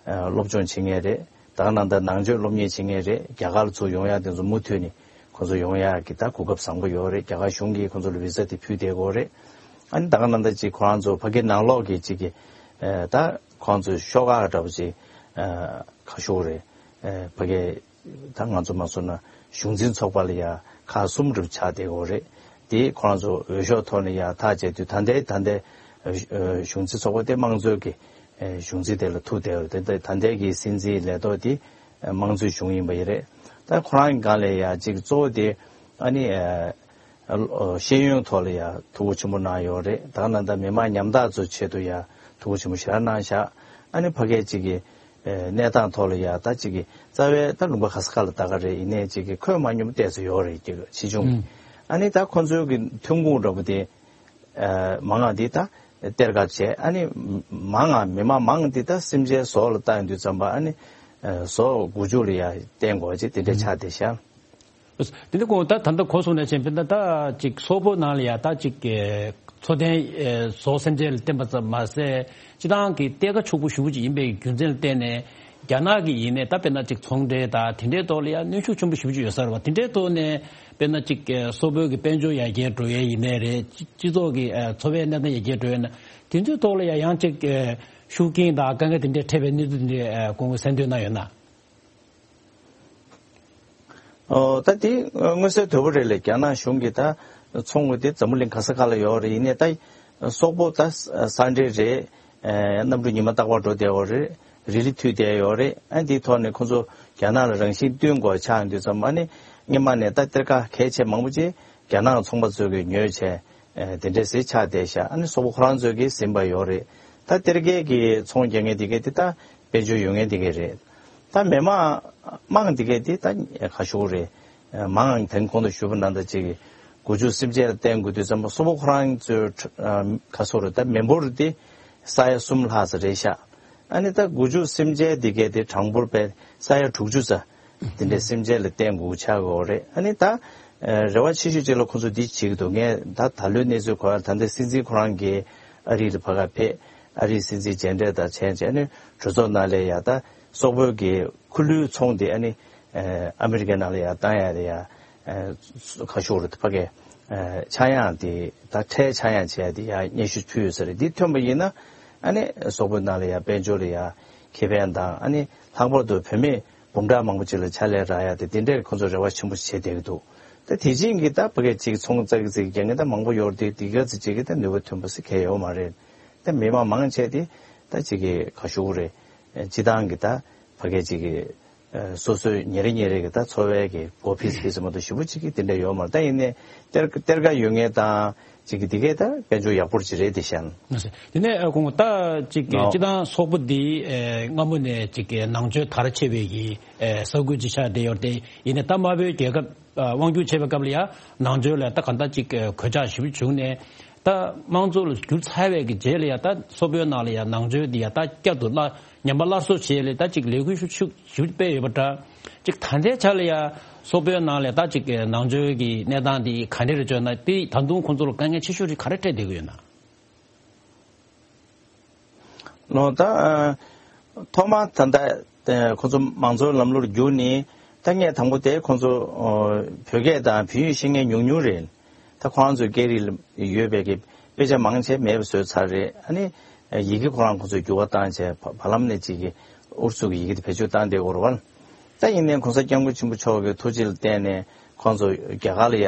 སློབ་སྦྱོང་བྱེད་མཁན་རེད། ད་ག་ནང་ད་ནང་ཆོས་སློབ་གཉེར་བྱེད་མཁན་རེད། རྒྱ་གར་ལ་ཚུར་ཡོང་ཡག་དེ་ཚོ་མུ་མཐུད་ནས་ཁོ་ཚོ་ཡོང་ཡག་གི་ད་གོ་སྐབས་བཟང་པོ་ཡོད་རེད། རྒྱ་གར་གཞུང་གིས་ཁོ་ཚོ་ལ་བི་ཟ་དེ་ཕུལ་བསྡད་ཀྱི་ཡོད་རེད། ཨ་ནི་ད་ག་ནང་ད་ཅིག་ཁོ་རང་ཚོ་ཕ་གི་ནང་ལོགས་ཀྱི་ཅིག་གི་ཨ་ད་ཁོ་རང་ཚོའི་ཤོག་ཁག་འདྲ་པོ་ཅིག་ཨ་ག་ཞུ་དགོས་རེད། ཨ་ཕ་གི་ད་ང་ཚོ་མ་སོང་ན་གཞུང་འཛིན་ཚོགས་པ་ལ་ཡ་ཁག་གསུམ་རུ་ཆགས་བསྡད་ཀྱི་ཡོད་རེད། དེ་ཁོ་རང་ཚོ་འོས་ཤོག་ཐོག་ནས་ཡ་ཐག་བཅད་དུས་ད་ལྟའི་ད་ལྟའི་ཨ་གཞུང་འཛིན་ཚོགས་པ་དེ་དམངས་གཙོའི་གི་ཨ་གཞུང་འཛིན་དེ་ལ་ཐུག་བསྡད་ཡོད་རེད། དེ་ད་ལྟའི་གི་སྲིད་འཛིན་ལས་ཐོག་དེ་ཨ་དམངས་གཙོའི་གཞུང་ཡིན་པ་ཡིན་རེད། ད་ཁོ་རང་གི་སྒང་ལ་ཡ་གཅིག་གཙོ་བོ་དེ་ཨ་ནི་ཨ་ཨ་ཤེས་ཡོན་ཐོག་ལ་ཡ་ཐུགས་ཁུར་ཆེན་པོ་གནང་ཡོད་རེད། ད་ག་ནང་ད་མི་མང་ཉམ་ཐག་ཚོའི་ཆེད་དུ་ཡ་ཐུགས་ཁུར་ཆེན་པོ་ཞེ་དྲག་གནང་ཤག་ཨ་ནི་ཕ་གིའི་གཅིག་གི་ཨ་གནས་སྟངས་ཐོག་ལ་ཡ་ད་གཅིག་གི་རྩ་བའི་ད་ལུང་པ་ག་ས་ག་ལ་ད་ག་རེད། ཡིན་ནའི་གཅིག་གི་ཁོད་མ་ཉུང་པོ་ཏོག་ཙམ་ཡོད་རེད། གཅིག་གི་ཕྱིས་འབྱུང་གི་ཨ་ནི་ད་ཁོ་ཚོའི་གི་ཐོན་ཁུངས་འདྲ་པོ་དེ། ཨ་མང་ང་འདི་ད་གཏེར་ཁ་བྱས། ཨ་ནི་མང་ང་མི་མང་མང་འདི་ད་སེམས་ཅན་ཟོག་ལ་བལྟ་ཡོང་དུས་ཙམ་པ་ཨ་ནི་ཨ་ཟོག་འགུལ་སྐྱོད་ལ་ཡ་བརྟེན་དགོས་ཅིག་དེ་འདྲ་ཆགས་བསྡད་ཤག་དེ་འདྲ་ཁོང་ད་ད་ལྟ་གོ་སོང་ནས་ཕྱིན་པ་ད་ད་ཅིག་སོག་པོ་ནང་ལ་ཡ་ད་ཅིག་གི་འཚོ་རྟེན་ཨ་ཟོག་སེམས་ཅན་ལ་བརྟེན་པ་ཙམ་མ་ཟད་སྤྱི་བཏང་གི་གཏེར་ཁ་ཕྱུག་པོ་ཞེ་པོ་ཅིག་ཡིན་པའི་རྒྱུ་མཚན་ལ་བརྟེན་ནས། རྒྱ་ནག་གི་ཡིན་ནའི་ད་དཔེར་ན་ཅིག་ཚོང་འབྲེལ་དང་དེ་འདྲའི་ཐོག་ལ་ཡང་གནོན་ཤུགས་ཆེན་པོ་ཞེ་པོ་ཅིག་ཡོད་ས་རེད་བ། དེ་འདྲའི་ཐོག་ནས་དཔེར་ན་ཅིག་ཨ་སོག་པོའི་གི་དཔལ་འབྱོར་ཡར་རྒྱས་འགྲོ་ཡས་ཡིན་ནའི་རེད། སྤྱི་སྤྱི་ཚོགས་ཀྱི་ཨ་འཚོ་བའི་གནས་སྟངས་ཡར་རྒྱས་འགྲོ་ཡས་ན་དེ་ཚོའི་ཐོག་ལ་ཡང་ཡང་ཅིག་ཨ་ཤུགས་རྐྱེན་དང་དཀའ་ངལ་དེ་འདྲའི་འཕྲད་པའི་གནས་ཚུལ་དེ་འདྲའི་ཨ་ཁོང་གིས་གསལ་འདོན་གནང་ཡོད་ན། ཨོ་ད་དེ་མངོན་གསལ་དོད་པོ་རེད་ལེ། རྒྱ་ནག་གཞུང་གིས་ད་ཚོང་དེ་འཛམ་བུ་གླིང་ག་ས་ག་ལ་ཡོད་རེད། ཡིན་ནའི་ད་སོག་པོ་ད་ས་འབྲེལ་རེད། ཨ་གནམ་གྲུ་ཉི་མ་རྟག་པར་འགྲོ་བསྡད་ཡོད་རེད། རི་ལི་མཐུད་བསྡད་ཡོད་རེད། ཨ་འདིའི་ཐོག་ནས་ཁོ་ཚོ་རྒྱ་ནག་ལ་རང་བཞིན་བསྟུན་དགོས་ཆགས་ཡོང་དུས་ཙམ་པ་ཨ་ནི་སྔོན་མ་ནས་ད་གཏེར་ཁ་གལ་ཆེ་མང་པོ་ཅིག་རྒྱ་ནག་ཚོང་པ་ཚོས་ཀྱིས་ཉོས་བྱས་ཨ་དེ་འདྲས་ཟེར་ཆགས་བསྡད་ཤག་ཨ་ནི་སོག་པོ་ཁོ་རང་ཚོས་ཀྱིས་ཟིན་པ་ཡོད་རེད། ད་གཏེར་ཁའི་གི་ཚོང་རྒྱག་མཁན་དེ་གས་དེ་ད་དཔལ་འབྱོར་ཡོད་མཁན་དེ་གས་རེད། ད་མི་མང་མང་དེ་གས་དེ་ད་ག་ཞུ་རེད། མང་དེང་གོང་དུ་ཞུས་པ་ནང་ལྟར་ཅིག་གི་སྒོ་ཕྱུགས་སེམས་ཅན་ལ་བརྟེན་དགོས་དུས་ཙམ་པ་སོག་པོ་ཁོ་རང་ཚོའི་ཁྲ- ཨ་ག་སོ་རེད། ད་མི་འབོར་དེ་ས་ཡ་གསུམ་ལྷག་ཙམ་རེད་ཤག་ཨ་ནི་ད་སྒོ་ཕྱུགས་སེམས་ཅན་དེ་གས་དེ་གྲངས་འབོར་པས་ས་ཡ་དྲུག་ཅུ་ཙམ་དེ་འདྲའི་སེམས་ཅན་ལ་བརྟེན་དགོས་ཆགས་ཀྱི་ཡོད་རེད། ཨ་ནི་ད་ཨ་རེ་བ་ཆེ་ཤོས་ཅིག་ལ་ཁོ་ཚོ་འདི་བྱེད་ཀྱི་འདུག་ངས་ད་ད་ལོའི་གནས་ཚུལ་གོ་ཡ་ད་ལྟ་སྲིད་འཛིན་ཁོ་རང་གིས་ཨ་རི་ལ་ཕ་ག་ཕེབས། ཨ་རིའི་སྲིད་འཛིན་མཇལ་འཕྲད་དང་བྱས་བྱས་ནས་གྲོས་ཚོགས་ནང་ལ་ཡ་ད་སོག་པོའི་གི་ཁུ་ལུའི་ཚོང་དེ་ཨ་ནི་ཨ་ཨ་མི་རི་ཀའི་ནང་ལ་ཡ་བཏང་ཡ་དེ་ཡ་ཨ་ཁ་ཤོར་རུ་ཕ་གི་ཨ་ཆག་ཡང་དེ་ད་ཁྲལ་ཆག་ཡང་བྱས་ཡ་དེ་ཡ་སྙན་ཞུ་ཕུལ་ཡོད་ས་རེད། འདི་ཐོན་པ་ཡིན་ན་ཨ་ནི་སོག་པོའི་ནང་ལ་ཡ་དཔལ་འབྱོར་ལ་ཡ་ཁེ་ཕན་དང་ཨ་ནི་ལྷག་པར་དུ་བུད་མེད་འབུམ་ཕྲག་མང་པོ་ཅིག་ལ་ཕྱག་ལས་རག་ཡ་དེ་དེ་འདྲས་ཁོ་ཚོ་རེ་བ་ཆེན་པོ་བྱེད་བསྡད་ཀྱི་འདུག་ད་དེ་བཞིན་གྱི་ད་ཕ་གི་ཅིག་ཚོང་ཙག་ཙིག་རྒྱག་མཁན་ད་མང་པོ་ཡོད་རེད། དེ་ག་ཚོད་ཅིག་གི་ད་ནུས་པ་ཐོན་པ་ཟེར་གང་ཡང་ཡོད་མ་རེད། ད་མི་མང་མང་ཆེ་དེ་ད་ཅིག་གི་ག་ཞུ་དགོས་རེད། སྤྱི་བཏང་གི་ད་ཕ་གི་ཅིག་གི་ཨ་སོ་སོའི་ཉིན་རེ་ཉིན་རེ་གི་ད་འཚོ་བའི་གི་སྒོ་ཕིས་ཕིས་མ་གཏོགས་ཞེ་པོ་ཅིག་གི་དེ་འདྲ་ཡོད་མ་རེད། ད་ཡིན་ནའི་གཏེར་གཏེར་ཁ་ཡོད་མཁན་དང་ཅིག་གི་དེ་གས་ད་དཔལ་འབྱོར་ཡག་པོ་ཅིག་རེད་དེ་ཤན། དེ་ནས་ཨ་ཁོང་ད་ཅིག་གི་ནོ། སྤྱི་བཏང་སོག་པོ་འདི་ཨ་སྔ་མོ་ནས་ཅིག་གི་ནང་ཆོས་དར་ཆེ་བའི་གི་ཨ་ས་ཁུལ་ཅིག་ཆགས་བསྡད་ཡོད་རེད། ཡིན་ནའི་ད་དམར་པོའི་རྒྱལ་ཁབ་ཨ་དབང་སྒྱུར་བྱེད་པའི་སྐབས་ལ་ཡ་ནང་ཆོས་ལ་ད་གང་ལྟར་ཅིག་གི་གོད་ཆག་ཞེ་པོ་བྱུང་ནས་ ད་དམངས་གཙོ་ལ་བསྒྱུར་ཚར་བའི་གི་རྗེས་ལ་ཡ་ད་སོག་པོའི་ནང་ལ་ཡ་ནང་ཆོས་འདི་ཡ་ད་བསྐྱར་དུ་སླར་ཉམས་པ་སླར་གསོ་བྱས་ལས་ད་ཅིག་ལས་འགུལ་ཤུགས་ཤུགས་ཞུ་སྤེལ་ཡོད་པ་འདྲ། ཅིག་ད་ལྟའི་ཆ་ལ་ཡ་སོག་པོའི་ནང་ལ་ད་ཅིག་ནང་ཆོས་ཀྱི་གནས་སྟངས་འདི་ག་འདྲ་རེད་བརྗོད་ན། དེ་ད་དུང་ཁོང་ཚོ་ལ་དཀའ་ངལ་ཆེ་ཤོས་རེད་ག་རེ་འཕྲད་བསྡད་ཀྱི་ཡོད་ན། ལོ་ད་ཨ་ཐོག་མ་ད་ལྟ་ཨ་ཁོང་ཚོ་མང་གཙོའི་ལམ་ལུགས་བསྒྱུར་ནས་ད་ངས་དང་པོ་དེ་ཁོང་ཚོ་ཨ་བོད་སྐད་དང་བོད་ཡིག་ཤེས་མཁན་ཉུང་ཉུང་རེད། ད་ཁོང་ཚོའི་སྐད་རིགས་ལ་ཡོད་པའི་གི་དཔེ་ཆ་མང་ཆེ་མེད་པ་བཟོས་ཚར་རེད། ཨ་ནི་ཡི་གེ་ཁོ་རང་ཁོང་ཚོས་འགྱུར་བ་བཏང་བྱས་བ་བར་ལམ་ནས་ཅིག་གི་ཨུ་རུ་སུ་གི་ཡི་གེ་དེ་བེད་སྤྱོད་བཏང་བསྡད་ཡོད་རེད་བ། ད་ཡིན་ནའི་གོང་ས་སྐྱབས་མགོན་ཆེན་པོ་མཆོག་གི་ཐུགས་རྗེ་ལ་བརྟེན་ནས་ཁོང་ཚོ་རྒྱ་གར་ལ་ཡ་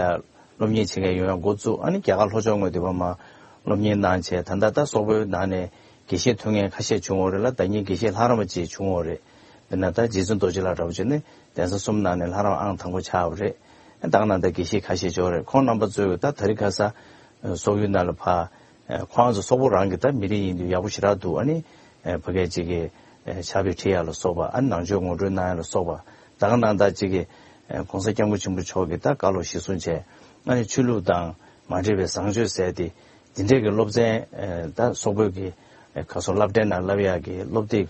སློབ་གཉེར་བྱེད་མཁན་ཡོང་ཡ་འགོ་བཙུགས། ཨ་ནི་རྒྱ་གར་ལྷོ་ཕྱོགས་ངོས་དེ་བ་མ་སློབ་གཉེར་གནང་བྱས་ད་ལྟ་ད་སོག་པོའི་ནང་ནས་དགེ་བཤེས་ཐོན་མཁན་ཁ་ཤས་བྱུང་ཡོད་རེད་ལ། ད་ཉིན་དགེ་བཤེས་ལྷ་རམས་པ་ཅིག་བྱུང་ཡོད་རེད། དཔེར་ན་ད་རྗེ་བཙུན་རྡོ་རྗེ་ལགས་འདྲ་བོ་བྱས་ནས་གདན་ས་གསུམ་ནང་ནས་ལྷ་རམས་ཨང་དང་པོ་ཆགས་པ་རེད། ད་ག་ནང་ད་དགེ་བཤེས་ཁ་ཤས་ཅིག་ཡོད་རེད། ཁོང་རྣམ་པ་ཚོས་ད་དེ་རིང་ཁ་སང་སོག་ཡུལ་ནང་ལ་ཕར་ཁོང་ཚོ་སོག་པོ་རང་གི་ད་མི་རིགས་ཡིན་དུས་ཡག་པོ་ཞེ་དྲག་འདུག་ཨ་ནི་ཕ་གི་ཅིག་གི་ཕྱག་དཔེ་ཁྲིད་ཡ་ལ་སོགས་པ། ཨ་ནི་ནང་ཆོས་ངོ་སྤྲོད་གནང་ཡ་ལ་སོགས་པ། ད་ག་ནང་ད་ཅིག་གི་གོང་ས་སྐྱབས་མགོན་ཆེན་པོ་མཆོག་གི་ད་བཀའ་སློབ་གཞིར་བཟུང་བྱས། ཨ་ནི་ཆོས་ལུགས་དང་མ་འབྲེལ་བའི་བཟང་སྤྱོད་ཟེར་ཏེ་འདི་འདྲའི་གི་སློབ་ཚན་ད་སོག་པོའི་གི་ག་སོ་སློབ་གྲྭའི་ནང་བསླབ་ཡ་གི་སློབ་དེབ་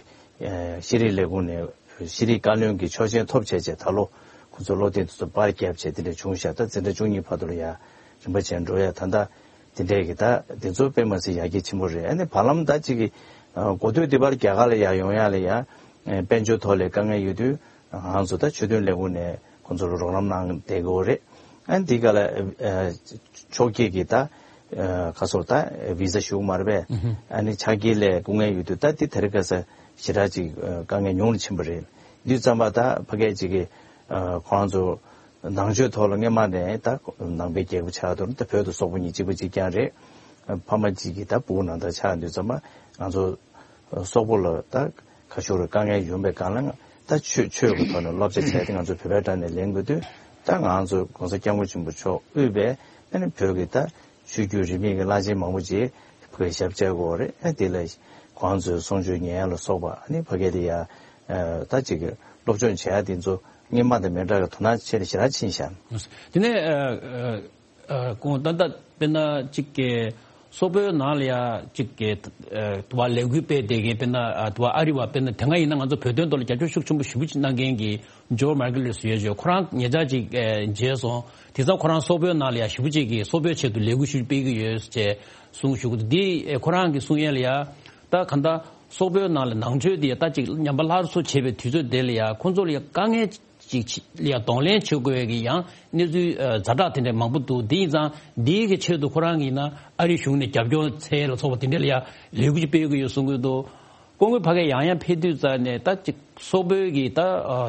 ཤེས་རིག་ལས་ཁུངས་ནས་ཤེས་རིག་བཀའ་བློན་གྱི་ཆོག་མཆན་ཐོབ་བྱས་བྱས་ད་ལོ་ཁོང་ཚོ་སློབ་དེབ་དེ་ཚོ་པར་བརྒྱབ་བྱས་དེ་འདྲ་བྱུང་ཤག་ད་འཛིན་གྲྭ་བཅུ་གཉིས་བར་དུ་ལ་ཡ་རིམ་པ་བྱས་འགྲོ་ཡ། ད་ལྟ་དེ་འདྲས་ཀྱི་ད་དེ་ཚོ་དཔེ་མ་སྲིད་ཡར་རྒྱས་ཆེན་པོ་རེད། ཨ་ནི་བར་ལམ་ད་ཅིག་གི་གོ་ཐོས་འདི་པར་རྒྱ་གར་ལ་ཡར་ཡོང་ཡ་ལ་ཡ་དཔལ་འབྱོར་ཐོག་ལ་དཀའ་ངལ་ཡོད་དུས་ང་ཚོ་ད་ཆོས་དོན་ལས་ཁུངས་ནས་ཁོང་ཚོ་ལ་རོགས་རམ་གནང་བསྡད་ཀྱི་ཡོད་རེད། ཨ་ནི་འདི་ག་ལ་ཕྱོགས་ཀྱི་གི་ད་ཁ་སོར་ད་བི་ཟ་ཞུ་གི་མ་རེད་པས། ཨ་ནི་ཕྱག་འཁྱེར་ལ་སྐུ་ངལ་ཡོད་དུས་ད་འདི་དེ་རིང་ཁ་སང་ཞེ་དྲག་ཅིག་དཀའ་ངལ་ཉུང་རུ་ཕྱིན་པ་རེད། འདི་ཙམ་པ་ད་ཕ་གི་ཅིག་གི་ཁོང་ཚོ་ནང་ཆོས་ཐོག་ལ་སྔོན་མ་ནས་ད་ནང་པའི་རྒྱལ་ཁབ་ཆགས་དུས་ད་བོད་དང་སོག་པོ་གཉིས་གཅིག་པ་གཅིག་རྐྱང་རེད། ཕ་མ་གཅིག་གི་ད་བུ་ནང་ད་ཆགས་དུས་ཙམ་པ་ང་ཚོ་སོག་པོ་ལ་ད་ཁ་ཤོར་དཀའ་ངལ་ཡོང་པའི་སྒང་ལ་ད་ཆོས་ཆོས་ཀྱི་ཐོག་ནས་སློབ་སྦྱོང་བྱས་ཏེ་ང་ཚོ་བོད་པའི་གྲས་ནས་ལེན་དགོས་དུས་ད་ང་ཚོ་གོང་ས་སྐྱབས་མགོན་ཆེན་པོ་མཆོག་དབུས་པའི་ཨ་ནི་བོད་ཀྱི་ད་ཆོས་བརྒྱུད་རིས་མེད་ཀྱི་བླ་ཆེན་མང་པོ་ཅིག་བོད་ཞབས་བཅགས་ཀྱི་ཡོད་རེད། ཨ་དེ་ལ་ཁོང་ཚོའི་གསུང་ཆོས་ཉན་ཡ་ལ་སོགས་པ་ཨ་ནི་ཕ་གི་དེ་ཡ་ད་ཅིག་གི་སློབ་སྦྱོང་བྱེད་ཡ་དེ་ཚོ་སྔོན་མ་དང་མི་འདྲ་བའི་དོ་སྣང་ཆེ་རུ་ཞེ་དྲག་ཕྱིན་ཤག་དེ་ནས་ཨ་ཨ་ཨ་ཁོང་ད་ལྟ་དཔེར་ན་གཅིག་གི་སོག་པོའི་ནང་ལ་ཡ་གཅིག་གི་ཨ་དུ་བ་ལས་འགུལ་སྤེལ་བསྡད་མཁན་དཔེར་ན་ཨ་དུ་བ་ཨ་རི་བ་དཔེར་ན་དེ་སྔ་ཡིན་ན་ང་ཚོ་བོད་དོན་ཐོག་ལ་རྒྱབ་སྐྱོར་ཤུགས་ཆེན་པོ་ཞེ་པོ་ཅིག་གནང་མཁན་གྱི་ཇོར་མར་ཀེ་ལོས་ཟེར་ཡོད་ཅོ། ཁོ་རང་ཉེ་ཆར་ཅིག་ཨ་མཇལ་སོང་། དེང་སང་ཁོ་རང་སོག་པོའི་ནང་ལ་ཡ་ཞེ་པོ་ཅིག་གི་སོག་པོའི་ཆེད་དུ་ལས་འགུལ་ཞེ་པོ་སྤེལ་གྱི་ཡོད་ཅེས་གསུངས་བཞུགས་འདུག་འདི་ཨ་ཁོ་རང་གི་གསུང་ཡས་ལ་ཡ་ད་ག་འདྲ་སོག་པོའི་ནང་ལ་ནང་ཆོས་འདི་ད་ཅིག་ཉམས་པ་སླར་གསོ་བྱེད་པའི་དུས་ཚོད་དེ་ལ་ཡ་ཁོང་ཚོ་ལ་ཡ་དཀའ་ངལ་ཅིག་ལ་ཡ་གདོང་ལེན་བྱེད་དགོས་ཀྱི་ཡང་གནས་ཚུལ་ཛ་དྲག་དེ་འདྲ་མང་པོ་འདུག་འདི་ཡིན་ཙང་འདིའི་གི་ཆེད་དུ་ཁོ་རང་གིས་ན་ཨ་རི་གཞུང་ནས་རྒྱབ་སྐྱོར་འཚལ་ལ་སོགས་པ་དེ་འདྲ་ལ་ཡ་ལས་འགུལ་ཅིག་སྤེལ་གྱི་ཡོད་གསུང་གི་འདུག་སྐུ་ངོ་ཕ་གིར་ཡང་ཡང་ཕེབས་དུས་ཙང་ནས་ད་ཅིག་སོག་པོའི་གི་ད་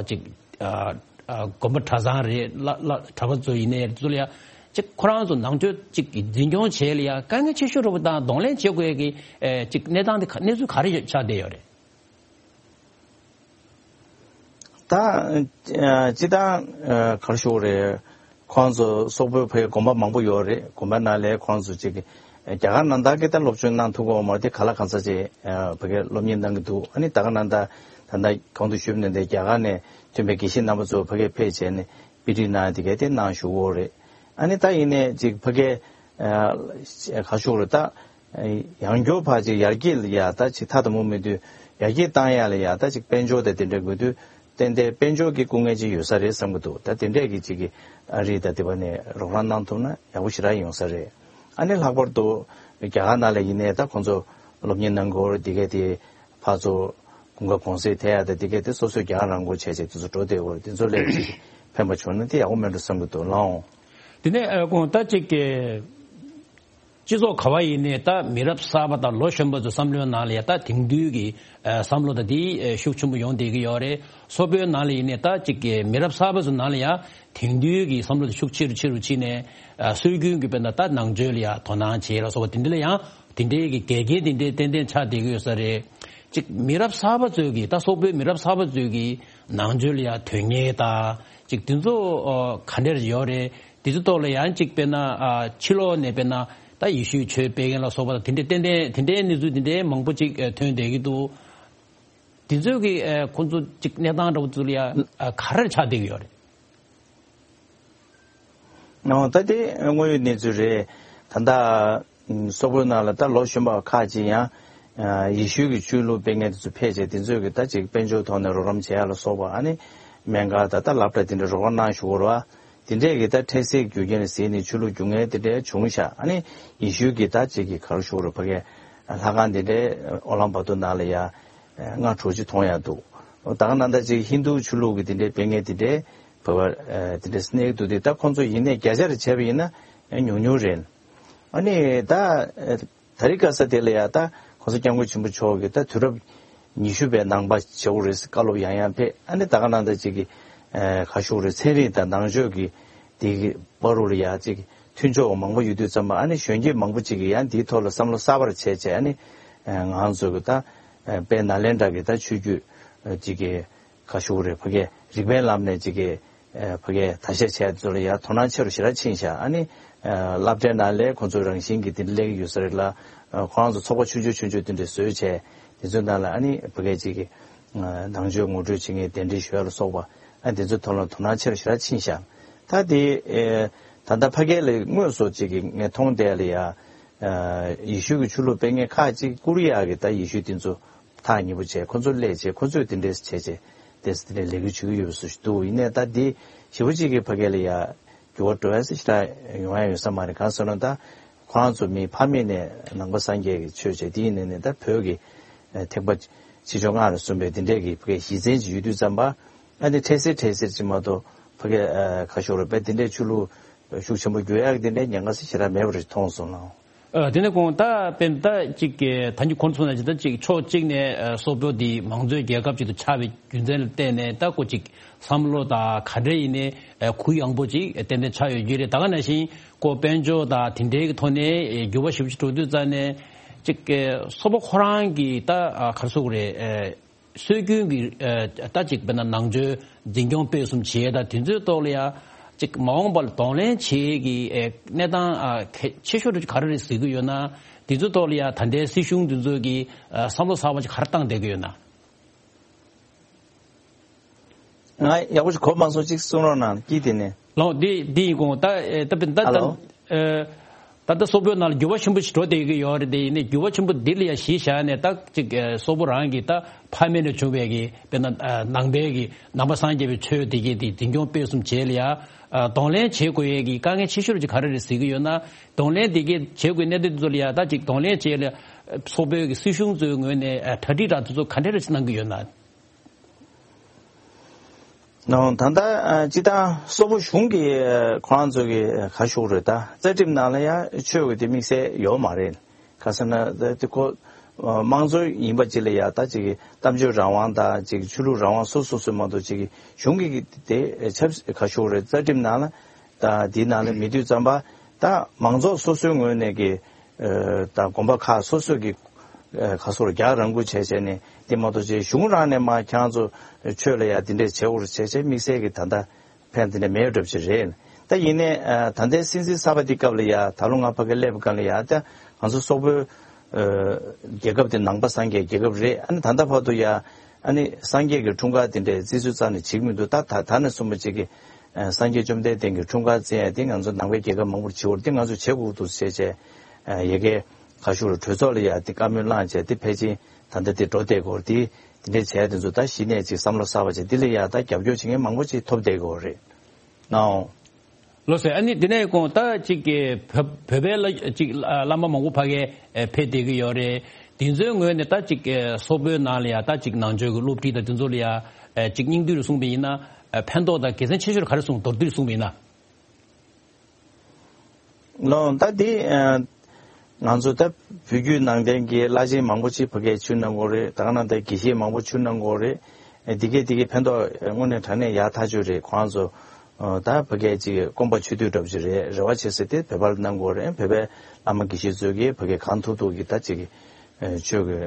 ཅིག་དགོན་པ་གྲྭ་ཚང་རེད་ལ་ལ་གྲྭ་པ་ཚོ་ཡིན་ནའི་ཚོ་ལ་ཡ་ཅིག་ཁོ་རང་ཚོ་ནང་ཆོས་ཅིག་གི་འཛིན་སྐྱོང་བྱེད་ལ་ཡ་དཀའ་ངལ་ཆེ་ཤོས་རེད་པ་དང་གདོང་ལེན་བྱེད་དགོས་ཀྱི་ཅིག་གནས་སྟངས་དེ་ག་གནས་ཚུལ་ག་རེ་ཆགས་བསྡད་ཡོད་རེད། ད་སྤྱི་བཏང་ག་རེ་ཞུ་དགོས་རེད། ཁོང་ཚོ་སོག་པོའི་བོད་དགོན་པ་མང་པོ་ཡོད་རེད། དགོན་པ་ནང་ལ་ཁོང་ཚོ་ཅིག་རྒྱ་གར་ནང་ད་གི་ད་སློབ་སྦྱོང་གནང་ཐུབ་ཀྱི་ཡོད་མ་རེད་དེ་ག་ལ་གང་ས་ཅིག་བོད་སྐད་སློབ་གཉེར་གནང་གི་འདུག་ཨ་ནི་ད་ག་ནང་ད་ད་ལྟ་གོང་དུ་ཞུས་པ་ནང་བཞིན་རྒྱ་གར་ནས་ཐོན་པའི་དགེ་བཤེས་རྣམ་པ་ཚོ་ཕ་གིར་ཕེབས་བྱས་ནས་དཔེ་ཁྲིད་གནང་དེ་གས་དེ་གནང་བཞུགས་ཡོད་རེད། ཨ་ནི་ད་ཡིན་ནའི་ཅིག་ཕ་གིར་ག་རེ་ཞུ་དགོས་རེད་ད། ཡང་སྐྱར་ཕར་ཅིག་ཡར་རྒྱས་ལ་ཡ་ད་ཅིག་ཐ་དང་པོ་མེད་དུས་ཡར་རྒྱས་བཏང་ཡ་ལ་ཡ་ད་ཅིག་དཔལ་འབྱོར་དང་དེ་འདྲ་དགོས་དུས་ཏན་ཏན་དཔལ་འབྱོར་གྱི་སྐུ་ངལ་ཅིག་ཡོད་ས་རེད་བསམ་གྱི་འདུག་ད་དེ་འདྲས་ཀྱི་ཅིག་གི་ཨ་རི་དང་དེ་བ་ནས་རོགས་རམ་གནང་ཐུབ་ན་ཡག་པོ་ཞེ་དྲག་ཡོང་ས་རེད། ཨ་ནི་ལྷག་པར་དུ་རྒྱ་གར་ནང་ལ་ཡིན་ནའི་ད་ཁོང་ཚོ་སློབ་གཉེར་གནང་དགོས་རེད་དེ་གས་དེ་ཕར་ཚུར་དགུན་ཁ་གུང་སེང་ཐེབས་ཡ་དང་དེ་གས་དེ་སོ་སོའི་རྒྱ་གར་རང་མགོ་བྱས་བྱས་དེ་ཚོ་འགྲོ་བསྡད་དགོས་རེད། དེ་ཚོ་ལས་ཅིག་ཕན་པ་བྱུང་ན་དེ་ཡག་པོ་མེད་འགྲོ་བསམ་གྱི་འདུག་ལགས་འོང་། དེ་ནས་ཨ་ཁོང་ད་ཅིག་གི་སྤྱི་ཚོགས་ག་བ་ཡིན་ནའི་ད་མི་རབས་གསར་པ་དང་ལོ་གཞོན་པ་ཚོའི་བསམ་བློའི་ནང་ལ་ཡ་ད་དེང་དུས་ཀྱི་ཨ་བསམ་བློ་དང་དེ་ཨ་ཤུགས་ཆེན་པོ་ཡོང་བསྡད་ཀྱི་ཡོད་རེད། སོག་པོའི་ནང་ལ་ཡིན་ནའི་ད་ཅིག་གི་མི་རབས་གསར་པ་ཚོའི་ནང་ལ་ཡ་དེང་དུས་ཀྱི་བསམ་བློ་དེ་ཤུགས་ཆེ་རུ་ཆེ་རུ་ཕྱིན་ནས་ཨ་སྲོལ་རྒྱུན་གྱི་དཔེར་ན་ད་ནང་ཆོས་ལ་ཡ་དོ་སྣང་བྱེད་ལ་སོགས་པ་དེ་འདྲ་ལ་ཡང་དེ་འདྲའི་གི་འགལ་རྐྱེན་དེ་འདྲའི་ཏན་ཏན་ཆགས་བསྡད་ཀྱི་ཡོད་ས་རེད། ཅིག་མི་རབས་གསར་པ་ཚོའི་གི་ད་སོག་པོའི་མི་རབས་གསར་པ་ཚོའི་གི་ནང་ཆོས་ལ་ཡ་དོན་གཉེར་དང་ཅིག་དེ་ཚོ་ཨ་ག་འདྲ་ཡོད་རེད། དེ་ཚོའི་ཐོག་ལ་ཡང་ཅིག་དཔེར་ན་ཨ་ཕྱི་ལོགས་ནས་དཔེར་ན་ད་ཡེ་ཤུའི་ཆོས་སྤེལ་མཁན་ལ་སོགས་པ་དང་དེ་འདྲའི་ཏན་ཏན་དེ་འདྲའི་གནས་ཚུལ་དེ་འདྲའི་མང་པོ་ཅིག་ཨ་ཐོན་བསྡད་ཀྱི་འདུག་དེ་ཚོའི་གི་ཨ་ཁོང་ཚོ་ཅིག་གནས་སྟངས་འདྲ་པོ་ཚོ་ལ་ཡ་ཨ་ག་རེ་ཆགས་བསྡད་ཀྱི་ཡོད་རེད། ཨོ་ད་དེ་དངོས་ཡོད་གནས་ཚུལ་རེད། ད་ལྟ་ སོག་པོའི་ནང་ལ་ད་ལོ་གཞོན་པ་ཁག་ཅིག་ཡང་ཡེ་ཤུའི་གི་ཆོས་ལུགས་སྤེལ་མཁན་དེ་ཚོ་ཕེབས་བྱས། དེ་ཚོས་གི་ད་ཅིག་དཔལ་འབྱོར་ཐོག་ནས་རོགས་རམ་བྱེད་ཡ་ལ་སོགས་པ། ཨ་ནི་སྨན་ཁང་དང་ད་སློབ་གྲྭ་དེ་འདྲ་རོགས་རམ་གནང་ཞུ་གི་རེད་བ། དེ་འདྲས་གི་ད་འཕྲལ་སེལ་རྒྱུ་རྐྱེན་ལ་གཟིགས་ནས་ཆོས་ལུགས་རྒྱུག་མཁན་དེ་འདྲས་བྱུང་ཤག་ཨ་ནི་ཡེ་ཤུའི་གི་ད་ཅིག་གི་ག་རེ་ཞུ་དགོས་རེད། ཕ་གའི་ལྷ་ཁང་དེ་འདྲས་ཨོ་ལམ་བྷ་ཏུ་ནང་ལ་ཡ་ལྔ་དྲུག་ཅིག་མཐོང་ཡ་འདུག་ད་ག་ནང་ད་ཅིག་ཧིན་རྡུ་ཆོས་ལུགས་གི་དེ་འདྲས་སྤེལ་མཁན་དེ་འདྲས་བོད་པ་དེ་འདྲས་གནས་འདུག་དེ་ད་ཁོང་ཚོ་ཡིན་ནའི་བརྒྱ་ཆ་རེ་བྱས་པ་ཡིན་ན་ཉུང་ཉུང་རེད། ཨ་ནི་ད་ད་རེས་ཁ་ས་དེ་ལ་ཡ་ད་༸གོང་ས་༸སྐྱབས་མགོན་ཆེན་པོ་མཆོག་གིས་ད་དུས་རབས་ཉི་ཤུ་པའི་ནང་པ་བྱེད་དགོས་རེད་ཟེར་བཀའ་སློབ་ཡང་ཡང་ཕེབས། ཨ་ནི་ད་ག་ནང་ད་ཅིག་གི་ཁ་ཤུགས་རེད། ཚན་རིག་དང་ནང་ཆོས་ཀྱི་དེ་གི་བར་རུ་ལ་ཡ་ཅིག་མཐུན་ཕྱོགས་མང་པོ་ཡོད་དུས་ཙམ་པ། ཨ་ནི་གཞོན་སྐྱེས་མང་པོ་ཅིག་གིས་ཡང་འདིའི་ཐོག་ལ་བསམ་བློ་གསར་པར་བྱས་བྱས། ཨ་ནི་ང་ཚོ་གི་ད་དཔལ་ནཱ་ལེནྡྲ་གི་ད་ཆོས་བརྒྱུད་ཅིག་གི་ཁ་ཤུགས་རེད། ཕ་གའི་རིག་པའི་ལམ་ནས་ཅིག་གི་ཨ་ཕ་གའི་ད་བཤད་བྱས་ཚོ་ལ་ཡ་དོ་སྣང་ཆེ་རུ་ཞེ་དྲག་ཕྱིན་ཤག་ཨ་ནི་ཨ་སློབ་གྲྭའི་ནང་ལས་ཁོང་ཚོའི་རང་བཞིན་གྱི་དེ་འདྲ་སླེབས་ཀྱི་ཡོད་ས་རེད་ལ། ཨ་ཁོ་རང་ཚོ་ཚོགས་པ་ཆུང་ཆུང་ཆུང་ཆུང་དེ་འདྲ་བཟོས་བྱས། དེ་ཚོའི་ནང་ལ་ཨ་ནི་ཕ་གའི་ཅིག་གི་ཨ་ནང་ཆོས་ངོ་སྤྲོད་བྱེད་མཁན་གདན་འདྲེན་ཞུ་ཡ་ལ་སོགས་པ། ཨ་དེ་ཚོའི་ཐོག་ལ་དོ་སྣང་ཆེ་རུ་ཞེ་དྲག་ཕྱིན་ཤག་ད་དེ་ཨེ་ད་ལྟ་ཕ་གའི་ལ་དངོས་སུ་ཅིག་གི་ངས་མཐོང་བསྡད་ལ་ཡ། ཨ་ཡེ་ཤུ་གི་ཆོས་ལུགས་སྤེལ་མཁན་ཁག་ཅིག་ཀོ་རི་ཡ་གི་ད་ཡེ་ཤུ་དེ་ཚོ་ཐག་ཉེ་པོ་བྱས། ཁོ་ཚོ་སླེབས་བྱས། ཁོ་ཚོས་དེ་འདྲས་བྱས་བྱས་དེ་དེ་འདྲས་ལས་འགུལ་བྱེད་ཀྱི་ཡོད་པ་བཟོ་ཞིག་འདུག་ཡིན་ནའི་ད་འདི་ཞེ་པོ་ཅིག་གི་ཕ་གི་ལ་ཡ་འགྱུར་བ་འགྲོ་ཡ་ཟེར་ཞེ་དྲག་ཡོང་ཡ་ཡོད་ས་མ་རེད། གང་ཟེར་ན་ད་ཁོ་རང་ཚོ་མི་ཕ་མེས་ནས་ནང་པ་སངས་རྒྱས་ཀྱི་ཆོས་བྱས། དེ་ཡིན་ནའི་ནས་ད་བོད་ཀྱི་ཐེག་པ་ཆེ་ཆུང་སྔགས་ལ་སོགས་པའི་དེ་འདྲས་ཀྱི་ཕ་གི་གཞི་རྩའི་ཅིག་ཡོད་དུས་ཙམ་པ། ཨ་ནི་འཕྲལ་སེལ་འཕྲལ་སེལ་ཅིག་མ་གཏོགས་ཕ་གི་ཁ་ཤོར་བས་དེ་འདྲས་ཆོས་ལུགས་ཤུགས་ཆེན་པོ་འགྱུར་ཡག་དེ་འདྲའི་ཉེན་ཁ་ཞེ་དྲག་མེད་པ་རེད་མཐོང་སོང་ལགས། ཨ་དེ་ནས་ཁོང་ད་དཔེར་ན་ད་ཅིག་གི་ད་ཉིད་ཁོང་ཚོ་ན་ཅིག་ད་ཅིག་ཕྱོགས་གཅིག་ནས་ཨ་སོག་པོ་འདི་མང་གཙོའི་རྒྱལ་ཁབ་ཅིག་ཏུ་ཆགས་པའི་རྒྱུ་མཚན་ལ་བརྟེན་ནས་ད་ཁོ་ཅིག་བསམ་བློ་དང་ག་འདྲ་ཡིན་ནའི་ཨ་གུ་ཡངས་པོ་ཅིག་ཏན་ཏན་ཆགས་ཡོད་རྒྱུ་རེད། ད་ག་ནང་བཞིན་ཁོ་དཔལ་འབྱོར་དང་དེ་འདྲའི་གི་ཐོག་ནས་འགྱུར་བ་ཞེ་པོ་ཅིག་འགྲོ་དུས་ཙང་ནས་ཅིག་གི་སོག་པོ་ཁོ་རང་གི་ད་ཨ་ག་རེ་ཟེར་དགོས་རེད། ཨ་སྲོལ་རྒྱུན་གྱི་ཨ་ད་ཅིག་དཔེར་ན་ནང་ཆོས་འཛིན་སྐྱོང་སྤེལ་གསུམ་བྱེད་ཡས་དང་དེ་ཚོའི་ཐོག་ལ་ཡ་ཅིག་མ་འོངས་པ་ལ་གདོང་ལེན་བྱེད་ཡས་ཀྱི་ཨ་གནས་སྟངས་ཨ་གལ་ཆེ་ཤོས་ག་རེ་རེད་གཟིགས་ཀྱི་ཡོད་ན། དེ་ཚོའི་ཐོག་ལ་ཡ་ད་ལྟའི་སྲིད་གཞུང་དེ་ཚོ་གིས་ཨ་བསམ་བློ་གསར་པ་ཅིག་ག་རེ་བཏང་བསྡད་ཀྱི་ཡོད་ན། ང་ཡག་པོ་ཞིག་གོ་མ་སོང་། ཅིག་གསུང་རོགས་གནང་། དཀྱིལ་དེ་ནས། ལགས་འདི་འདི་ཡིན་གོང་ད་ཨེ་ད་དཔེར་ན་ད་ཨ་ལོ། ད་ཨེ་ད་ལྟ་སོག་པོའི་ནང་ལ་འགྱུར་བ་ཆེན་པོ་ཞིག་འགྲོ་བསྡད་ཀྱི་ཡོད་རེད། དེ་ཡིན་ནའི་འགྱུར་བ་ཆེན་པོ་འདི་ལ་ཡ་གཞི་བཞག་ནས་ད་ཅིག་ཨེ་སོག་པོ་རང་གི་ད་ཕ་མེས་ནས་བྱུང་བའི་གི་དཔེར་ན་ཨ་ནང་པའི་གི་ནང་པ་སངས་རྒྱས་པའི་ཆོས་དེ་གི་དེ་འཛིན་སྐྱོང་སྤེལ་གསུམ་བྱེད་ལ་ཡ་ཨ་གདོང་ལེན་བྱེད་དགོས་ཡས་ཀྱི་དཀའ་ངལ་ཆེ་ཤོས་ཅིག་ག་རེ་རེད་གཟིགས་ཀྱི་ཡོད་ན། གདོང་ལེན་དེ་གི་བྱེད་དགོས་གནད་དོན་དེ་ཚོ་ལ་ཡ་ད་ཅིག་གདོང་ལེན་བྱེད་ལ་སོག་པོའི་གི་སྲིད་གཞུང་ཚོའི་ངོས་ནས་ཨ་གྲ་སྒྲིག་ར་དེ་ཚོ་ག་འདྲ་རེ་ཅིག་གནང་གི་ཡོད་ན། ནའོ། ད་ལྟ་ཨ་སྤྱི་བཏང་སོག་པོ་གཞུང་གི་ཨ་ཁོ་རང་ཚོ་གི་ཨ་ག་ཞུ་དགོས་རེད། ད་རྩ་ཁྲིམས་ནང་ལ་ཡང་ཆོས་ཀྱི་དེ་དམིགས་བསལ་ཡོད་མ་རེད། ག་ཟེར་ན་ད་དེ་ཁོ་ཨ་དམངས་གཙོ་ཡིན་པ་ཅིག་ལ་ཡ་ད་ཅིག་གི་གཏམ་བརྗོད་རང་དབང་དང་ཅིག་ཆོས་ལུགས་རང་དབང་སོ་སོ་སོ་མ་གཏོགས་ཅིག་གི་གཞུང་གི་དེ་ཨ་ཆབ་ག་ཞུ་དགོས་རེད། རྩ་ཁྲིམས་ནང་ལ་ད་དེའི་ནང་ལ་མེད་དུས་ཙམ་པ་ད་མང་ཚོགས་སོ་སོའི་ངོས་ནས་ཀྱི་ཨ་ད་དགོན་པ་ཁག་སོ་སོ་གི་ཨ་ཁ་སོར་རྒྱག་རང་འགུལ་བྱས་བྱས་ནས་དེ་མ་གཏོགས་ཅིག་གཞུང་རང་ནས་མ་ཁྱེད་རང་ཚོ་ཆོས་ལ་ཡ་དེ་འདྲས་བྱེད་དགོས་རེད་བྱས་བྱས་དམིགས་བསལ་གྱི་ད་ལྟ་ཕན་དེ་འདྲས་མེད་འགྲོ་ཅིག་རེད། ད་ཡིན་ནའི་ཨ་ད་ལྟའི་སྲིད་འཛིན་གསར་པ་འདི་སྐབས་ལ་ཡ་ད་ལོ་ང་ཕ་གི་སླེབས་སྐབས་ལ་ཡ་ད་ང་ཚོ་སོག་པོའི་ཨ་རྒྱལ་ཁབ་དེ་ནང་པ་སངས་རྒྱས་རྒྱལ་ཁབ་རེད། ཨ་ནི་ད་ལྟ་བར་དུ་ཡ་ཨ་ནི་སངས་རྒྱས་ཀྱི་འཁྲུངས་སྐར་དེ་འདྲས་བརྩི་སྲོལ་རྩ་ནས་བྱེད་ཀྱི་མི་འདུག་ད་ད་ད་ནས་བཟུང་བ་ཅིག་གི་ཨ་སངས་རྒྱས་བཅོམ་ལྡན་འདས་ཀྱི་འཁྲུངས་སྐར་བརྩི་ཡ་དེ་ང་ཚོ་ནང་པའི་རྒྱལ་ཁབ་མང་པོར་བྱེད་འོར་དེ་ང་ཚོ་བྱེད་དགོས་འདུག་ཟེར་བྱས་ཨ་ཡ་གི་ཁ་ཤུ་རུ་གྲོས་ཚོགས་ལ་ཡ་དེ་བཀའ་མོལ་བླངས་བྱས་དེ་ཕལ་ཆེར་ད་ལྟ་དེ་འགྲོ་བསྡད་ཀྱི་ཡོད་རེད། དེ་དེ་འདྲའི་བྱས་དེ་ཚོ་ད་གཞི་ནས་ཅིག་བསམ་བློ་གསར་པ་བྱས་འདི་ལ་ཡ་ད་རྒྱབ་སྐྱོར་བྱེད་མཁན་མང་པོ་ཅིག་ཐོབ་བསྡད་ཀྱི་ཡོད་རེད། ནའོ། ལགས་སོ། ཨ་ནི་དེ་ནས་ཁོང་ད་ཅིག་གི་བོད་བོད་པའི་ལ་ཅིག་བླ་མ་མང་པོ་ཕ་གིར་ཕེབས་བསྡད་ཀྱི་ཡོད་རེད། དེ་ཚོའི་ངོས་ནས་ད་ཅིག་སོག་པོའི་ནང་ལ་ཡ་ད་ཅིག་ནང་ཆོས་ཀྱི་སློབ་ཁྲིད་དང་དེ་ཚོ་ལ་ཡ་ཅིག་སྙིང་བསྡུས་རུ་གསུངས་པ་ཡིན་ན་ཕན་ཐོགས་དང་དགེ་མཚན་ཆེ་ཤོས་ག་རེ་གསུངས། མདོར་བསྡུས་རུ་གསུངས་པ་ཡིན་ན། ལོ། ད་འདི་ཨ་ང་ཚོ་ད་བོད་བརྒྱུད་ནང་བསྟན་གྱི་བླ་ཆེན་མང་པོ་ཅིག་ཕ་གིར་ཆོས་གནང་གི་ཡོད་རེད། ད་ག་ནང་ད་དགེ་བཤེས་མང་པོ་ཆོས་གནང་གི་ཡོད་རེད། འདི་གས་འདི་གས་ཕན་ཐོགས་དངོས་གནས་དྲང་གནས་ཡག་ཐག་ཆོད་རེད། ཁོང་ཚོ་ཨ་ད་ཕ་གིར་ཅིག་སྐོམ་པ་ཆུ་དུས་འདྲ་པོ་ཅིག་རེད། རེ་བ་བྱེད་ས་དེ་བོད་པ་ལ་གནང་གི་ཡོད་རེད། བོད་པའི་བླ་མ་དགེ་བཤེས་ཚོས་ཀྱིས་ཕ་གིར་གང་ཐུབ་ཐུབ་ཀྱིས་ད་ཅིག་ཨ་ཆོས་ཀྱི་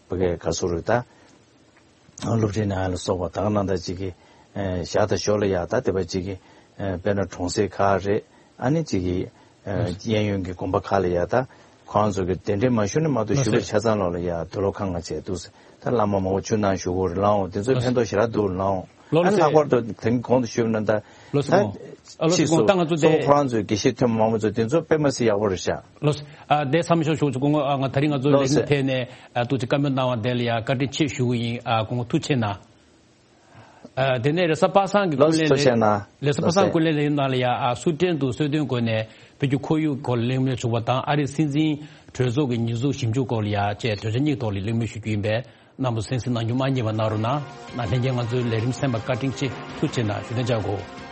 ཕ་གིར་ག་ཚོད་རེད་ད། སློབ་ཁྲིད་གནང་ཡ་ལ་སོགས་པ་ད་ག་ནང་ད་ཅིག་གི་ཨ་ཞག་དང་ཞོར་ལ་ཡ་ད་དེ་བ་ཅིག་གི་ཨ་དཔེར་ན་གྲོང་གསེབ་ཁག་རེད། ཨ་ནི་ཅིག་གི་ཨ་གཡས་གཡོན་གྱི་དགོན་པ་ཁག་ལ་ཡ་ད་ཁོང་ཚོ་གི་གདན་འདྲེན་མ་ཞུས་ནས་མ་གཏོགས་ཞུ་བ་ཆ་ཚང་ལོག་ལ་ཡ་དུག་ལོག་ཁང་ང་བྱས་འདུག་ཟེར། ད་བླ་མ་མང་པོ་ཆོས་གནང་ཞུ་གི་ཡོད་རེད་ལགས། འོང་དེ་ཚོའི་ཕན་ཐོགས་ཞེ་དྲག་འདུག་ལགས། འོང་ ལགས་སོ། ཨ་ནི་ལྷག་པར་དུ་དེང་གོང་དུ་ཞུས་པ་ནང་ལྟར། ལགས་སོ། ད་སྐུ་ངོ་། ཨ་ལགས་སོ། ཕྱིས་སུ་ད་ང་ཚོ་གཙོ་བོ་དེ་ཁོ་རང་ཚོའི་དགེ་བཤེས་ཐོན་མི་མང་པོ་ཚོ་དེ་ཚོ་དཔེ་མི་སྲིད་ཡག་པོ་རེད་ཤག་ལགས་སོ། ཨ་དེ་བསམ་ཤོག་ཤོག་ཆུ་སྐུ་ངོ། ཨ་ང་ད་རིང་ང་ཚོ་ལགས་ལས་སོ། རིམ་ཐད་ནས་ཨ་ཐུགས་རྗེ་བཀའ་མོལ་གནང་བ་དེ་ལ་ཡ་བཀའ་དྲིན་ཆེ་ཞུ་གི་ཡིན། ཨ་སྐུ་ངོ་ཐུགས་རྗེ་གནང་། ཨ་དེ་ནས་རེས་གཟའ་པ་སངས་ཀྱི་ལགས་སྐུ་སོ། ལས་ཐུགས་རྗེ་གནང་། རེས་གཟའ་པ་ལགས་སངས་སོ། སྐུ་ལས་ལས་ཡུན་ནང་ལ་ཡ་ཨ་སུ་ཏྲེན་དུ་གསོལ་སྟོན་སྒོ་ནས་བོད་ཀྱི་ཁོར་ཡུག་སྐོར་ལ་གླེང་མོལ་ཞུ་བ་དང་། ཨ་རིའི་སྲིད་འཛིན་གྲོས་ཚོགས་ཀྱི་ཉེས་འཛུགས་ཞིབ་འཇུག་སྐོར་ལ་ཡ་བཅས་གྲོས་འཆར་གཉིས་ཐོག་ལ་གླེང་མོལ་ཞུ་རྒྱུ་ཡིན་པས། རྣམ་པ་གསན་གཟིགས་གནང་རྒྱུ་མ་བསྙེལ་བ་གནང་རོགས་གནང་། ལྷན་རྒྱས་ང་ཚོའི་ལས་རིམ་གསན་པར་བཀའ་དྲིན་ཆེ། ཐུགས་རྗེ་གནང་ཞུ་དོན་བྱ་དགོས།